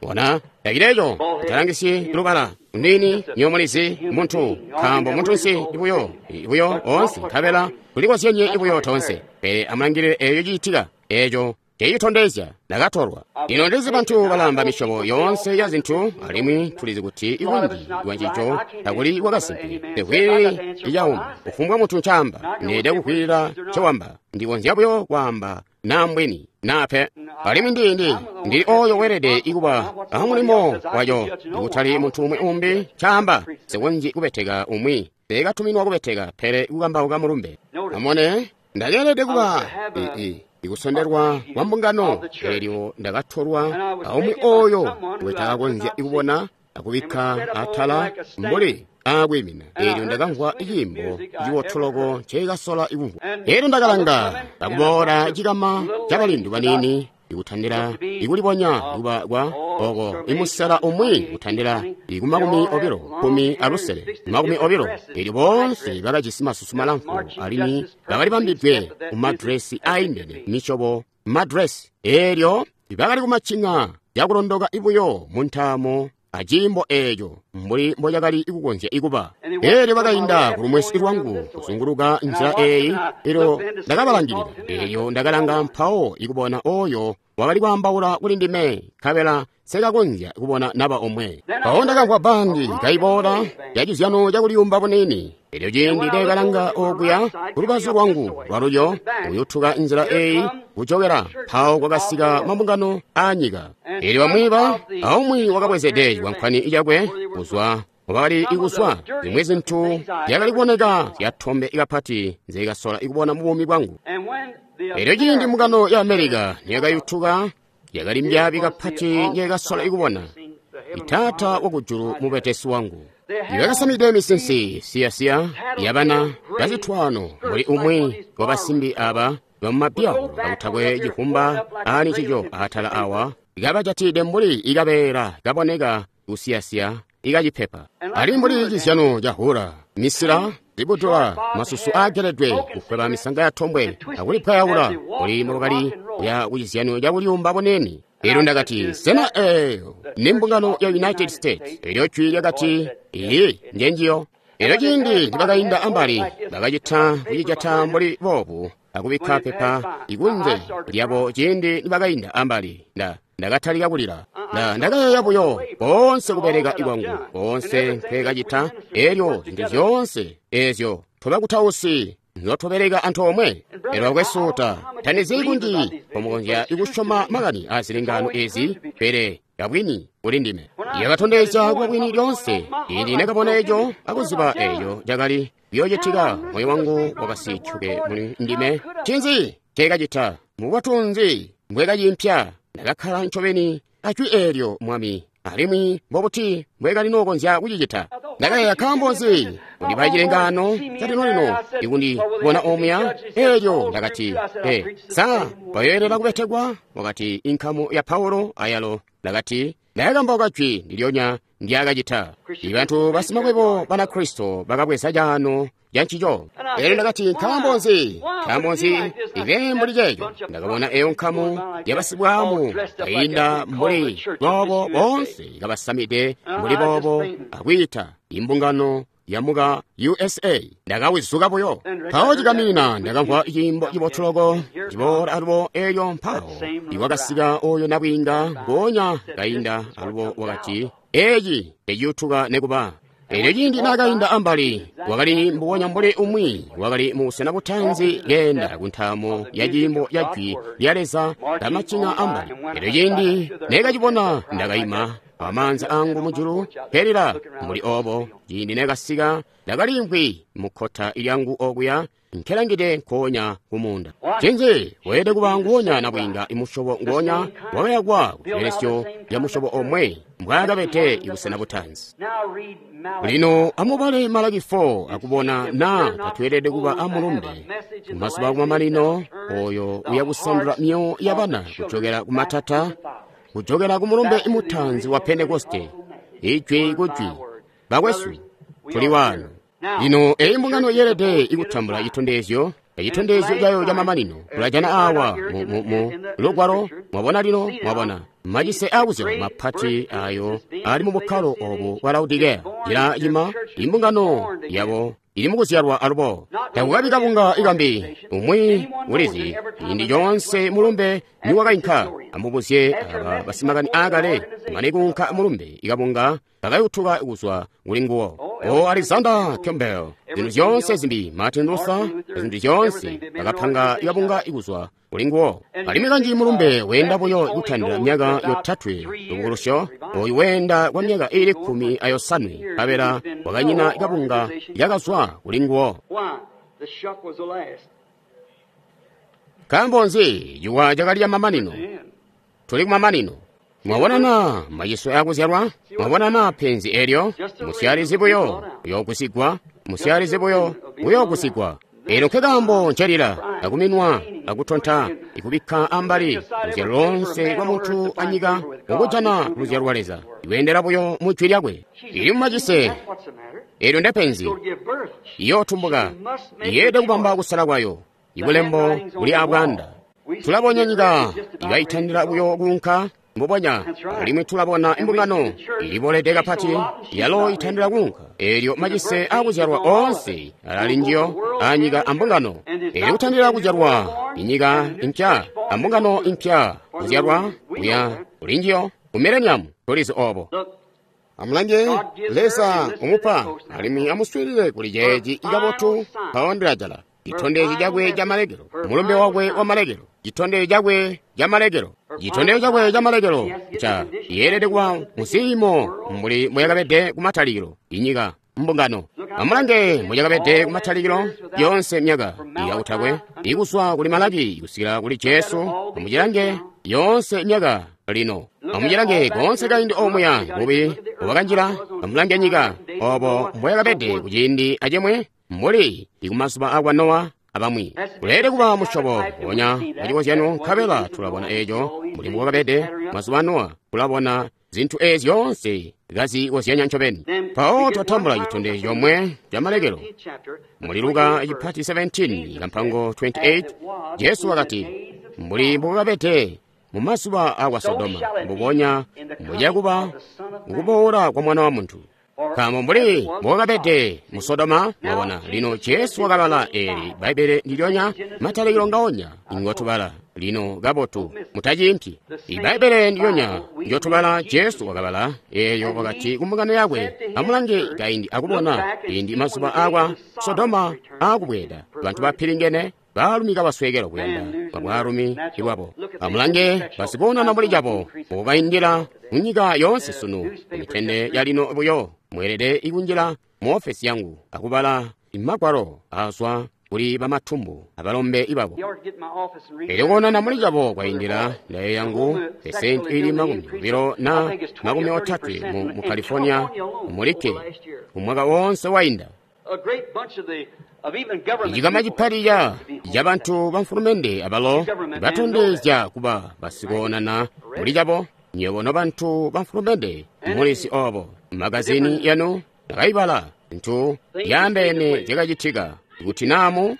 Speaker 1: Bona, tacileeco, talangisyi lubala, nini, nywebo mulizi, muntu, nkaambo muntunsi buyo, buyo oonse, nkabela tulikozyenye buyo toonse. Pele amulangilile eeyo ciitika, eeco cicitondezya ndakatolwa. Lino ndizi bantu balamba misyobo yoonse ya zintu, alimwi tulizi kuti bunji bwa ncico takuli kwakasimpe. Nsekwiilili icauma, kufumbwa muntu ncaamba, neelede kukwiilila ncowamba. Ndikonzya buyo kwaamba naa mbwini naa pe. Alimwi ndili ooyo weelede kuba amulimo waco, kutali muntu umwi umbi ncaamba. Nsikonzyi kubeteka umwi, nseekatuminwa kubeteka, pele kukambauka mulumbe. Amone, ndakeelede kuba ikusondelwa kwa mbungano, eelyo ndakatolwa aumwi ooyo ngwetakakonzya kubona akubikka atala mbuli aakwiimina. Eelyo ndakamvwa ciimbo ciwotoloko nceekasola kumvwa. Eelyo ndakalanga akuboola cikama cabalindu baniini ikutandila ikulibonya kuba kwa oko imusela umwi kutandila iku 25, 20. Eelyo boonse bakajisi masusu malamfu alimwi bakali bambidwe mumadresi aindene misyobo madresi. Eelyo bakali kumacinga cakulondoka buyo muntaamo aciimbo eeco mbuli mbocakali kukonzya kuba. Eelyo bakainda kulumwesi lwangu kuzunguluka nzila eeyi, eelyo ndakabalangilila. Eelyo ndakalanga mpawo ikubona ooyo wakali kwaambaula kuli ndime, nkabela nsekakonzya kubona naba omwe. Mpawo ndakamvwa bandi kaiboola yacizyano cakuliyumba buniini. Eelyo ciindi neekalanga okuya kulubazu lwangu lwalulyo kuyutuka nzila eeyi kujokela, mpawo kwakasika mabungano aanyika. Eelyo bamwi aumwi wakabwezede cikwankwani cakwe kuzwa mubakali kuzwa zimwi zintu zyakali kuboneka zyatombe kapati nzeekasola kubona mubuumi bwangu. Eelyo ciindi mbungano ya Amerika niyakayutuka, yakali mbyaabi kapati njeekasola kubona. Taata wakujulu mubetesi wangu. Ibakasamide misinsi siyasiya yabana bazitwano mbuli umwi wabasimbi aba bamumabyawo kakutakwe cifumba ani cico atala awa, kabajatide mbuli ikabeela kaboneka kusiyasiya ikacipepa, ali mbuli cizyano ca hula, misila, zibutula, masusu aageledwe kukweba misanga ya tombwe akulipwayaula mbuli mbobakali kuya kucizyano cakuliyumba buniini. Eelyo ndakati, sena eeyo ni mbungano ya United States? Eelyo jwi lyakati, iyi njenjiyo. Eelyo ciindi nibakainda ambali, bakacita kucijata mbuli boobu akubikka pepa ikunze lyabo. Ciindi nibakainda ambali, ndakatalika kulila. Ndakayeeya buyo koonse kubeleka kwangu koonse nkweekacita, eelyo zintu zyoonse eezyo tobakutausi nzyotubeleka antoomwe. Eelyo bakwesu, tandizi kunji mbomukonzya kusyoma makani aazilengano eezi, pele kabwini kuli ndime. Yakatondezya kuba bwini lyoonse. Ciindi ndakabona eco akuziba eeco cakali kuyoocitika, moyo wangu wakasityuke muli ndime. Ncinzi nceekacita? Mubotu nzi mbwekaciimpya? Ndakakkala ncobeni ajwi eelyo, Mwami, alimwi mbobuti mbwekalinookonzya kucicita? Ndakayeeya, nkaambo nzi kundipa cilengaano calino-lino ikundibona omuya? Eelyo ndakati, sa bayoelela kubetekwa? Wakati, inkamu ya Paulo ayalo. Ndakati, ndakakambauka jwi ndilyonya ndyaakacita. Ibantu basimakwebo Banakristo bakabweza caano cancico. Eelyo ndakati, nkaambo nzi? Nkaambo nzi ibe mbuli ceeco? Ndakabona eyo nkamu yabasibwaamu kainda mbuli boobo, boonse kabasamide mbuli boobo, akwiita imbungano yamuka USA. Ndakawizuka buyo. Mpawo cikamina ndakamvwa ciimbo cibotuloko ciboola alubo. Eelyo mpawo iwakasika oyo nabwiinga ngoonya kainda alubo, wakati, eeci teciyutuka nekuba. Eelyo ciindi naakainda ambali, wakali mbubonya mbuli umwi wakali mubusena butanzi keenda kuntaamo ya ciimbo ca jwi lya Leza kamacinga ambali. Eelyo ciindi neekacibona, ndakaima amaanza angu mujulu kelila mbuli oobo. Ciindi neekasika, ndakaliimvwi mukkota lyangu okuya nkelangide nkoonya kumunda. Ncinzi weelede kuba nguwonya nabwiinga imusyobo nguwonya wakayakwa ku cibelesyo ca musyobo omwe mbwaakabede ibusena butanzi. Lino amubale Malaki 4 akubona naa tatweelede kuba amulumbe kumazuba akumamanino oyo uyakusandula myoyo yabana kujokela kumatata, kujokela kumulumbe mutanzi wa Pentekoste, ijwi kujwi. Bakwesu, tuli waano. Lino eyi mbungano yeelede ikutambula citondezyo. Citondezyo cayo camamanino tulajana awa mu lugwalo. Mwabona lino, mwabona macise akuzyalwa mapati ayo ali mu bukkalo obu bwa Laodikeya. Ila cima imbungano yabo ili mukuzyalwa alubo. Takukabi kabunga ikambi. Umwi ulizi ciindi coonse mulumbe niwakainka. Amubuzye aba basimakani aakale mane kuunka mulumbe ikabunga kakayutuka kuzwa kuli nguwo. O Alexander Campbell, zintu zyoonse zimbi, Martin Luther, zintu zyoonse bakapanga ikabunga ikuzwa kuli nguwo. Alimwi kanji mulumbe weenda buyo kutandila myaka yotatwe lubukulusyo, oyu weenda kwa myaka iili 15 nkabela wakanyina kabunga yakazwa kuli nguwo. Nkaambo nzi? Ciwa cakali camamanino. Tuli kumamanino. Mwabona na maciso akuzyalwa? Mwabona na penzi elyo? Musyalizi buyo uyoogusigwa, musyalizi buyo uyoogusigwa. Elo nkekaambo ncelila akuminwa akutonta ikubikka ambali luzyalo lonse lwa muntu anyika mukujana luzyalo lwa Leza iweendela buyo mu jwi lyakwe. Ili mumacise. Elyo ndepenzi. Iyootumbuka. Iyeelede kubamba kusala kwayo. Ibulembo buli abwanda. Tulabona nyika ikaitandila buyo kuunka mbubonya, alimwi tulabona imbungano ilibolede kapati yalo itandila kuunka. Elyo macise akuzyalwa oonse alali njiyo anyika ambungano. Elyo kutandila kuzyalwa inyika impya ambungano impya kuzyalwa kuya kuli njiyo ku mileniamu. Tulizi obo. Amulange Leza umupa alimwi amuswiilile kuli ceeci ikabotu. Mpawo ndilajala citondezyo cakwe ca malekelo, mulumbe wakwe wa malekelo, citondezyo cakwe ca malekelo, citondezyo cakwe ca malekelo ca yeelede kuba muziimo mbuli muyakabede kumatalikilo inyika mbungano. Amulange muyakabede kumatalikilo yonse myaka iyautakwe ikuzwa kuli Malaki kusikila kuli Jesu. Amucilange yonse myaka lino. Amucilange koonse kaindi omuya bubi bwakanjila. Amulange nyika obo mboyakabede kuciindi acimwi mbuli ikumazuba akwa Nowa abamwi. Kuleelede kuba musyobo wonya wacikozyano, nkabela tulabona eeco mbuli mbwakabede mazuba a Nowa. Tulabona zintu eezi zyoonse kazikozyanya ncobeni. Mpawo twatambula citondezyo comwe ca malekelo. Muli Luka cipati 17 kampango 28, Jesu wakati, mbuli mbwakabede mu mazuba akwa Sodoma, mbubonya mbucakuba mukuboola kwa Mwana wa Muntu. Nkaambo mbuli mbwakabede mu Sodoma, mwabona lino Jesu wakabala eli Bbaibbele ndilyonya matalikilo ngaonya ngotubala lino kabotu, mutaciimpi. Ibbaibbele ndilyonya njotubala Jesu wakabala eeyo wakati kumbungano yakwe, amulange kaindi akubona indi mazuba akwa Sodoma akubweeda, bantu bapilingene baalumi kabaswekela kuyanda kwa bwaalumi ibwabo. Amulange basikoonana mbuli cabo mbubaindila munyika yoonse sunu. Kumitende yalino buyo mweelede ikunjila mu ofesi yangu akubala imagwalo azwa kuli bamatumbu abalombe ibabo. Elyo koonana muli cabo kwaindila ndayo yangu pesenti ili 20 na 30 mu California mulikke umwaka wonse wainda. Icikama cipati ca bantu bamfulumende abalo batondezya kuba basikoonana muli cabo. Nywebo nobantu bamfulumende mulizi obo. Magazini yanu nakayibala zintu yaambeene zyakacitika kuti namu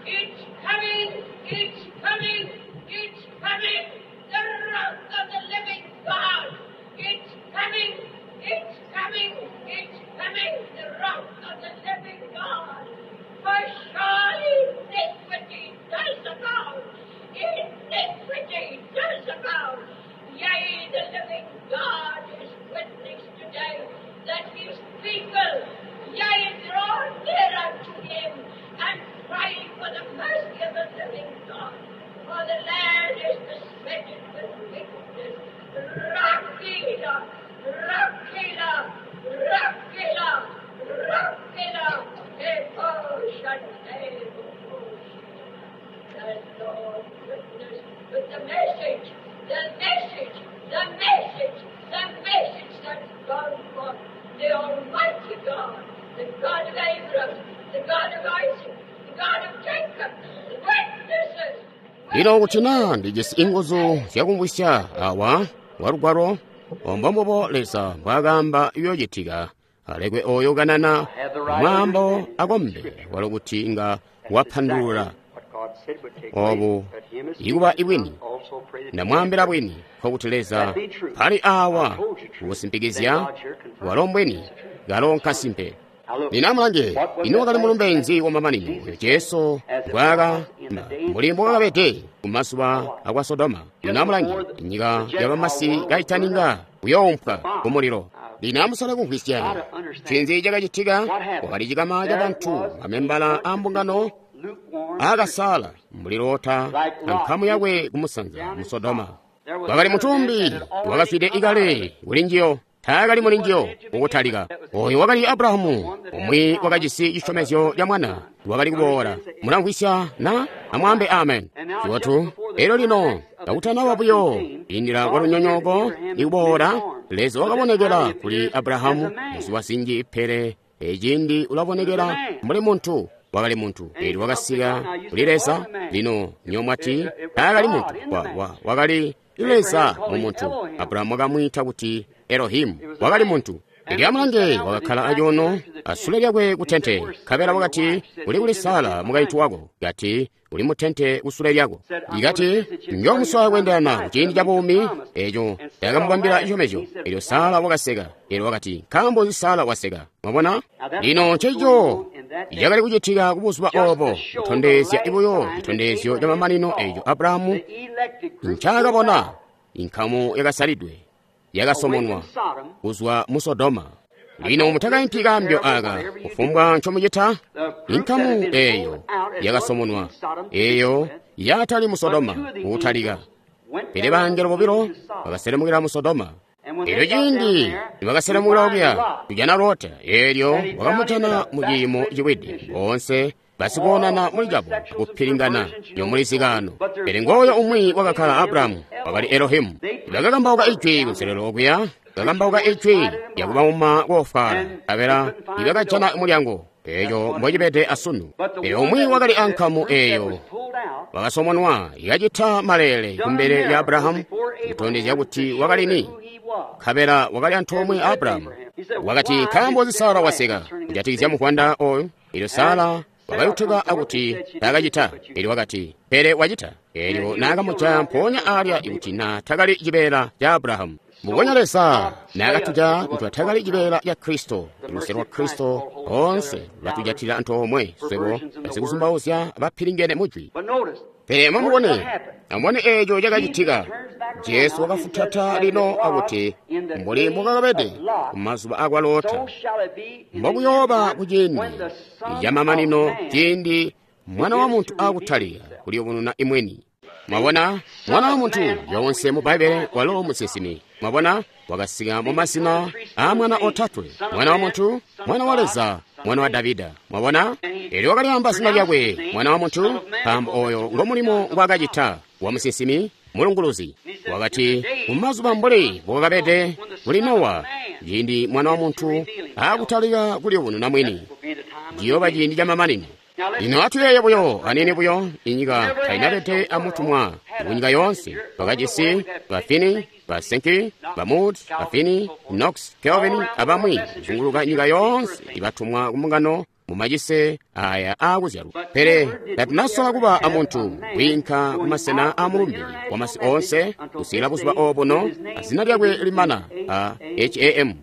Speaker 3: It's coming! It's coming! It's coming! The wrath of the living God! It's coming! It's coming! It's coming! The wrath of the living God! For surely iniquity does abound! Iniquity does abound! Yea, the living God is witness today that his people, yea, draw near unto him and cry for the mercy of the living God. For the land is besetted with wickedness. Rakila, Rakila, Rakila, Rakila, The Lord witness with the message
Speaker 1: Lino kuti naa ndijisi inguzu zyakumvwisya awa wa Lugwalo, ombombubo Leza mbwaakaamba iyoocitika, alekwe oyo kanana mwaambo akombe walo kuti inga wapandulula obu ikuba ibwini. Ndamwaambila bwini, nkokuti Leza pali awa kukusimpikizya walo mbwini, kalo nkasimpe. Lino amulange, ino wakali mulumbe nzi wamamanino oyo Jesu mbwaakaamba mbuli mbwakabede kumazuba akwa Sodoma? Lino amulange, nyika yabamasi kaitaninga kuyoompwa kumulilo. Lino amusole kumvwisya ncinzi cakacitika. Kwakali cikama ca bantu, mamembala a mbungano aakasala mbuli Lota ankamu yakwe kumusanza mu Sodoma. Kwakali mutumbi wakazwide ikale kuli njiyo, taakali muli njiyo kukutalika. Oyo wakali Abrahamu, umwi wakajisi cisyomezyo ca mwana wakali kuboola. Mulamvwisya na? Amwaambe amen. Cibotu. Elyo lino kakutanaba buyo indila kwa lunyonyooko ikuboola, Leza wakabonekela kuli Abrahamu muzuba zinji, pele eciindi ulabonekela mbuli muntu. Wakali muntu, elyo wakasika kuli Leza. Lino nyomwati taakali muntu, wakali Leza mu muntu. Abrahamu wakamwiita kuti Elohimu, wakali muntu. Elyo amulange, wakakkala acuuno asule lyakwe ku tente, nkabela wakati, uli kuli Sara mukaintu wako? Kati, uli mu tente kusule lyako. Ikati, njoomuswaya kweendelana kuciindi ca buumi eco ndakamubambila cisyomezyo. Elyo Sara wakaseka. Elyo wakati, nkaambo nzi Sara waseka? Mwabona? Lino ncencico cakali kucitika kubuzuba obo, kutondezya buyo citondezyo ca mamanino eco Abrahamu ncaakabona, inkamu yakasalidwe yakasomonwa kuzwa mu Sodoma. Lino mutakaimpi kaambyo aka, kufumbwa ncomucita, inkamu eeyo yakasomonwa, eeyo yatali mu Sodoma kukutalika. Pele bangelo bobilo bakaselemukila mu Sodoma. Elyo ciindi nibakaselemukila okuya kujana Lota, eelyo wakamujana mu ciimo ciwide, boonse basikoonana muli cabo kupilingana nyomulizikaano. Pele ngooyo umwi wakakkala Abrahamu, wakali Elohimu. Bakakambauka ijwi kunselelo okuya, bakakambauka ijwi lyakubauma koofwaala, nkabela nibakajana mulyango. Eeco mbocibede asunu. Pele umwi wakali ankamu eeyo wakasomonwa, ikacita maleele kumbele lya Abrahamu, kutondezya kuti wakali ni, nkabela wakali antoomwe a Abrahamu. Wakati, nkaambo nzi Sara waseka kujatikizya muvwanda oyu? Elyo Sara wakayutuka akuti taakacita. Elyo wakati, pele wacita. Elyo naakamujaya mpoonya alya ikuti na takali cibeela ca Abrahamu. Mbubonya Leza naakatuja nitwatakali cibeela ca Kristo, luse lwa Kristo oonse lwatujatila antoomwe swebo basikuzumbauzya bapilingene mujwi. Pele amubone, amubone eeco cakacitika. Jesu wakafutata lino akuti, mbuli mbukakabede kumazuba akwa Lota, mbokuyooba kuciindi camamanino, ciindi Mwana wa Muntu akutalika kuliyubununa imweni. Mwabona, Mwana wa Muntu yoonse mu Bbaibbele walo musinsimi. Mwabona, wakasika mu mazina a mwana otatwe: Mwana wa Muntu, Mwana wa Leza, Mwana wa Davida. Mwabona, elyo wakalyaamba zina lyakwe Mwana wa Muntu, nkaambo oyo ngo mulimo ngwaakacita wa musinsimi mulunguluzi. Wakati, mumazuba mbuli mbukakabede kuli Nowa, ciindi Mwana wa Muntu akutalika kuliyubununa mwini, ciyooba ciindi camamanino. Lino atuyeeye buyo aniini buyo, inyika tainabede amutumwa kunyika yoonse. Bakajisi ba Finney, ba Sankey, ba Moody, ba Finney, Knox, Calvin abamwi kuzunguluka nyika yoonse ibatumwa kumbungano mumacise aya aakuzyalwa. Pele tatunasola kuba amuntu kwiinka kumasena aamulumbe wamasi oonse kusikila buzuba obuno, azina lyakwe limana a H-A-M,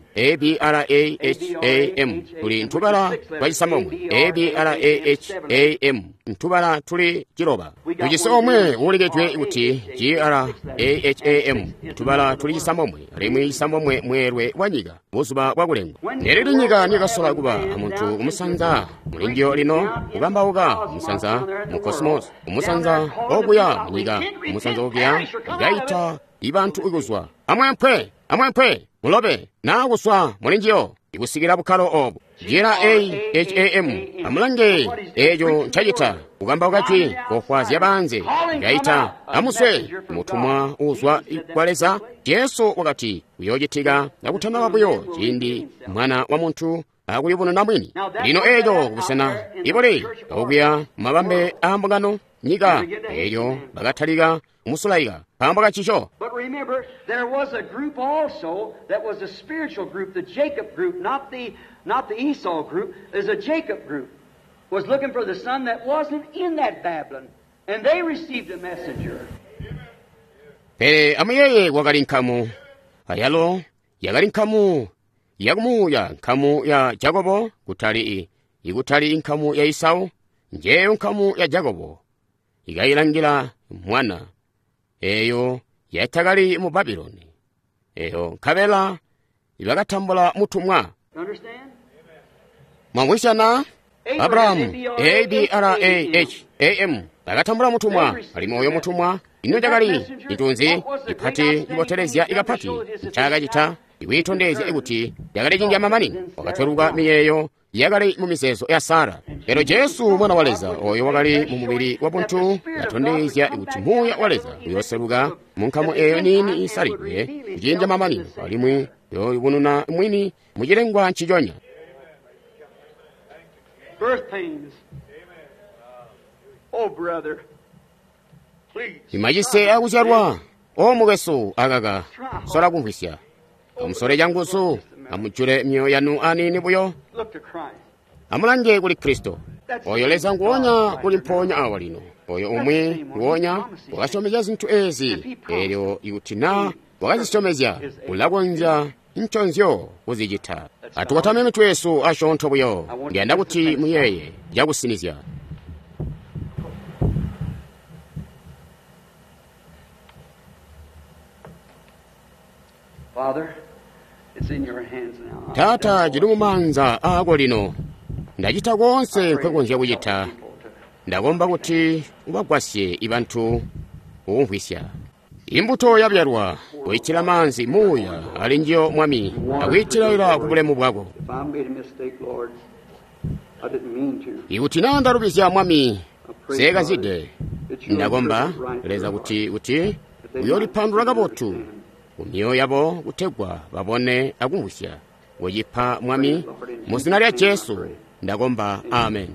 Speaker 1: A-B-R-A-H-A-M, tuli ntubala twacisamomwe, A-B-R-A-H-A-M, ntubala tuli ciloba. Tujisi omwe uulikedwe kuti G-R-A-H-A-M, ntubala tuli cisamomwe, alimwi cisamomwe mweelwe wa nyika buzuba bwakulengwa. Nelili nyika niyakasola kuba amuntu kumusanza mulinjiyo lino, kukambauka kumusanza mu kosmos, kumusanza okuya munyika, kumusanza okuya ikaita ibantu ikuzwa amwempwe amwempwe mulobe naa kuswa mulinjiyo ikusikila bukkalo obu. G-R-A-H-A-M, amulange eeco ncacita, kukambauka jwi kofwaazya baanze, ikaita amuswe mutumwa uuzwa kwa Leza. Jesu wakati kuyoocitika kakutanaba buyo ciindi Mwana wa Muntu akulibonena mwini. Lino eco kubusena ibuli okuya mabambe a mbungano nyika elyo bakatalika kumusulaika nkaambo kancico.
Speaker 2: But remember, there was a group also that was a spiritual group, the Jacob group, not the Esau group. There's a Jacob group was looking for the son that wasn't in that Babylon, and they received a messenger.
Speaker 1: Pele amuyeeye kwakali nkamu, ayalo yakali nkamu yakumuuya, nkamu ya Jakobo, kutali ikutali nkamu ya Esau, njeyo nkamu ya Jakobo ikayilangila mwana eyo yatakali mu Babyloni, eyo nkabela ibakatambula mutumwa.
Speaker 2: Understand?
Speaker 1: Mwamwisyana Abrahamu, A-B-R-A-H-A-M, bakatambula mutumwa, alimwi oyo mutumwa ino cakali itunzi ipati ibotelezya ikapati ncaakacita ikuyitondezya kuti yakali cinja mamanino, wakatweluka miyeeyo yakali mu mizeezo ya Sara. Lero Jesu mwana wa Leza oyo wakali mu mubili wa buntu atondezya kuti muuya wa Leza uyoseluka mu nkamu eyo niini isalidwe kucinja mamanino, alimwi yoyubununa mwini mu cilengwa nciconya.
Speaker 2: Birth pains. Oh, brother. Please.
Speaker 1: Imachise akuzyalwa o mukwesu akaka sola kumvwisya, amusole canguzu, amujule myoyo yanu aniini buyo,
Speaker 2: Look to Christ.
Speaker 1: amulange kuli Kristo. Oyo Leza nguwonya kuli mpoonya awa lino, oyo umwi nguwonya wakasyomezya zinthu ezi, elyo ikuti na wakazisyomezya ulakonzya nconzyo kuzicita. Atukwatame mitwe yesu asyoonto buyo, ndiyanda kuti muyeeye cakusinizya.
Speaker 2: Father, it's in your hands now.
Speaker 1: Taata, cili mumaanza aako lino, ndacita konse nkwekonzya kucita. Ndakomba kuti ubagwasye ibantu kukumvwisya. Imbuto yabyalwa, kuyitila maanzi muuya ali njiyo Mwami, akuyitilaila ku bulemu bwako.
Speaker 2: If I made a mistake, Lord, I didn't mean to.
Speaker 1: Ikuti naa ndalubizya Mwami, seekazide, ndakomba Leza kuti uyoolipandula kabotu ku myoyo yabo kutegwa babone akumvwisya. Kucipa Mwami, mu zina lya Jesu ndakomba, amen.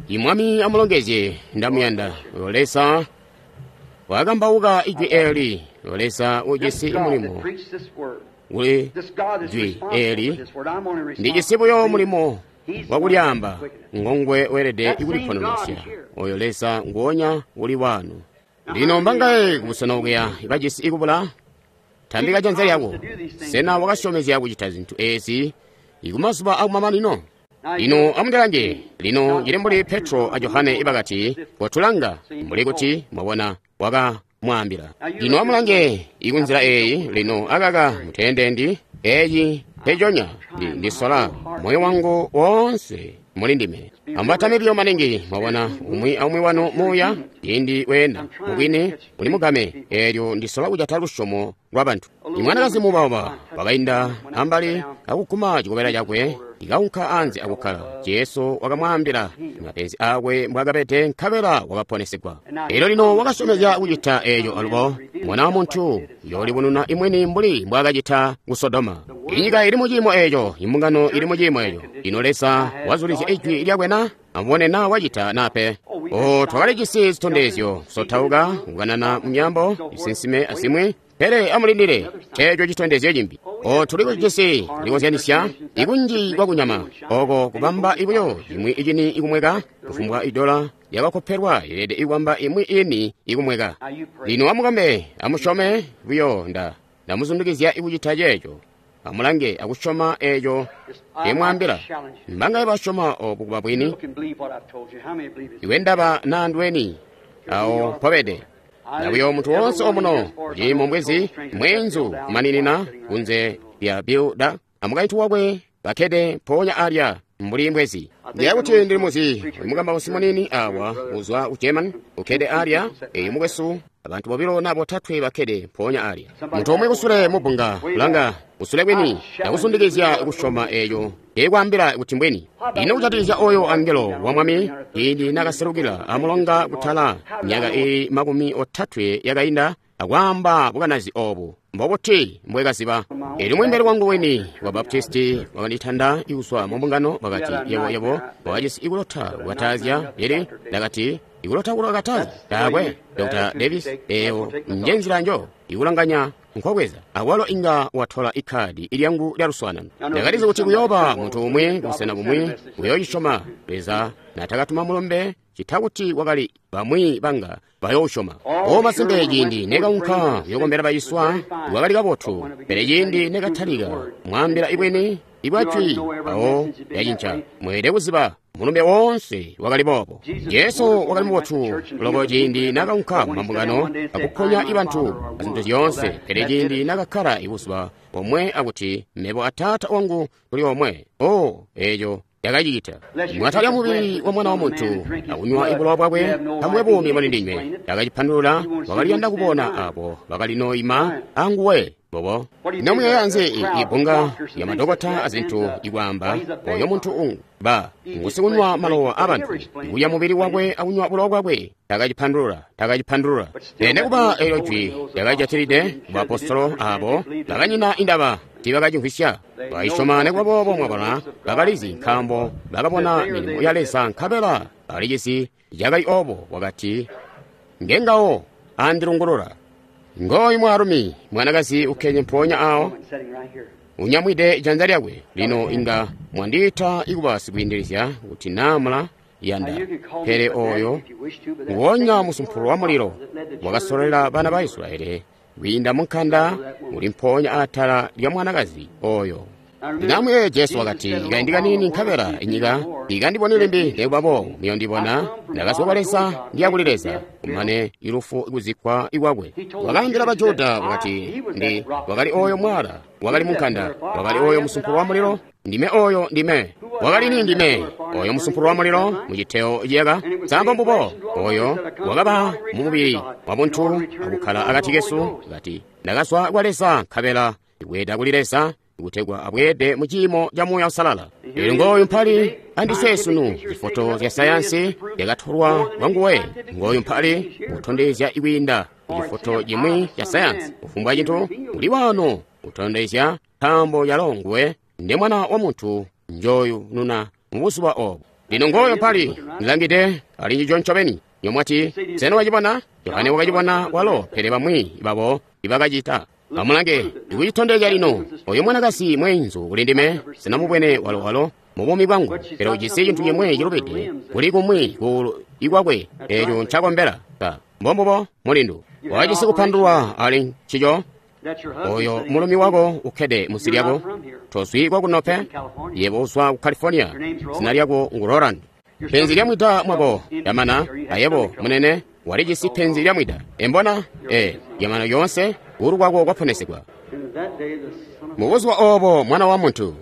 Speaker 1: Imwami amulongezye, ndamuyanda. Leza wakambauka ijwi eli, Leza ujisi
Speaker 2: This God that
Speaker 1: mulimo
Speaker 2: preached this word,
Speaker 1: uli
Speaker 2: this God is
Speaker 1: jwi
Speaker 2: responsible
Speaker 1: eli,
Speaker 2: for this word. I'm only
Speaker 1: ndijisi buyo
Speaker 2: responsible.
Speaker 1: mulimo
Speaker 2: He's the
Speaker 1: wakulyaamba
Speaker 2: one that's quickening.
Speaker 1: ngongwe weelede
Speaker 2: That same
Speaker 1: ikuliponolosya.
Speaker 2: God here.
Speaker 1: Oyo Leza nguwonya uli wanu. Lino mbangaye kubusena okuya ibajisi ikubula, tambika janza lyako. Sena wakasyomezya kucita zinthu ezi ikumazuba akumamanino? Lino amundilange, lino cili mbuli Petro a Johane ibakati, kotulanga, mbuli kuti mwabona wakamwaambila. Lino amulange ikunzila eyi, lino akaka muteendendi eyi peconya ndisola moyo wangu wonse muli ndime. Ambatame biyo maningi, mwabona umwi aumwi wanu muuya ciindi weenda mubwini uli mugame, eelyo ndisola kujata lusyomo lwa bantu. Imwanakazi mubauba wakainda ambali akuguma cikobela cakwe, ikaunka anze akukkala. Jesu wakamwaambila mapenzi akwe mbwaakabede, nkabela wakaponesegwa. Elyo lino wakasyomezya kucita eeco alubo mwana wa muntu yoolibununa imwini mbuli mbwaakacita ku Sodoma. Inyika ili muciimo eeco, imbungano ili muciimo eeco. Lino Leza wazulizya ijwi lyakwe na amubone na wacita nape. O, twakalijisi zitondezyo, kusotauka, kukanana mumyambo, isinsime azimwi, pele amulindile eeco citondezyo cimbi. O, tuli kujisi kulikozyanisya ikunji kwakunyama oko kubamba ibuyo imwi icini ikumweka, kufumbwa idola yakakopelwa ilede ikwamba imwi ini ikumweka. Lino amukombe, amusyome buyo ndamuzundikizya ikucita ceeco. Amulange akusyoma eeco ndyemwaambila. Mbangaye basyoma obu kuba bwini?
Speaker 2: You can believe what I've told you. How many believe it?
Speaker 1: Iwe ndaba naandweni awo mpobede. Ndabuyo munthu wonse omuno kuciimo mbwezi mwenzu kumaninina kunze lya Bilda amukaintu wakwe bakkede mpoonya alya mbuli mbwezi. Ndiye kuti ndili muzi mukambausi munini awa uzwa ku German ukkede alya eyi mukwesu abantu bobilo na botatwe bakkede mpoonya alya. Munthu omwe kusule mubunga kulanga kusule kwini ndakuzundikizya kusyoma eyo ndikwaambila kuti mbwini. Ino kucatizya oyo angelo wa Mwami ciindi nakaselukila amulonga kutala myaka iyi 30 yakainda, akwaamba bukanazi obu. Mbobuti mbwekaziba? Elyo mweembeli wangu weni wa Baptisti wakanditanda kuzwa mu mbungano, wakati, yebo, yebo, wakajisi ikulota kukatazya. Pele ndakati, ikulota kukatazya? Taakwe, Dr. Davis, eyo nje nzila njo ikulanganya nkokweza. Awalo inga watola ikhadi ilyangu lya luswaanano. Ndakalizi kuti kuyooba muntu umwi kubusena bumwi uyoocisyoma. Leza natakatuma mulumbe cita kuti wakali bamwi banga bayoosyoma. O masimpe, ciindi nekaunka kuyokombela baciswa wakali kabotu, pele ciindi nekatalika mwaambila ibwini ibwajwi awo yacinca. Mweelede kuziba mulumbe woonse wakali boobo. Jesu wakali mubotu loko ciindi nakaunka mumambungano akuponya ibantu azintu zyoonse, pele ciindi nakakkala ibuzuba bomwe akuti mebo a Taata wangu tuli omwe, o eeco yakacita. Mwatalya mubili wa Mwana wa Muntu akunywa ibulowa bwakwe, tamukwe buumi muli ndinywe. Yakacipandulula, wakaliyanda kubona abo bakalinoima anguwe. Bobo nomuyeeya nzi ibunga lya madokota azintu ikwaamba oyo muntu ungu ba ngusikunywa malowa abantu ikulya mubili wakwe akunywa bulowa bwakwe. Takacipandulula, takacipandulula. Pele kuba eelyo jwi lyakajatilide kubaapostolo abo bakanyina indaba tiibakacimvwisya. Bakayisyoma nekuba boobo, mwabona, bakalizi nkaambo bakabona milimo ya Leza nkabela balicisi cakali obo. Wakati ngengawo andilungulula. Ngooyu mwaalumi mwanakazi ukkenye mpoonya awo unyamwide janza lyakwe. Lino inga mwandiita ikuba sikwiindilizya kuti naamula yanda, pele oyo nguwonya musumpulu wa mulilo wakasololela bana ba Israeli kwiinda mu nkanda uli mpoonya atala lya mwanakazi oyo. Ndinamwiye Jesu wakati, ikaindi kanini nkabela inyika ikandiboni limbi, nekuba boobo muyondibona. Ndakazwa kwa Leza ndiya kuli Leza, kumane ilufu ikuzikkwa ikwakwe. Wakaambila Bajuda wakati, ndi wakali oyo mwala wakali munkanda, wakali oyo musumpulu wa mulilo. Ndime oyo, ndime wakali ni ndime oyo musumpulu wa mulilo muciteo ciyaka. Sambo mbubo oyo wakaba mu mubili wa buntu akukkala akati kesu. Kati ndakazwa kwa Leza nkabela ibweeda kuli Leza, kutegwa abweede mu ciimo ca Muuya Uusalala. Elyo ngooyu mpali andiswe sunu, zifoto zya sayansi zyakatolwa kwa nguwe. Ngooyu mpali kutondezya ikwiinda cifoto cimwi ca sayansi. Kufumbwa cintu uli wano kutondezya, nkaambo yalo nguwe ndi Mwana wa Muntu njoyu nuna mu buzuba obo. Lino ngooyo mpali ndilangide ali ncico ncobeni. Nyomwati sena wacibona? Yohane wakacibona walo, pele bamwi babo ibakacita. Amulange, ndikucitondezya lino. Oyo mwanakazi mweenzu kuli ndime, sinamubwene walowalo mu buumi bwangu, pele ujisi cintu cimwi cilubide kuli kumwi kuulu ikwakwe, eeco ncakombela. Mbombubo mulindu wajisi kupandulwa ali ncico. Oyo mulumi wako ukkede munsi lyako, tozwi kwakuno pe, yebo uzwa ku California, zina lyako ngu Roland. Penzi lya mwida mwako lyamana, ayebo munene walijisi penzi lya mwida. Embona? Lyamana yoonse, kuulu kwako kwaponesedwa. Mu buzuba obo Mwana wa Muntu.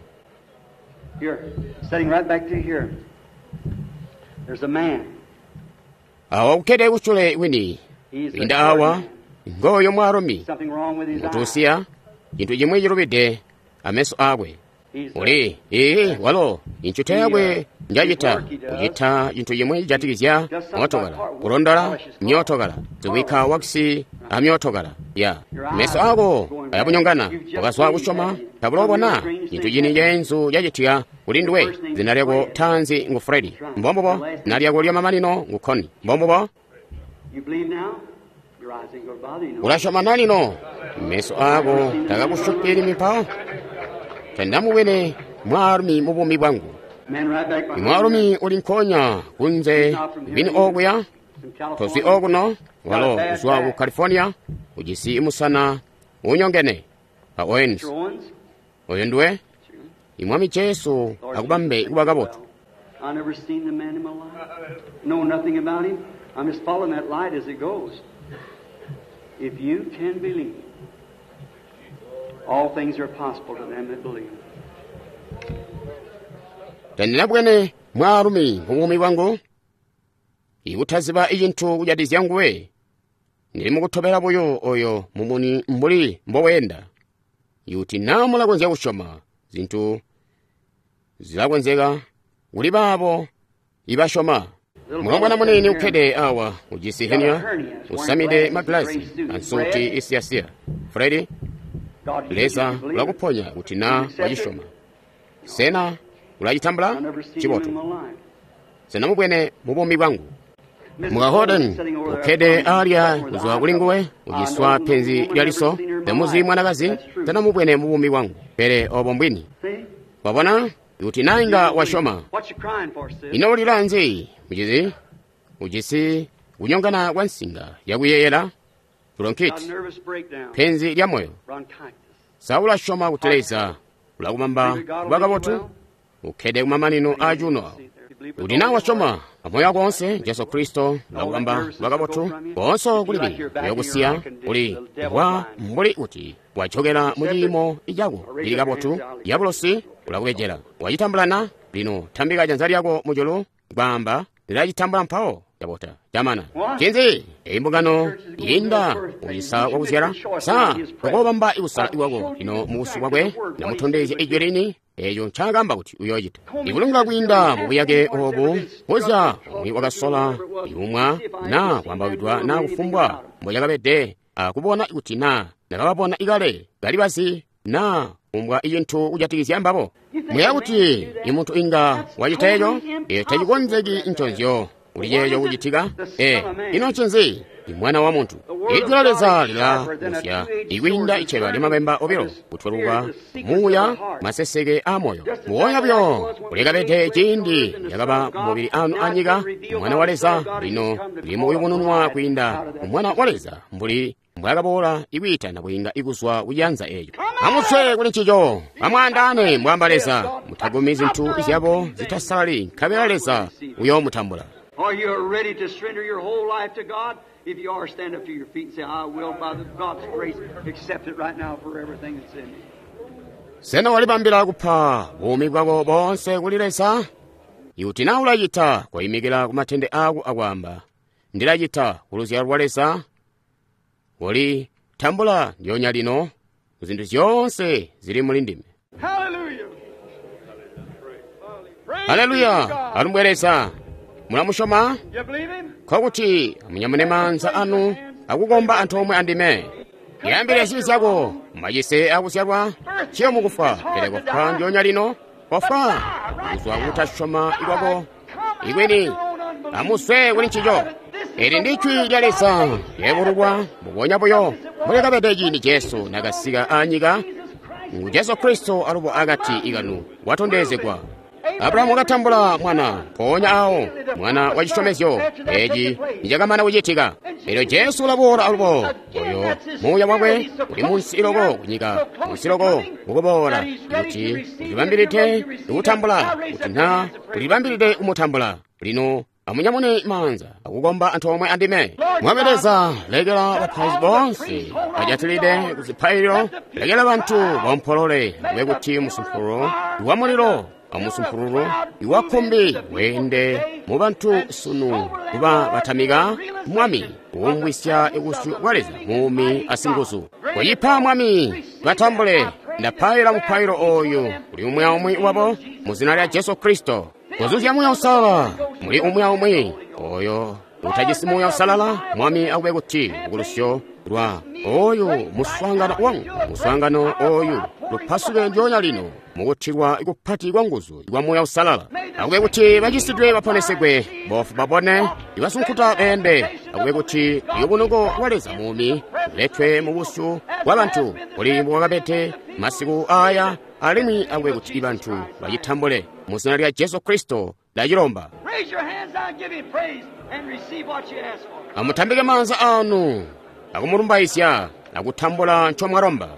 Speaker 1: Awa ukkede kusyule wini, kwiinda awa, ngooyo mwaalumi ngutusiya, cintu cimwi cilubide ameso akwe. Uli, ii, walo, incuta yakwe njacita, kucita cintu cimwi cijatikizya mootokala, kulondola myootokala, zikubikka wakisi amyootokala. Ya meso ako ayabunyongana, wakazwa kusyoma, tabulobona cintu cini ceenzu cacitika kuli nduwe. Zina lyako taanzi ngu Fredi, mbombubo. Zina lyako lyamamanino ngu Connie, mbombubo. Ulasyoma na lino? Meso ako takakusyupili mipawo. Tandamubwene mwaalumi mu buumi bwangu. Mwaalumi uli nkonya kunze bini okuya, tozwi okuno, walo uzwa ku California, ujisi musana unyongene. Pa Owens, oyo nduwe? Imwami Jesu akubambe kuba kabotu.
Speaker 2: If you can believe, all things are possible to them that believe.
Speaker 1: Tandinabwene mwaalumi mu buumi bwangu ikutaziba icintu kujatikizya nguwe. Ndili mukutobela buyo oyo mumuni mbuli mboweenda. Ikuti naa mulakonzya kusyoma, zintu zilakonzeka kuli baabo ibasyoma. Mulombwana muniini ukkede awa ujisi henia, usamide magilazi ansuti isiyasiya. Fredi, Leza ulakuponya kuti na wacisyoma. Sena ulacitambula? Cibotu. Sena mubwene mu buumi bwangu. Muka Holden ukkede alya kuzwa kuli nguwe, uciswa penzi lya liso. Temuzi mwanakazi, sena mubwene mu buumi bwangu. Pele obo mbwini. Wabona? Kuti na inga wasyoma. Ino ulila nzi, mucizi? Ujisi kunyongana kwa nsinga yakuyeyela, bronchitis, penzi lya moyo. Sa ulasyoma kuti Leza ulakubamba kuba kabotu? Ukkede kumamanino a cuuno awo. Kuti na wasyoma amoyo wako onse, Jesu Kristo ulakubamba kuba kabotu, koonse kulibi uyokusiya uli wa mbuli kuti wajokela mu ciimo cako cili kabotu. Diabolosi ulakubejela. Wacitambulana? Lino tambika janza lyako mujulu kwaamba ndilacitambula mpawo. Cabota camana. Cinzi? Eyi mbungano yinda kucisa kwakuzyala. Sa tokobamba ikusala kwako lino mubusu bwakwe namutondezya ijwi lini eco ncaakamba kuti uyoocita. Ikulungula kwiinda mubuyake obu buzya umwi wakasola iumwa na kwambawidwa na kufumbwa mbocakabede akubona kuti na nakababona ikale kali bazi na kumbwa icintu kujatikizya mbabo. Muya kuti imuntu inga wacita eco? Eco tacikonzeki nconzyo kuli ceeco kucitika. Ino ncinzi? Imwana wa muntu. Ijwi lya Leza lilagusya ikwiinda iceba lyamabemba obilo, kutweluka muuya maseseke a moyo. Muwonya buyo ulikabede ciindi lyakaba mubili anu anyika. Mwana wa Leza lino limukuyubununwa kwiinda Mwana wa Leza mbuli mbwakaboola ikwiitana kwiinda ikuzwa kuciyanza eco. Amuswe kuli ncico, amwaandaane mbwaamba Leza, mutagumi zintu zyabo zitasalali, nkabela Leza uyoomutambula.
Speaker 2: Are you ready to surrender your whole life to God? If you are, stand up to your feet and say, I will, by the God's grace, accept it right now for everything that's in me.
Speaker 1: Sena walibambila kupa buumi bwako bonse kuli Leza? Ikuti na ulacita, koyimikila ku matende ako akwaamba, ndilacita ku luzyalo lwa Leza. Koli tambula ndyonya lino ku zinthu zonse zili muli ndime. Haleluya! Alumbwe Leza. Mulamusyoma? Nkokuti amunyamune maanza anu akukomba antoomwe andime. Yambile zibi zyako mumacise akuzyalwa, ciyo mukufa, pele kofwa ndyonya lino, kofwa kuzwa kutasyoma kwako ikwini. Amuswe kuli ncico. Eli ndi jwi lya Leza lyebululwa mbubonya buyo mbuli ciindi Jesu nakasika anyika. Ngu Jesu Kristo alubo akati ikanu watondezegwa. Abrahamu wakatambula mwana mpoonya awo, mwana wa cisyomezyo eci nicakamana kucitika. Elyo Jesu ulaboola alubo, oyo muuya wakwe uli munsi iloko kunyika, munsi iloko mukuboola, kuti ulibambilide kutambula, kuti na ulibambilide kumutambula. Lino amunyamune maanza akukomba antoomwe andime. Mwami Leza, lekela bapaizi bonse bajatilide ku zipaililo, lekela bantu baompolole, akube kuti musumpululu wa mulilo amusumpululu iwa kkumbi weende mu bantu sunu kuba batamika Mwami kuumwisya ibusyu bwa Leza muumi asinguzu. Koyipa Mwami batambule. Ndapaila mupailo oyu kuli umwi aumwi wabo mu zina lya Jesu Kristo. Kuzuzya Muuya Uusalala muli umwi aumwi oyo utajisi Muuya Uusalala. Mwami akube kuti lukulusyo lwa oyu muswaangano wangu, muswaangano oyu lupasuke ndyonya lino mukutilwa kupati kwa nguzu kwa Muuya Uusalala. Akube kuti bacisidwe baponesegwe, bofu babone, ibasunkuta beende. Akube kuti lubunuko lwa Leza muumi luletwe mu busyu bwa bantu kuli mbwakabede masiku aya, alimwi akube kuti bantu bacitambule mu zina lya Jesu Kristo ndacilomba. Amutambike maanza anu akumulumbaizya akutambula ncomwalomba.